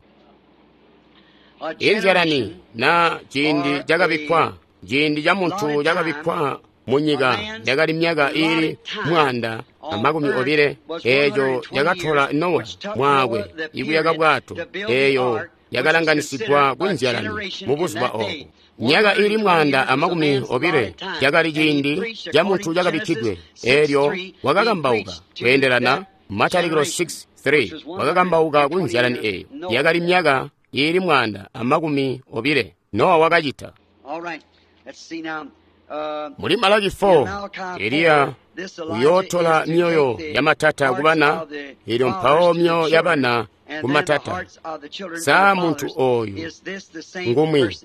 Inzyalani na ciindi cakabikkwa, ciindi ca muntu cakabikkwa munyika yakali myaka iili mwanda amakumi obile, eeco cakatola Nowa mwaakwe ikuyaka bwato, eeyo yakalanganisigwa kunzyalani mubuzuba oobo. Myaka iili mwanda amakumi obile cakali ciindi ca muntu cakabikkidwe, eelyo wakakambauka kweendelana Matalikilo six three, wakakambauka kunzyalani eeyo yakali myaka iili mwanda amakumi obile. Nowa wakacita. Muli Malaki four, Eliya uyootola myoyo yamatata kubana, elyo mpawo myoyo yabana kumatata. Sa muntu oyu ngumwi?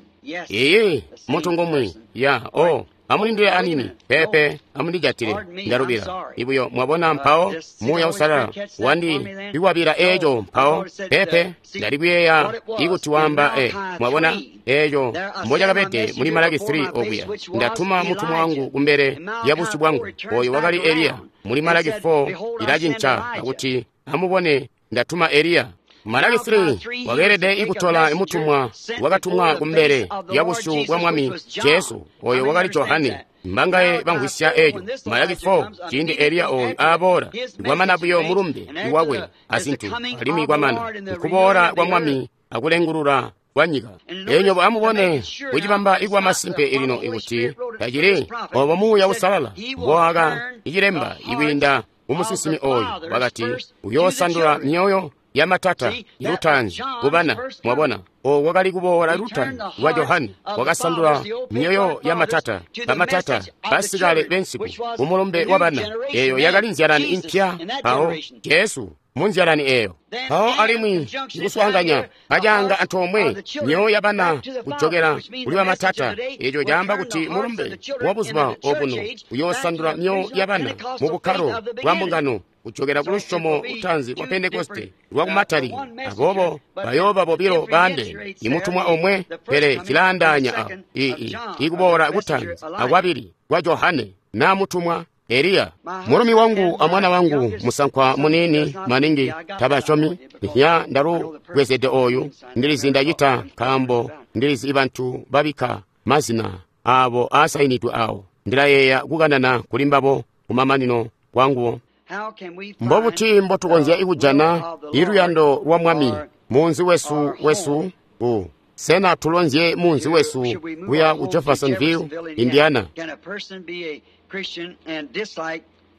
Iye, muntu ngumwi. Ya, oh, amulindile anini pepe, amundijatile ndalubila ibuyo. Mwabona, mpawo Muuya Uusalala wandi iwabila eeco mpawo pepe ndali kuyeeya ikuti wamba e. Mwabona eeco mbocakabede muli Malaki three okuya, ndatuma mutumwa wangu kumbele ya busyu bwangu, oyo wakali Eliya. Muli Malaki four ilacinca akuti amubone ndatuma Eliya. Malaki three wakeelede ikutola mutumwa wakatumwa kumbele ya busyu bwa Mwami Jesu, oyo wakali Johane. Mbangaye bamvwisya eeco. Malaki four, ciindi Eliya oyu aaboola, kwamana buyo mulumbe iwakwe azintu, alimwi kwamana nkuboola kwa Mwami akulengulula kwa nyika. Elyo amubone kucibamba ikwa masimpe elino ikuti tacili obo Muuya Uusalala mbowaka icilemba ikwiinda mumusinsimi oyu, wakati uyoosandula myoyo yamatata lutaanzi kubana. Mwabona, owo wakali kuboola lutaanzi lwa Johane, wakasandula myoyo yamatata bamatata basikale bensiku kumulumbe wa bana. Eyo yakali nzyalani impya, mpawo Jesu mu nzyalani eyo. Mpawo alimwi ikuswaanganya kacaanga antoomwe myoyo yabana kujokela kuli bamatata, eco caamba kuti mulumbe wa buzuba obuno uyoosandula myoyo yabana mu bukkalo bwa mbungano kujokela ku lusyomo lutaanzi lwa Pentekoste lwa kumatalika. Aboobo bayooba bobilo baandeene, imutumwa omwe, pele cilaandaanya awo ii ikuboola kutaanzi akwabili kwa Johane na mutumwa Eliya. Mulumi wangu amwana wangu musankwa muniini maningi tabasyomi. Ya ndalubwezede oyu ndilizi ndacita nkaambo ndilizi ibantu babikka mazina abo aasainidwe awo. Ndilayeeya kukanana kuli mbabo kumamanino kwanguwo. Mbobuti mbotukonzya ikujana iluyando lwa Mwami munzi wesu wesu u sena tulonzye munzi wesu kuya ku Jeffersonville, Indiana?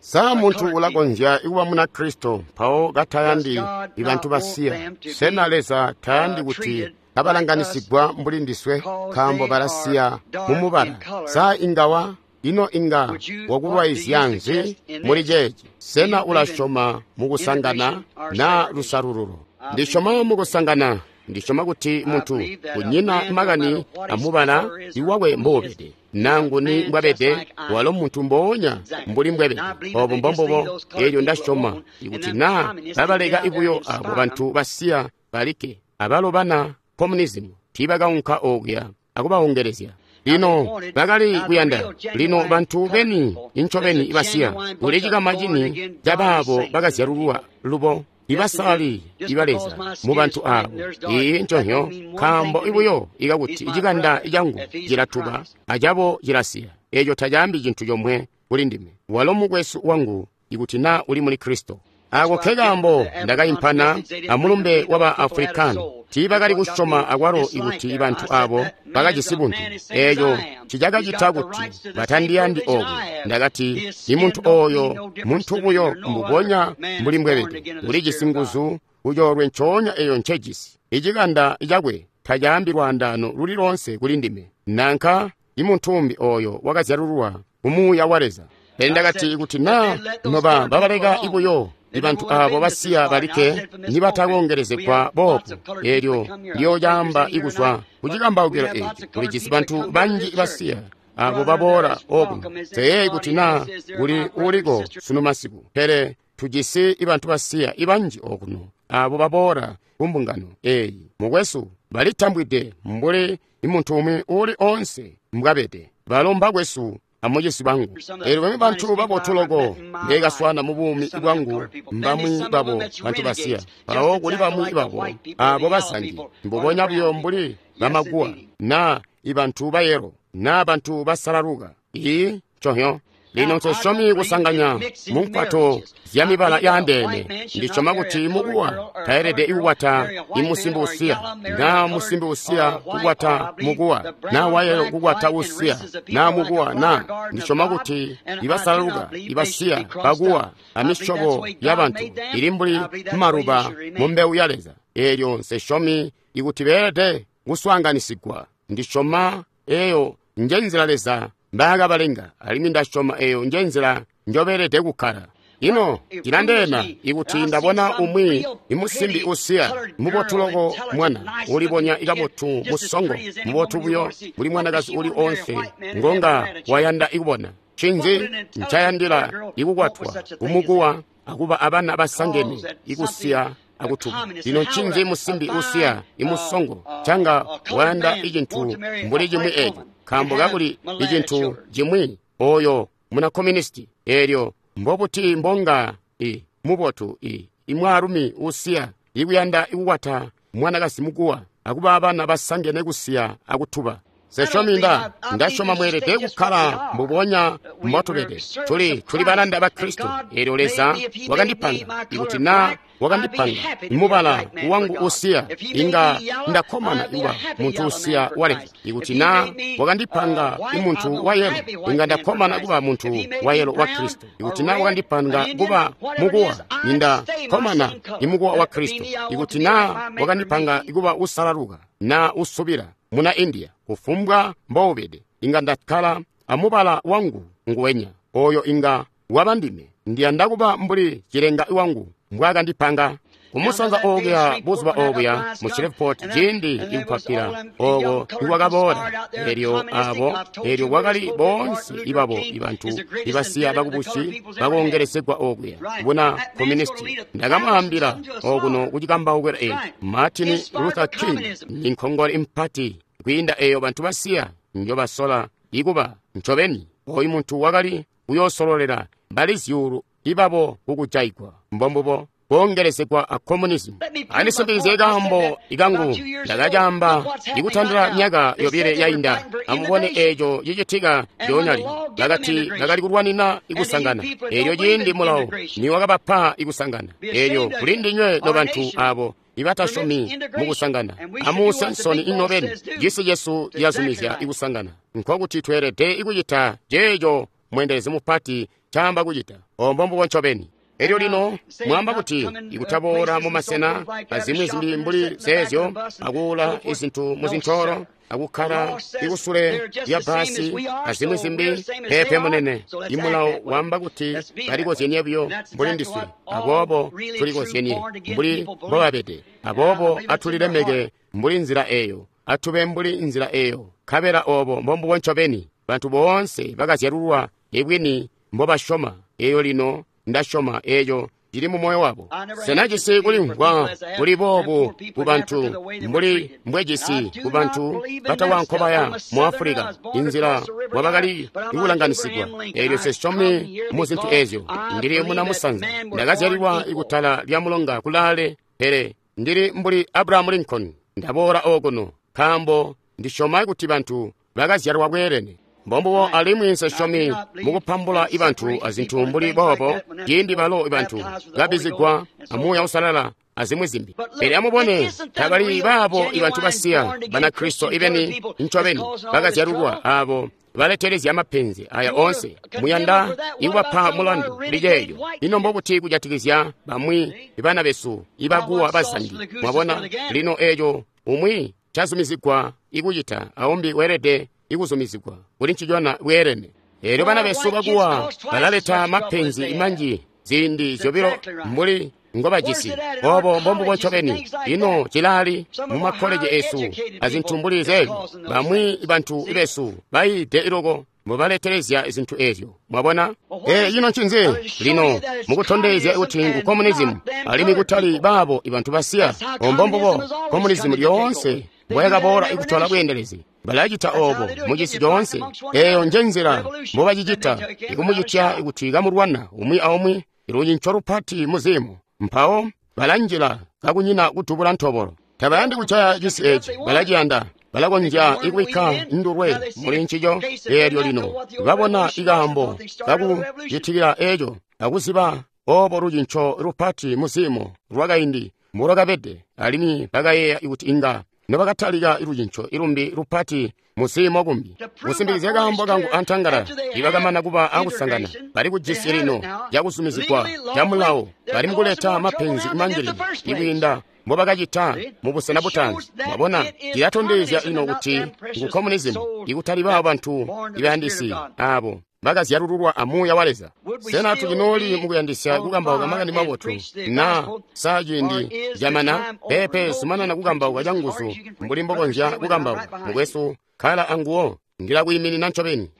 Sa muntu ulakonzya ikuba Munakristo mpawo katayandi ibantu basiya? Sena Leza tayandi kuti kabalanganisigwa mbuli ndiswe nkaambo balasiya mumubala? Sa ingawa ino inga wakulwaizya nzi muli ceeci? Sena ulasyoma mukusangana na lusalululo? Ndisyoma mukusangana. Ndisyoma kuti muntu kunyina makani amubala iwakwe mboubede nanguni mbwabede, walo muntu mboonya mbuli mbwabede. Obo mbombubo. Elyo ndasyoma ikuti naa babaleka ibuyo abo bantu basiya balikke, abalo bana communism tiibakaunka okuya akubaongelezya. Lino bakali kuyanda lino bantu beni incobeni basiya kuli cikama cini cabaabo bakazyalulwa lubo ibasali iba Leza mu bantu abo. Iyi nconhyo nkaambo ibuyo ikakuti icikanda cangu cilatuba acabo cilasiya, eco tacaambi cintu comwe kuli ndime. Walo mukwesu wangu ikuti naa uli muli Kristo. Ako nkekaambo ndakaimpana amulumbe waba Afrikani. Tiibakali kusyoma akwalo ikuti bantu abo bakajisi buntu. Eco ncicakacita kuti batandiyandi oku. Ndakati imuntu oyo muntu buyo mbubonya mbuli mbwebede, ulijisi nguzu kucoolwe ncoonya eyo ncejisi. Icikanda cakwe tacaambi lwaandaano luli loonse kuli ndime, nanka imuntu umbi oyo wakazyalululwa kumuuya wa Leza. Pele ndakati ikuti naa noba babaleka ibuyo ibantu abo basiya balikke nibatakongelezegwa boobu, elyo ndiyoocaamba ikuzwa kucikambaukilo eci. Kulijisi bantu banji basiya abo baboola okuno. Teyeeyi kuti naa kuli uliko sunu masiku, pele tujisi ibantu basiya ibanji okuno abo baboola kumbungano eyi. Mukwesu, balitambwide mbuli imuntu umwi uli onse mbwabede. Balo mbakwesu amucisi bangu. Elyo bamwi bantu babotu loko ndekaswana mu buumi bwangu mbamwi babo bantu basiya. Mpawo kuli bamwi babo abo basangi mbubonya buyo mbuli bamaguwa na ibantu bayelo na bantu basalaluka. Iyi nconhyo. Lino nsesyomi kusanganya munkwato zya mibala yaandeene. Ndisyoma kuti mukuwa taelede ikukwata imusimbi usiya, na musimbi usiya kukwata mukuwa, na wayelo kukwata usiya, na mukuwa na. Ndisyoma kuti ibasalaluka, ibasiya, bakuwa, amisyobo ya bantu ili mbuli maluba mu mbewu ya Leza. Elyo nsesyomi ikuti beelede kuswaanganisigwa. Ndisyoma eyo njenzila Leza mbaakabalenga, alimwi ndasyoma eyo nje nzila njobeelede kukkala. Ino cilandeena ikuti ndabona umwi imusimbi usiya mubotu loko, mwana ulibonya ikabotu, musongo, mubotu buyo mbuli mwanakazi uli onse ngonga wayanda ikubona. Ncinzi ncayandila ikukwatwa kumukuwa akuba abana basangene ikusiya akutuba? Lino ncinzi musimbi usiya imusongo canga wayanda icintu mbuli cimwi eco? Nkaambo kakuli icintu cimwi oyo muna komunisti. Eelyo mbobuti mbonga i mubotu i imwaalumi usiya ikuyanda ikukwata mwanakazi mukuwa akuba abana basangene kusiya akutuba? Sesyomi nda ndasyoma mweelede kukkala mbubonya mbotubede. Tuli tuli balanda ba Kristo. Eelyo Leza wakandipanga. Ikuti na wakandipanga mubala wangu usiya, inga ndakkomana kuba muntu usiya wa Leza. Ikuti na wakandipanga imuntu wa yelo, inga ndakkomana kuba muntu wa yelo wa Kristo. Ikuti na wakandipanga kuba mukuwa, inda kkomana imukuwa wa Kristo. Ikuti na wakandipanga kuba usalaluka na usubila muna India, kufumbwa mboubede, inga ndakkala amubala wangu nguwenya oyo inga waba ndime. Ndiyanda kuba mbuli cilenga wangu mbwaakandipanga. Kumusanza okuya buzuba obuya mu Shreveport, ciindi ikupapila oko ikwakaboola, elyo abo elyo kwakali boonse ibabo ibantu ibasiya bakubusi bakoongelezegwa okuya buna komunisti. Ndakamwaambila okuno kucikambaukila eci, Martin Luther King ni nkhongole impati kwiinda eyo bantu basiya njobasola ikuba. Ncobeni oyu muntu wakali kuyoosololela bali zyuulu ibabo kukujaigwa, mbombubo koongelezegwa a communism. Andisimpikizye kaambo ikangu ndakacaamba ikutandila myaka yobile yainda. Amubone eeco cicitika lyoonya lino. Bakati bakali kulwanina ikusangana. Eelyo ciindi mulawo niwakabapa ikusangana. Eelyo kuli ndinywe nobantu abo ibatasyomi mukusangana, amuuse nsoni inobeni. Cisi cesu cilazumizya ikusangana, nkokuti tweelede ikucita ceeco mweendelezi mupati caamba kucita. Ombo mbubo ncobeni. Elyo lino mwamba kuti ikutaboola mumasena azimwi zimbi mbuli zeezyo, akuula izintu muzintoolo, akukkala ikusule lya basi azimwi zimbi. Peepe munene, imulawo wamba kuti balikozyenie buyo mbuli ndiswe, aboobo tulikozyenie mbuli mbobabede. Aboobo atulilemeke mbuli nzila eyo, atube mbuli nzila eyo, nkabela obo mbombubo ncobeni bantu boonse bakazyalulwa ibwini mbobasyoma. Eyo lino ndasyoma eeco cili mu moyo wabo. Sena jisi kulimvwa kuli boobu ku bantu mbuli mbwejisi ku bantu batawankobaya mu Afulika, inzila mwabakali ikulanganisigwa. Eelyo sesyomi mu zintu eezyo. Ndili muna musanza, ndakazyalilwa ikutala lya mulonga kulaale, pele ndili mbuli Abraham Lincoln. Ndaboola okuno nkaambo ndisyoma kuti bantu bakazyalwa bweelene. Mbombubo alimwi nsesyomi mukupambula ibantu azintu mbuli boobo, ciindi balo ibantu babizigwa amuuya usalala azimwi zimbi. Pele amubone, tabali baabo ibantu basiya Banakristo ibeni ncobeni bakazyalulwa abo baletelezya mapenzi aya onse. Muyanda ikubapa mulandu kuli ceeyo. Ino mbobuti kujatikizya bamwi bana besu ibakuwa bazangi? Mwabona lino eeco umwi cazumizigwa ikucita, aumbi weelede ikuzumizigwa kuli ncicona bweelene. Eelyo bana besu bakuwa balaleta mapenzi manji ziindi zyobilo mbuli ngobajisi. Obo mbombubo ncobeni. Ino cilali mumakkoleji esu azintu mbuli zeezyo, bamwi bantu besu bayiide iloko mbobaletelezya zintu eezyo. Mwabona? E, ino ncinzi lino mukutondezya kuti ngu communism alimwi kutali baabo ibantu basiya. Ombombubo communism lyoonse mbwayakaboola ikutola bweendelezi. Balacita obo mucisi coonse. Eeyo nje nzila mbobacicita, ikumucitya kuti kamulwana umwi aumwi lucinco lupati muzimu. Mpawo balanjila kakunyina kudubula ntobolo. Tabayandi kucaya cisi eci, balaciyanda. Balakonzya ikubikka ndulwe muli ncico. Eelyo lino babona ikaambo kakucitikila eeco, akuziba obo lucinco lupati muzimu lwakaindi mbolwakabede, alimwi bakayeeya kuti inga nobakatalika lucinco ilumbi lupati muziimo kumbi. Kusimbikizya kaambo kangu antangala, ibakamana kuba akusangana bali kujisi lino cakuzumizigwa ca mulawo, bali mukuleta mapenzi manji lino ikwiinda mbobakacita mu busena butaanzi. Mwabona, cilatondezya ino kuti ngu communism, ikutali baabo bantu ibayandisi abo bakazyalululwa a Muuya wa Leza. Sena tucinooli mukuyandisya kukambauka makani mabotu na sa ciindi camana? Peepe, zumanana kukambauka canguzu mbuli mbokonzya kukambauka. Mukwesu, kkala anguwo, ndilakwiiminina ncobeni.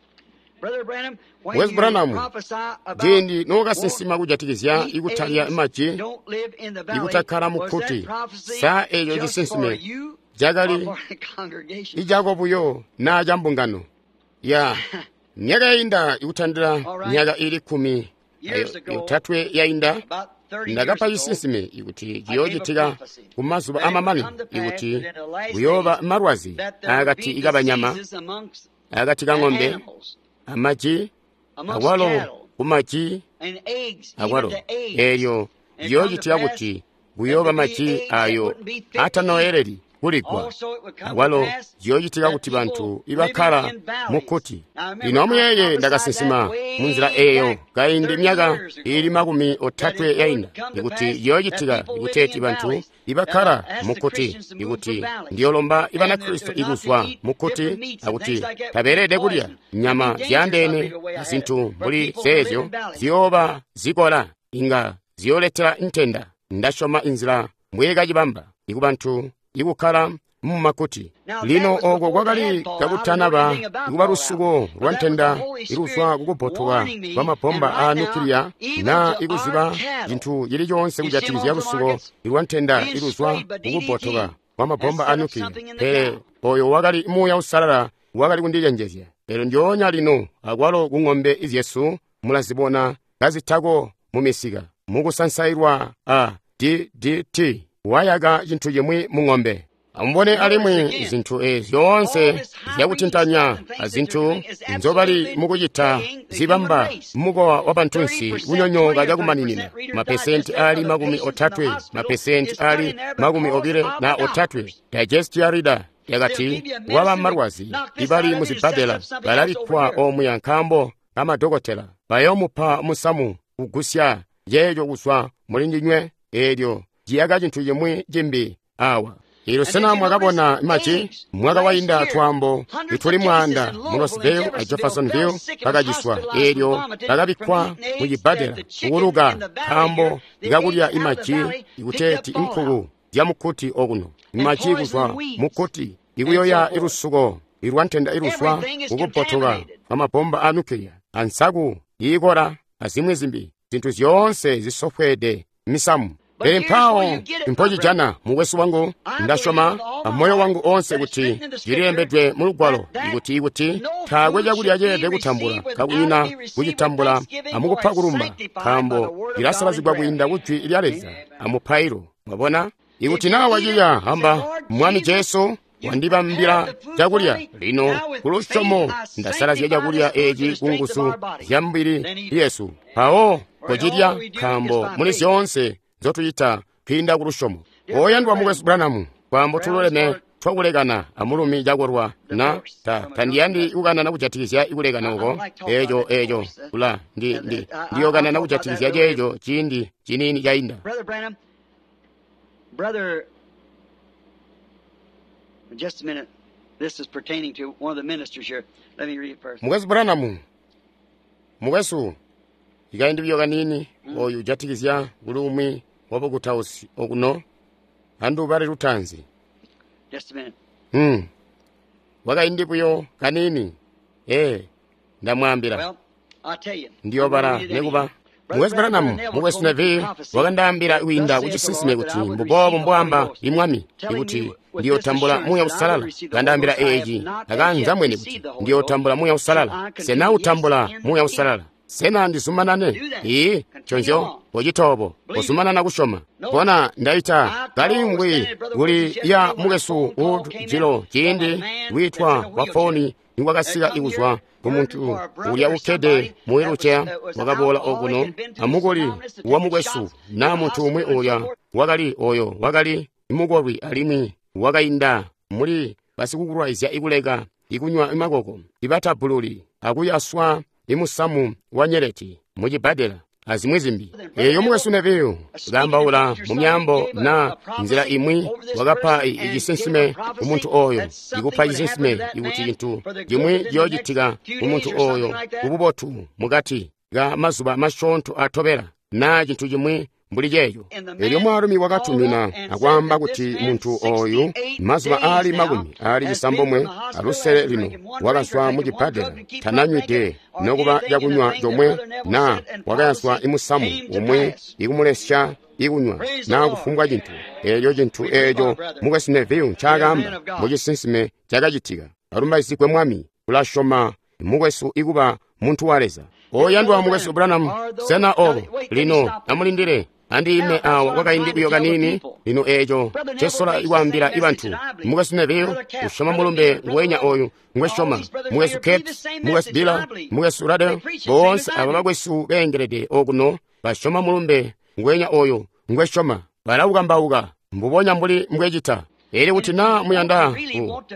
Mukwesu Branham, ciindi nookasinsima kujatikizya ikutalya maji, ikutakkala mukkuti, sa eeco cisinsime cakali icako buyo naa cambungano? Ya myaka yainda ikutandila myaka ili kkumi yotatwe yainda, ndakapa cisinsime ikuti ciyoocitika kumazuba amamanino, ikuti kuyooba malwazi akati kabanyama, akati ka ng'ombe, amaji, akwalo kumaji akwalo. Eelyo ciyoocitika kuti kuyooba maji ayo atanoyeleli kuligwa, akwalo ciyoocitika kuti bantu ibakkala mukkuti. Lino amuyeeye, ndakasinsima munzila eeyo kaindi myaka iili makumi otatwe yainda, ikuti ciyoocitika ikuteeti bantu ibakkala mukkuti, ikuti ndiyolomba Ibanakristo ikuzwa mukkuti, akuti tabeelede kulya nyama zyaandeene azintu mbuli zeezyo ziyooba zikola, inga ziyooletela ntenda. Ndasyoma inzila mbweekacibamba ikubantu ikukkala mumakuti. Lino oko kwakali kakutanaba ikuba lusuko lwa ntenda iluzwa kukubbotoka kwa mabomba a nukiliya, na ikuziba cintu cili coonse kujatikizya lusuko lwa ntenda iluzwa kukubbotoka kwa mabomba a nukiliya. Pele oyo wakali Muuya Uusalala wakali kundicenjezya. Pele ndyoonya lino akwalo ku ng'ombe zyesu mulazibona kazitako mumisika mukusansailwa a D D T wayaka cintu cimwi mu ng'ombe. Amubone alimwi zintu eezi zyoonse zyakutintanya azintu nzobali mukucita zibamba mukowa wa bantunsi kunyonyooka cakumaninina. Mapesenti ali makumi otatwe, mapesenti ali makumi obile na otatwe. Digestia Reader yakati waba malwazi ibali muzibbadela balabikkwa omuya nkaambo kamadokotela bayoomupa musamu kugusya yeejo kuzwa mulindinywe, eelyo ciyaka cintu cimwi cimbi awa. Ilo sena mwakabona maji mwaka wainda twaambo ituli mwaanda mu Roseville a Jeffersonville bakaciswa, eelyo bakabikkwa mu cibbadela kukuluka nkaambo kakulya imaji ikuteeti inkuku zyamukkuti okuno, imaji kuzwa mukkuti ikuyoya ilusuko ilwa ntenda iluzwa kukubbotoka kwa mabomba a nukiliya, ansaku iikola azimwi zimbi, zintu zyoonse zisofweede misamu. Pele mpawo mpocijana, mukwesu wangu, ndasyoma amoyo wangu onse kuti cililembedwe mu Lugwalo ikuti ikuti taakwe cakulya ceelede kutambula kakunyina kucitambula amukupa kulumba, nkaambo cilasalazigwa kwiinda ku Jwi lya Leza amupailo. Mwabona, ikuti naa wacilya, amba Mwami Jesu wandibambila cakulya, lino kulusyomo ndasalazya cakulya eeci ku nguzu zya mubili yesu. Mpawo kocilya, nkaambo muli zyoonse nzotucita kwiinda kulusyomo. Oyandwa mukwesu Branham, kwaambo tululeme twakulekana amulumi cakolwa na ta tandiyandi kukanana kujatikizya ikulekana uko eeco eeco kula ndi ndi ndiyokanana kujatikizya ceeco ciindi ciniini cainda. Brother Branham, brother, just a minute. This is pertaining to one of the ministers here. Let me read it first. Mukwesu Branham, mukwesu, ikaindi buyo kaniini, oyu ujatikizya kuli umwi wabukutausi okuno andu bali lutanzi. Just a minute. Hmm. Wakaindi buyo kaniini. Eh, ndamwambila. Well, I'll tell you. Ndiyobala nekuba. Mukwesu Branham, mukwesu Neville wakandaambila kwiinda kucisinsime kuti mbuboobo mbwaamba imwami ikuti ndiyotambula Muuya Uusalala. Kandaambila eeci akanza mwene kuti ndiyotambula Muuya Uusalala. Sena utambula Muuya Uusalala? Sena ndizumanane? Ii, nconzyo, pocitobo, pozumanana kusyoma. Bona ndaita kalingwi kuli ya mukwesu ujilo ciindi witwa kwa foni nikwakasika ikuzwa kumuntu ulya ukkede mu wheelchair wakaboola okuno amukoli wa mukwesu na muntu umwi ulya wakali oyo wakali mukolwi alimwi wakainda muli basikukulwaizya ikuleka ikunywa imakoko ibatabululi akuyaswa imusamu wa nyeleti mucibbadela azimwi zimbi. Eyo mukwesu Neville kaambaula mu myaambo na nzila imwi wakapa icisinsime ku muntu oyo, ikupa cisinsime ikuti cintu cimwi ciyoocitika ku muntu oyo kububotu mukati ka mazuba masyoonto atobela na cintu cimwi mbuli ceeyo. Elyo mwaalumi wakatumina akwaamba kuti muntu oyu mazuba aali makumi aali cisambomwe alusele lino wakazwa mu cibbadela, tananywide nokuba cakunywa comwe na wakayaswa imusamu umwi ikumulesya ikunywa na kufumbwa cintu. Elyo cintu eeco mukwesu Neville ncaakaamba mucisinsime cakacitika. Alumbaizigwe Mwami. Tulasyoma mukwesu ikuba muntu wa Leza. Oyandwa mukwesu Branham, sena obo lino amulindile andiime awa kwakaindi buyo kanini. Lino eeco ncesola ikwaambila ibantu. Mukwesu Neville usyoma mulumbe nguwenya oyu ngwesyoma, mukwesu Capes, mukwesu Diller, mukwesu Ruddell, boonse aba bakwesu beengelede okuno basyoma mulumbe nguwenya oyu ngwesyoma, balaukambauka mbubonya mbuli mbwecita. Elyo kuti na muyanda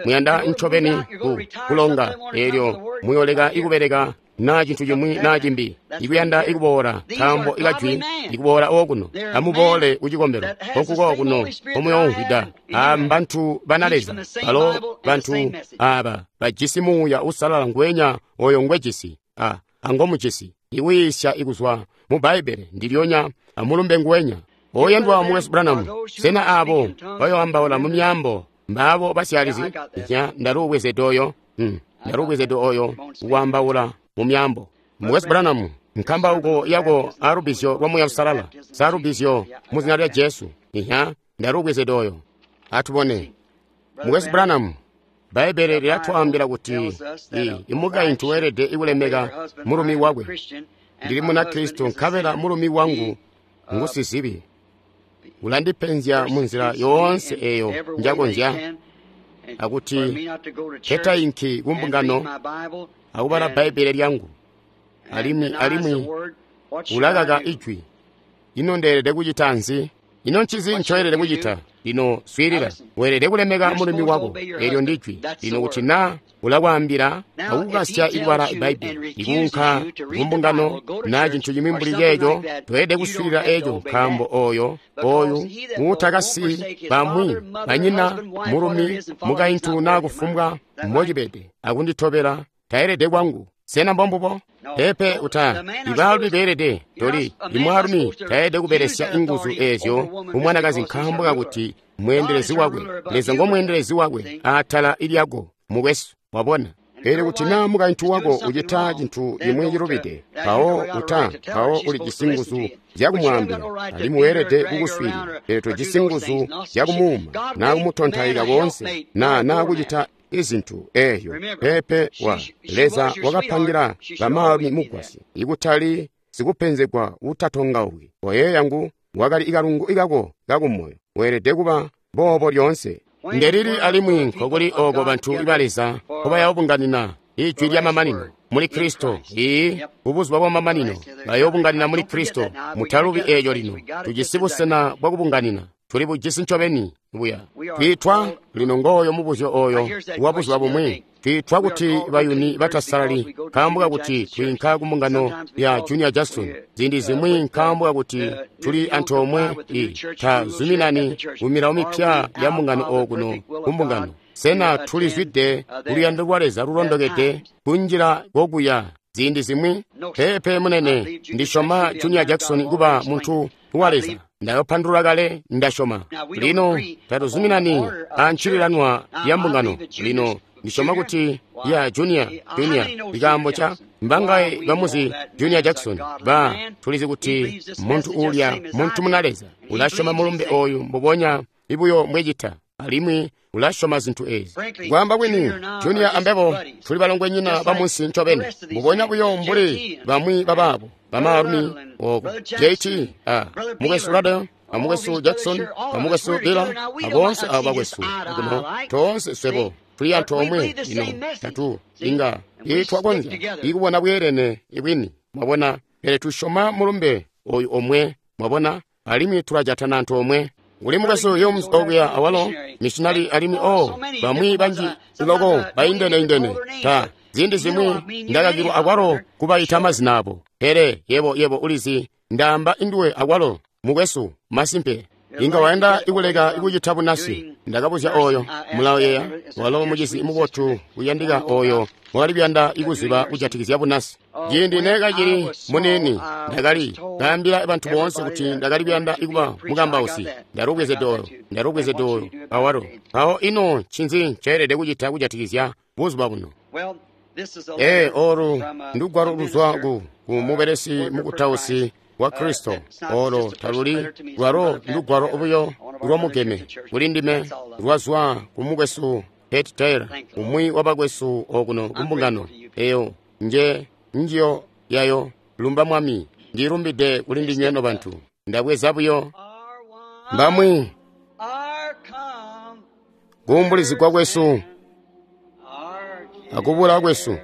muyanda ncobeni ku kulonga, elyo muyoleka ikubeleka na cintu cimwi na cimbi, ikuyanda ikuboola nkaambo ikajwi ikuboola okuno, amuboole kucikombelo konkuko okuno komuyoomvwida. Aba mbantu bana Leza, balo bantu aba bajisi Muuya Uusalala ngwenya oyo ngwejisi a angomujisi, ikuyiisya ikuzwa mu Bbaibbele ndilyonya amulumbe ngwenya. Oyandwa mukwesu Branham, sena abo bayoambaula mu myaambo mbaabo basyalizi? Nya ndaluubwezede oyo, hmm, ndaluubwezede oyo uwambaula mu myaambo. Mukwesu Branham, nkambauko yako alubizyo lwa Muuya Uusalala, salubizyo mu zina lya Jesu. Nya ndaluubwezede oyo. Atubone. Mukwesu Branham, Bbaibbele lilatwaambila kuti imukaintu weelede ikulemeka mulumi wakwe. Ndili Munakristo nkabela mulumi wangu ngusizibi. Ulandipenzya munzila yoonse eyo njakonzya, akuti nketainki kumbungano akubala Bbaibbele lyangu, alimwi alimwi ulakaka ijwi. Ino ndeelede kucita nzi? Ino ncinzi ncoelede kucita? Lino swiilila, weelede kulemeka mulumi wako, elyo ndijwi. Lino kuti na ulakwaambila akukukasya ikubala Bbaibbele, ikuunka kumbungano na cintu cimwi mbuli ceeco, toelede kuswiilila eeco, nkaambo oyo oyu uutakasi bamwi banyina, mulumi, mukaintu na kufumbwa mbocibede akunditobela taelede kwangu. Sena mbombubo? Pepe uta ibaalumi beelede toli imwaalumi taelede kubelesya inguzu eezyo kumwanakazi nkaambo kakuti mweendelezi wakwe. Leza ngomweendelezi wakwe atala ilyako mukwesu, wabona. Pele kuti na mukaintu wako ucita cintu cimwi cilubide, mpawo uta mpawo ulijisi nguzu zyakumwaambila, alimwi weelede kukuswiilila. Pele tojisi nguzu zyakumuuma na kumutontaika koonse na na kucita izintu eeyo. Pepe wa Leza wakapangila bamaalumi mugwasyi, ikutali sikupenzegwa utatongauki. Oyeeya ngu wakali ikalungu ikako kakumoyo, weelede kuba boobo lyoonse. Ndelili alimwi nkokuli ooko bantu ba Leza nkobayoobunganina ijwi lyamamanino muli Kristo. Ii, kubuzuba bwamamanino bayoobunganina muli Kristo. Mutalubi eeco lino. Tujisi busena bwakubunganina, tuli bujisi ncobeni buya. Twiitwa lino ngooyo mubuzyo oyo wa buzuba bumwi. Twiitwa kuti bayuni batasalali nkaambo kakuti twiinka kumbungano ya Junior Jackson. Ziindi zimwi nkaambo kakuti tuli antoomwe i tazuminani kumilawo mipya ya mbungano okuno kumbungano. Sena tulizwide kuluyando lwa Leza lulondokede kunjila kokuya ziindi zimwi? Pepe munene, ndisyoma Junior Jackson kuba muntu wa Leza. Ndayopandulula kale, ndasyoma. Lino tatuzuminani ancililanwa ya mbungano. Lino ndisyoma kuti ya Junior, Junior ikaambo ca mbangaye bamuzi Junior Jackson ba tulizi kuti muntu ulya muntu muna Leza ulasyoma mulumbe oyu mbubonya ibuyo mbwecita, alimwi ulasyoma zintu ezi. Kwaamba kwini, Junior ambebo tuli balongwenyina bamunsi ncobeni, mbubonya buyo mbuli bamwi babaabo bamaalumi oko J T a mukwesu Ruddell, amukwesu Jackson, amukwesu Diller, aboonse abo bakwesu kuno toonse swebo tuli antoomwe. Lino tatu inga itwakonzya ikubona bweelene ibwini, mwabona, pele tusyoma mulumbe oyu omwe, mwabona, alimwi tulajatana antoomwe. Uli mukwesu Humes okuya awalo missionary, alimwi o bamwi banji loko baindene-indene ta Ziindi zimwi ndakakilwa akwalo kubaita mazina abo. Pele yebo yebo ulizi, ndaamba induwe akwalo, mukwesu, masimpe. Inga wayanda ikuleka ikucita bunasi. Ndakabuzya oyo mulayeya walo mucizi mubotu uyandika oyo wakali kuyanda ikuziba kujatikizya bunasi. Ciindi neekacili muniini ndakali kaambila bantu boonse kuti ndakali kuyanda ikuba mukambausi. Ndalubwezede oyo, ndalubwezede oyo awalo. Mpawo ino ncinzi nceelede kucita kujatikizya buzuba buno? Ee, olu ndugwalo luzwa ku, ku mubelesi mukutausi wa Kristo. Olo taluli lwalo ndugwalo buyo lwamugeme kuli ndime, lwazwa ku mukwesu Pat Taylor, umwi wa bakwesu okuno kumbungano eyo nje njiyo yayo. Lumba Mwami, ndilumbide kuli ndinywe no bantu. Ndabweza buyo mbamwi kuumbulizigwa kwesu akubula kwesu.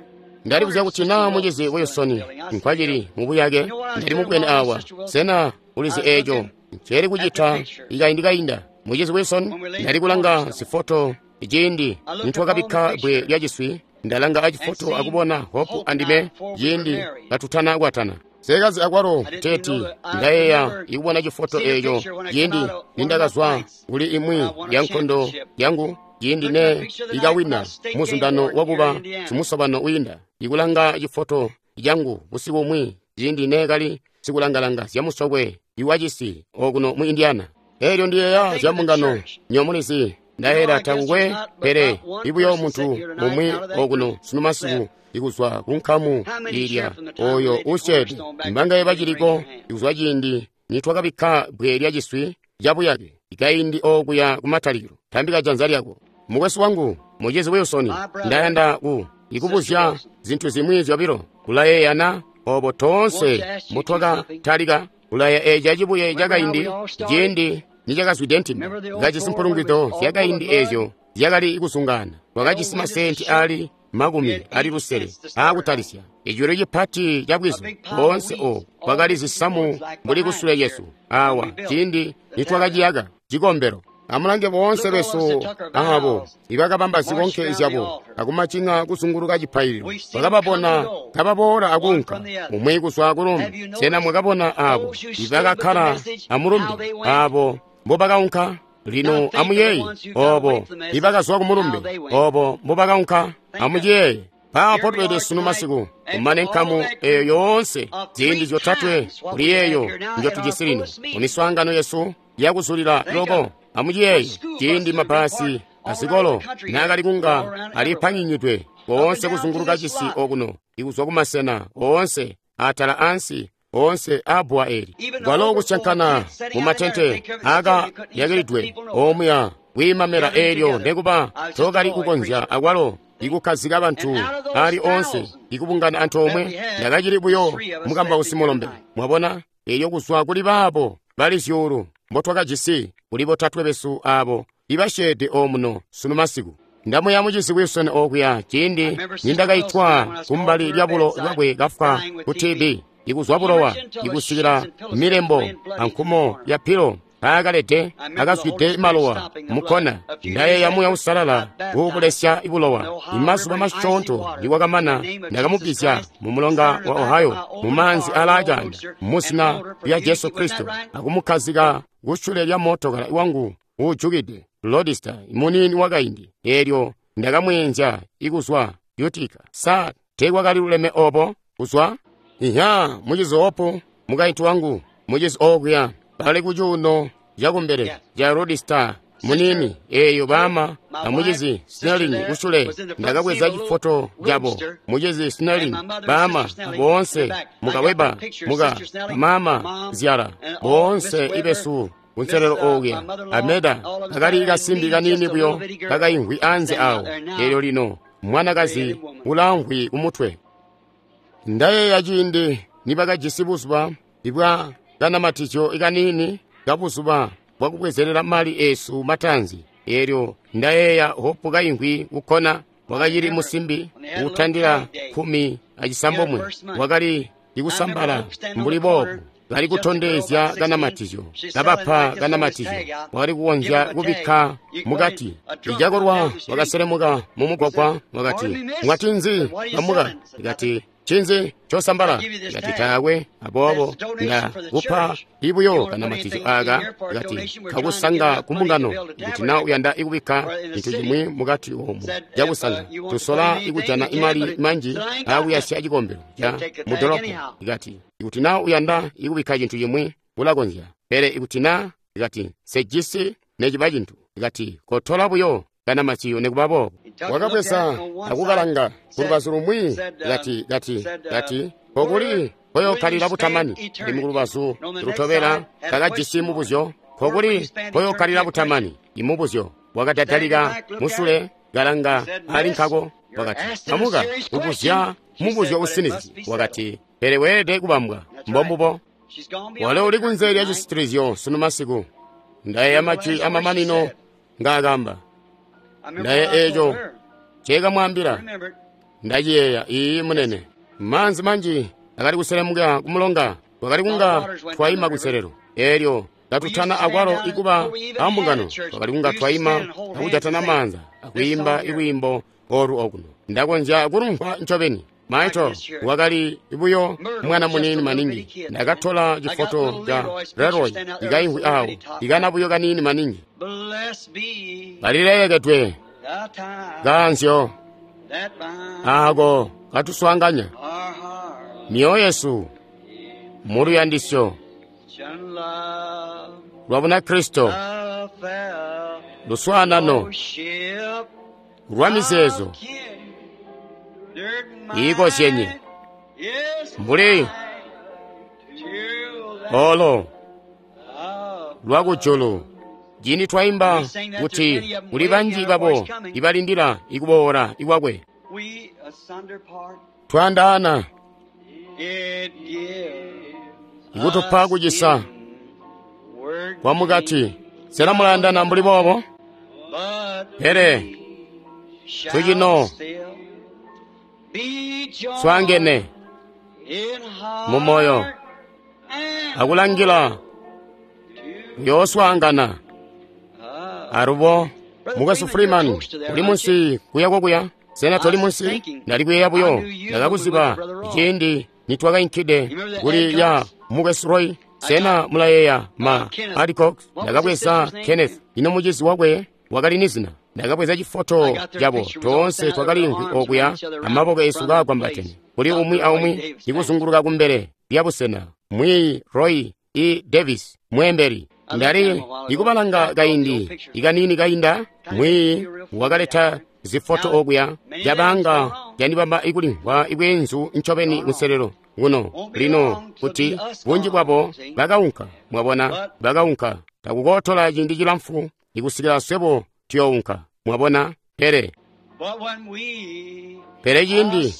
Ndalibuzya kuti naa mucizi Wilson nkwacili mubuyake. Ndali mubwene awa. Sena ulizi eeco nceeli kucita ikaindi kainda? Mucizi Wilson, ndali kulanga zifoto ciindi nitwakabikka bbwe lya ciswi. Ndalanga acifoto akubona Hope andime ciindi katutana kwatana. Sekazi akwalo teti ndayeeya ikubona cifoto eeco ciindi nindakazwa kuli imwi ya nkondo yangu, ciindi ne ikawina muzundano wakuba simusobano wiinda. Ikulanga cifoto cangu busiku bumwi ciindi ne kali sikulangalanga zyamusokwe iwacisi okuno mu Indiana. Eelyo ndiyeeya zya mbungano nyomulizi. Ndayeera takukwe pele ibuyo muntu umwi okuno sunu masiku ikuzwa ku nkamu ilya oyo usyeede. Mbangaye baciliko ikuzwa ciindi nitwakabikka bbwe lya ciswi cabuyake ikaindi okuya kumatalikilo. Tambika janza lyako. Mukwesu wangu, mucizi Wilson, ndayanda ku ikubuzya zintu zimwi zyobilo. Kulayeeyana obo toonse mbutwakatalika kulaya eeca cibuye cakaindi ciindi nicakazwide ntimba kajisi mpulungwido zyakaindi eezyo zyakali kusungana. Twakajisi masenti ali makumi ali lusele aakutalisya icwelo cipati ca bwizu boonse obu kwakali zisamu mbuli kusule lyesu awa ciindi nitwakaciyaka cikombelo. Amulange boonse besu abo ibakabamba zikonke zyabo akumacinga kuzunguluka cipaililo. Bakababona kababoola akuunka umwi kuzwa kulumbi. Sena mwakabona abo ibakakkala amulumbe abo mbobakaunka? Lino amuyeeye obo ibakazwa kumulumbe obo mbobakaunka. Amuciyeeye. Paapo tubede sunu masiku kumane nkamu eyo yoonse ziindi zyotatwe kuli yeeyo njotujisi lino mumiswaangano yesu yakuzulila loko. Amuciyeeye ciindi mabasi azikolo naakali kunga alipanyinyidwe koonse kuzunguluka cisi okuno ikuzwa kumasena oonse atala ansi oonse aabbwa eli kwalo kusyankana mumatente aakayakilidwe omuya kwiimamela eelyo nekuba tookali kukonzya akwalo ikukkazika bantu ali oonse ikubungana antoomwe. Ndakacili buyo mukambausi mulombe, mwabona. Eelyo kuzwa kuli baabo bali zyuulu mbotwakajisi kuli botatwe besu abo ibasyeede omuno sunu masiku. Ndamuya mucizi Wilson okuya ciindi nindakaitwa kumbali lya bulo bwakwe kafwa ku T B ikuzwa bulowa ikusikila milembo ankumo ya pilo aakalede akazwide malowa mukkona. Ndayeeya Muuya Uusalala kuubulesya bulowa. Imazuba masyoonto nikwakamana ndakamubizya mu mulonga wa Ohio mumaanzi alaacanda muzina lya Jesu Kristo akumukkazika kusyule lya mootokala wangu uujukide Lodista muniini wakaindi. Eelyo ndakamweenzya ikuzwa Utica. Sa teekwakali luleme obo kuzwa? Iya, mucizi Hope, mukaintu wangu, mucizi okuya bali kucuuno cakumbele ca Lodista muniini eeyo baama amucizi Snelling kusule. Ndakabweza cifoto cabo mucizi Snelling, baama boonse mukaweba muka mama zyala boonse ibesu kunselelo okuya. Ameda akali kasimbi kaniini buyo kakaimvwi anze awo. Eelyo lino mwanakazi ulamvwi kumutwe. Ndayeeya ciindi nibakajisi buzuba ibwa kanamatizyo kaniini kabuzuba bwakubwezelela mali esu matanzi. Eelyo ndayeeya Hope kaimvwi kukkona. Wakacili musimbi uutandila kkumi acisambomwe, wakali ikusambala mbuli boobu kali kutondezya kanamatizyo, kabapa kanamatizyo, wakali kukonzya kubikka mukati. Icakolwa wakaselemuka mumugwagwa, wakati, mwati nzi bamuka? Kati, cinzi cosambala? Kati, taakwe. Aboobo nda kupa ibuyo kanamatizyo aka. Kati, kakusanga kumbungano, kuti na uyanda ikubikka cintu cimwi mukati omu cakusanga, tusola ikujana imali manji akuyasya cikombelo ca mudolopo. Kati, ikuti na uyanda ikubikka cintu cimwi ulakonzya, pele ikuti na, kati, sejisi neciba cintu. Kati, kotola buyo kanamatizyo nekuba boobo. Wakabweza akukalanga kulubazu lumwi, kati, kati, kati, kokuli koyokkalira butamani. Alimwi kulubazu lutobela kakajisi mubuzyo, kokuli koyokkalira butamani. Imubuzyo wakadadalika musule, kalanga ali nkako, wakati, amuka kubuzya mubuzyo usinizyi. Wakati, pele weelede kubambwa. Mbombubo. Walo uli kunze lya cisitilizyo sunu masiku. Ndayeeya majwi amamanino ngaakamba. Ndaye eco ncekamwaambila. Ndaciyeeya. Iiyi, munene. Maanzi manji akali kuselemuka kumulonga, twakali kunga twaima kuselelo. Eelyo katutana akwalo ikuba ambungano, twakali kunga twaima akujatana maanza akwiimba ilwiimbo olu okuno. Ndakonzya kulumvwa ncobeni. Michael wakali buyo mwana muniini maningi. Ndakatola cifoto ca Leroy ikaimvwi awo, ikana buyo kaniini maningi. Kalileyekedwe kanzyo ako katuswaanganya mioyo yesu muluyandisyo lwa Bunakristo, luswaanano lwa mizeezo iikozyenye mbuli olo lwakujulu. Cini twaimba kuti kuli banji babo ibalindila ikuboola ikwakwe. Twandaana ikutupa kucisa kwa mukati. Sena mulayandana mbuli boobo? Pele tucino swaangene mumoyo akulangila kuyooswaangana. Alubo mukwesu Freeman uli munsi kuya kokuya. Sena toli munsi? Ndali kuyeeya buyo, ndakakuziba ciindi nitwakainkide kuli ya mukwesu Roy. Sena mulayeeya ma Adcox? Ndakabweza Kenneth, ino mucizi wakwe wakali ni zina. Ndakabweza cifoto cabo toonse twakaliimvwi okuya amaboko esu kaagwambatene kuli umwi aumwi ikuzunguluka kumbele lya busena. Mwiyi Roy E. Davis mwembeli. Ndali ikubalanga kaindi ikanini kainda, mwiyi wakaleta zifoto okuya cabanga candibamba ikulimvwa ibweenzu ncobeni kunselelo kuno lino kuti bunji bwabo bakaunka. Mwabona, bakaunka. Takukootola ciindi cilamfu ikusikila swebo tuyounka. Mwabona, pele pele ciindi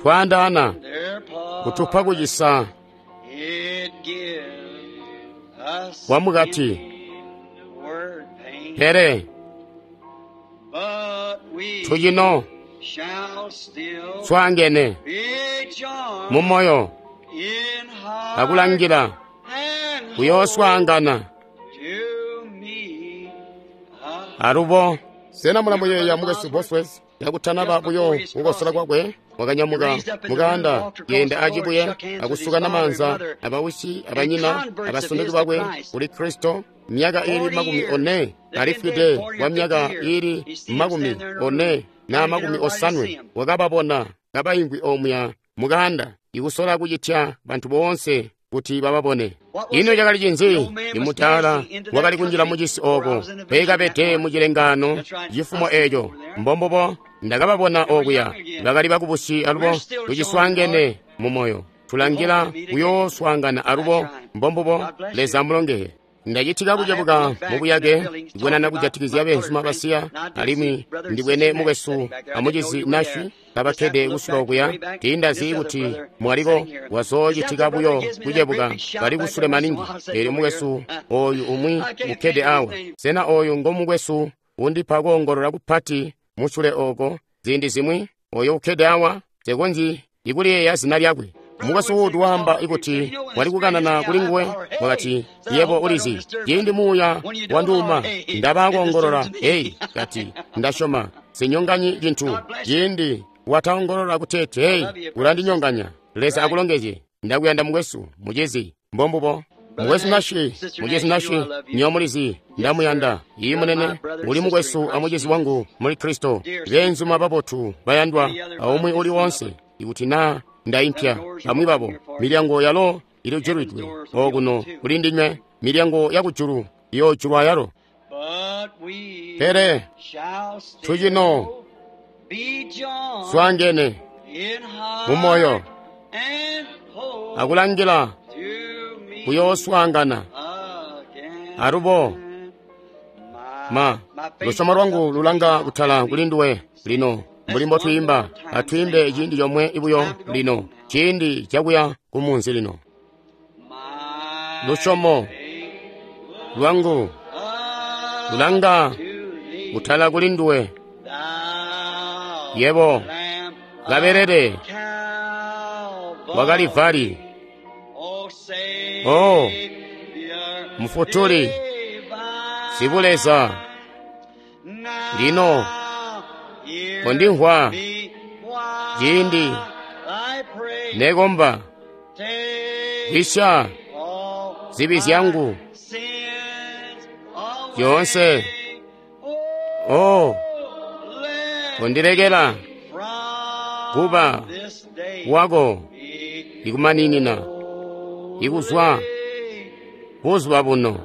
twaandaana kutupa kucisa kwa mukati, pele tucino swaangene mumoyo akulangila kuyooswaangana. Alubo sena mulamuyeeya mukwesu Bosworth yakutanaba buyo kukosola kwakwe? Wakanyamuka mukanda yenda acibuye akusukana maanza abawisi abanyina abasundiki bakwe kuli Kristo. Myaka ili makumi one alifwide kwa myaka ili makumi one na makumi osanwe. Wakababona kabaimvwi omuya mukanda ikusola kucitya bantu boonse kuti bababone. Ino cakali cinzi? Imutaala wakali kunjila mucisi oko peekabede mucilengano cifumo eco. Mbombubo ndakababona okuya, bakali bakubusi alubo tuciswaangene mumoyo, tulangila kuyooswaangana alubo. Mbombubo. Leza amulongehe. Ndacitika kucebuka mubuyake kubonana kujatikizya beenzuma basiya, alimwi ndibwene mukwesu amucizi Nashi kabakkede kusula okuya. Tiindazi kuti mwaliko wazoocitika buyo kucebuka bali kusule maningi. Eelyo mukwesu oyu umwi ukkede awa, sena oyu ngomukwesu undipa koongolola kupati musule oko ziindi zimwi? Oyo ukkede awa, nsekonzyi ikuliyeeya zina lyakwe. Mukwesu Wood waamba kuti wali kukanana kuli nguwe, wakati, yebo ulizi, ciindi muuya wanduuma, ndaba koongolola, ei, kati, ndasyoma, sinyonganyi cintu, ciindi wataongolola kuteeti, ei, ulandinyonganya. Leza akulongezye. Ndakuyanda mukwesu, mucizi, mbombubo. Mukwesu Nashi, mucizi Nashi, nyomulizi, ndamuyanda. Iyi munene, uli mukwesu amucizi wangu muli Kristo. Beenzuma babotu bayandwa, aumwi uli wonse, ikuti naa ndaimpya bamwi babo, milyango yalo ilijulwidwe okuno kuli ndinywe, milyango yakujulu iyoojulwa yalo. Pele tucino swaangene mumoyo akulangila kuyooswaangana alubo. Ma lusyomo lwangu lulanga kutala kuli nduwe lino, mbuli mbotwiimba. Atwiimbe ciindi comwe buyo lino, ciindi cakuya kumunzi lino. Lusyomo lwangu lulanga kutala kuli nduwe, yebo kabelele wa Kalivari. Oh, Mufutuli Sibuleza, lino kondimvwa ciindi nekomba, gwisya zibi zyangu zyoonse. Oh, kondilekela kuba wako ikumaninina ikuzwa buzuba buno.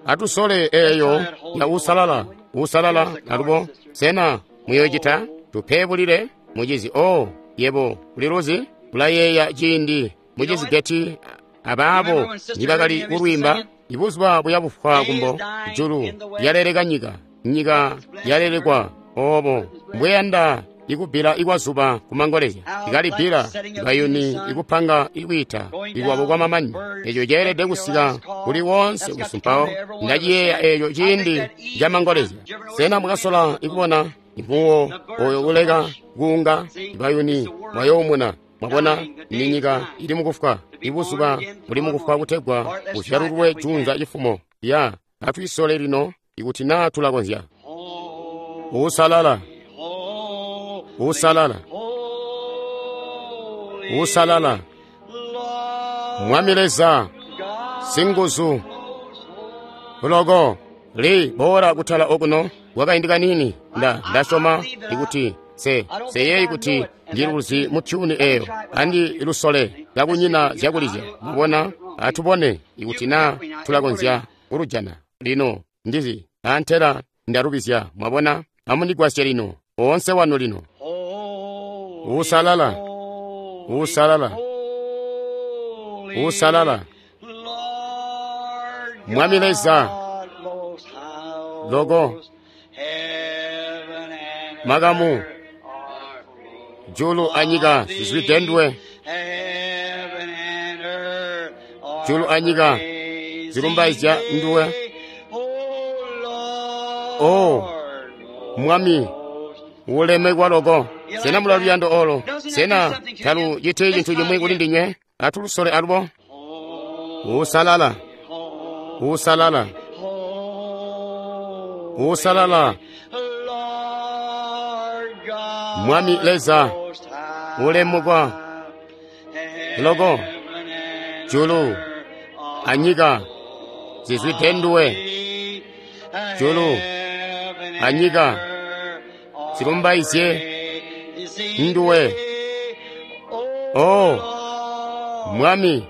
Atusole eyo ya usalala usalala alubo. Sena muyocita tupebulile mucizi? Oh, yebo uliluzi, ulayeeya ciindi mucizi Geti abaabo nibakali kulwiimba. Ibuzuba buya bufwa kumbo, julu lyaleleka nyika, nyika yalelekwa. Obo mbweyanda ikubbila ikwazuba kumangolezya, ikalibbila ikayuni ikupanga ikwiita ikwabo kwa mamanyi. Eco ceelede kusika kuli wonse kusumpawo. Ndaciyeeya eco ciindi camangolezya. Sena mwakasola ikubona impuwo oyo kuleka kuunga ibayuni mwayoomuna? Mwabona, ni nyika ili mukufwa, ibuzuba buli mukufwa kutegwa buzyalulwe junza cifumo. Ya atwisole lino ikuti naa tulakonzya. Usalala, usalala, usalala, Mwami Leza singuzu loko. Li bora kutala okuno kwakaindi kanini. Nda ndasyoma ikuti se seyeyi kuti ndiluzi mu tyuni eyo andi lusole kakunyina zyakulizya. Mubona, atubone ikuti naa tulakonzya kulujana lino. Ndizi antela ndalubizya. Mwabona, amundigwasye lino, oonse wanu lino. Usalala, usalala, usalala, Mwami Leza loko. Makamu julu anyika zizwidendwe, julu anyika zilumbaizya nduwe. Oh, Mwami ulemekwa loko. Sena mula luyando olo? Sena taluciti cintu cimwi kuli ndinywe? Atulusole alubo. Usalala, usalala, usalala, Mwami Leza ulemekwa loko. Julu anyika zizwidendwe, julu anyika zilumbaizye nduwe. Oh, Mwami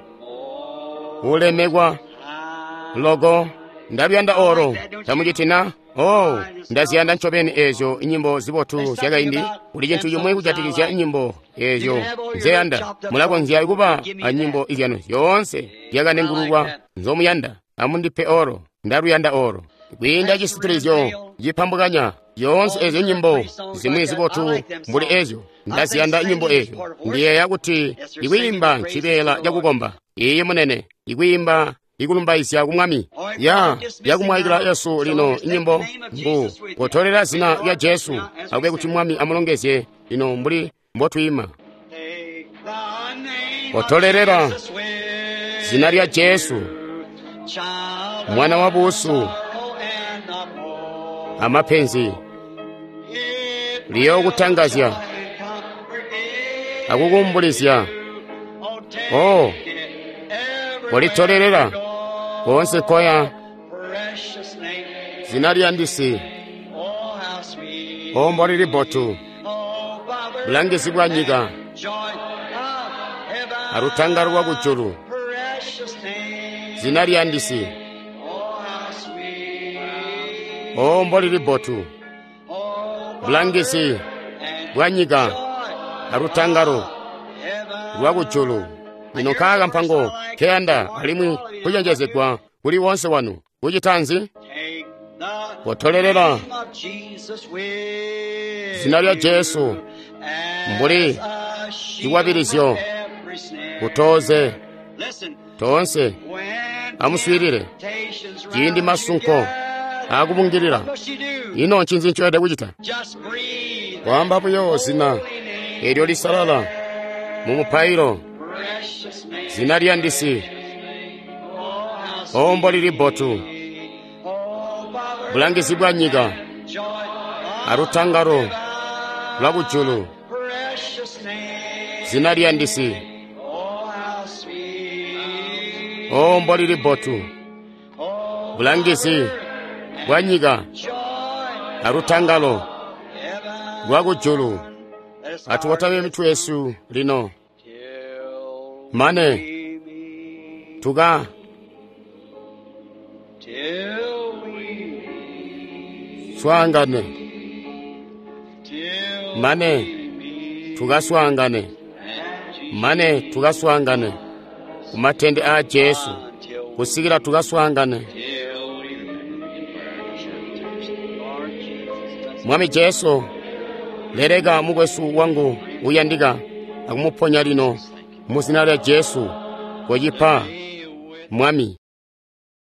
ulemekwa loko. Ndaluyanda olo, tamucitina? Oh, ndaziyanda ncobeni eezyo nyimbo zibotu zyakaindi. Kuli cintu cimwi kujatikizya nyimbo eezyo nzeyanda. Mulakonzya kuba anyimbo izyanu zyoonse zyakanengululwa nzomuyanda. Amundipe olo, ndaluyanda olo. Kwiinda cisitilizyo cipambukanya zyoonse eezyo nyimbo zimwi zibotu mbuli eezyo, ndaziyanda nyimbo eezyo. Ndiyeeya kuti ikwiimba ncibeela cakukomba. Iiyi munene, ikwiimba ikulumbaizya ku Mwami. Ya yakumwayikila Yesu lino nyimbo mbu kutolera zina lya Jesu. Akube kuti Mwami amulongezye lino mbuli mbotwiima. Take the name Kotolelela zina lya Jesu, mwana wa buusu amapenzi, liyookutangazya akukuumbulizya. Oh, kolitolelela koonse koya zina liyandisi. O mbolili bbotu, bulangizi bwa nyika alutangalo lwa kujulu, zina liyandisi. O mbolili bbotu, bulangizi bwa nyika alutangalo lwa kujulu. Lino nkaaka mpango nkeyanda alimwi kucenjezegwa kuli woonse wanu. Kucita nzi? Kotolelela zina lya Jesu mbuli cikwabilizyo kutoze toonse. Amuswiilile ciindi masunko aakubungilila. Ino ncinzi ncoyelede kucita? Kwaamba buyo zina eelyo lisalala mu mupailo, zina liyandisi. O mbolili bbotu, bulangizi bwa nyika alutangalo lwa kujulu, zina liyandisi. O mbolili bbotu, bulangizi bwa nyika alutangalo lwa kujulu. Atuwatame mitwe yesu lino mane tuka swaangane, mane tukaswaangane, mane tukaswaangane kumatende aa Jesu, kusikila tukaswaangane. Mwami Jesu, leleka mukwesu wangu uyandika akumuponya lino mu zina lya Jesu. Kocipa, Mwami.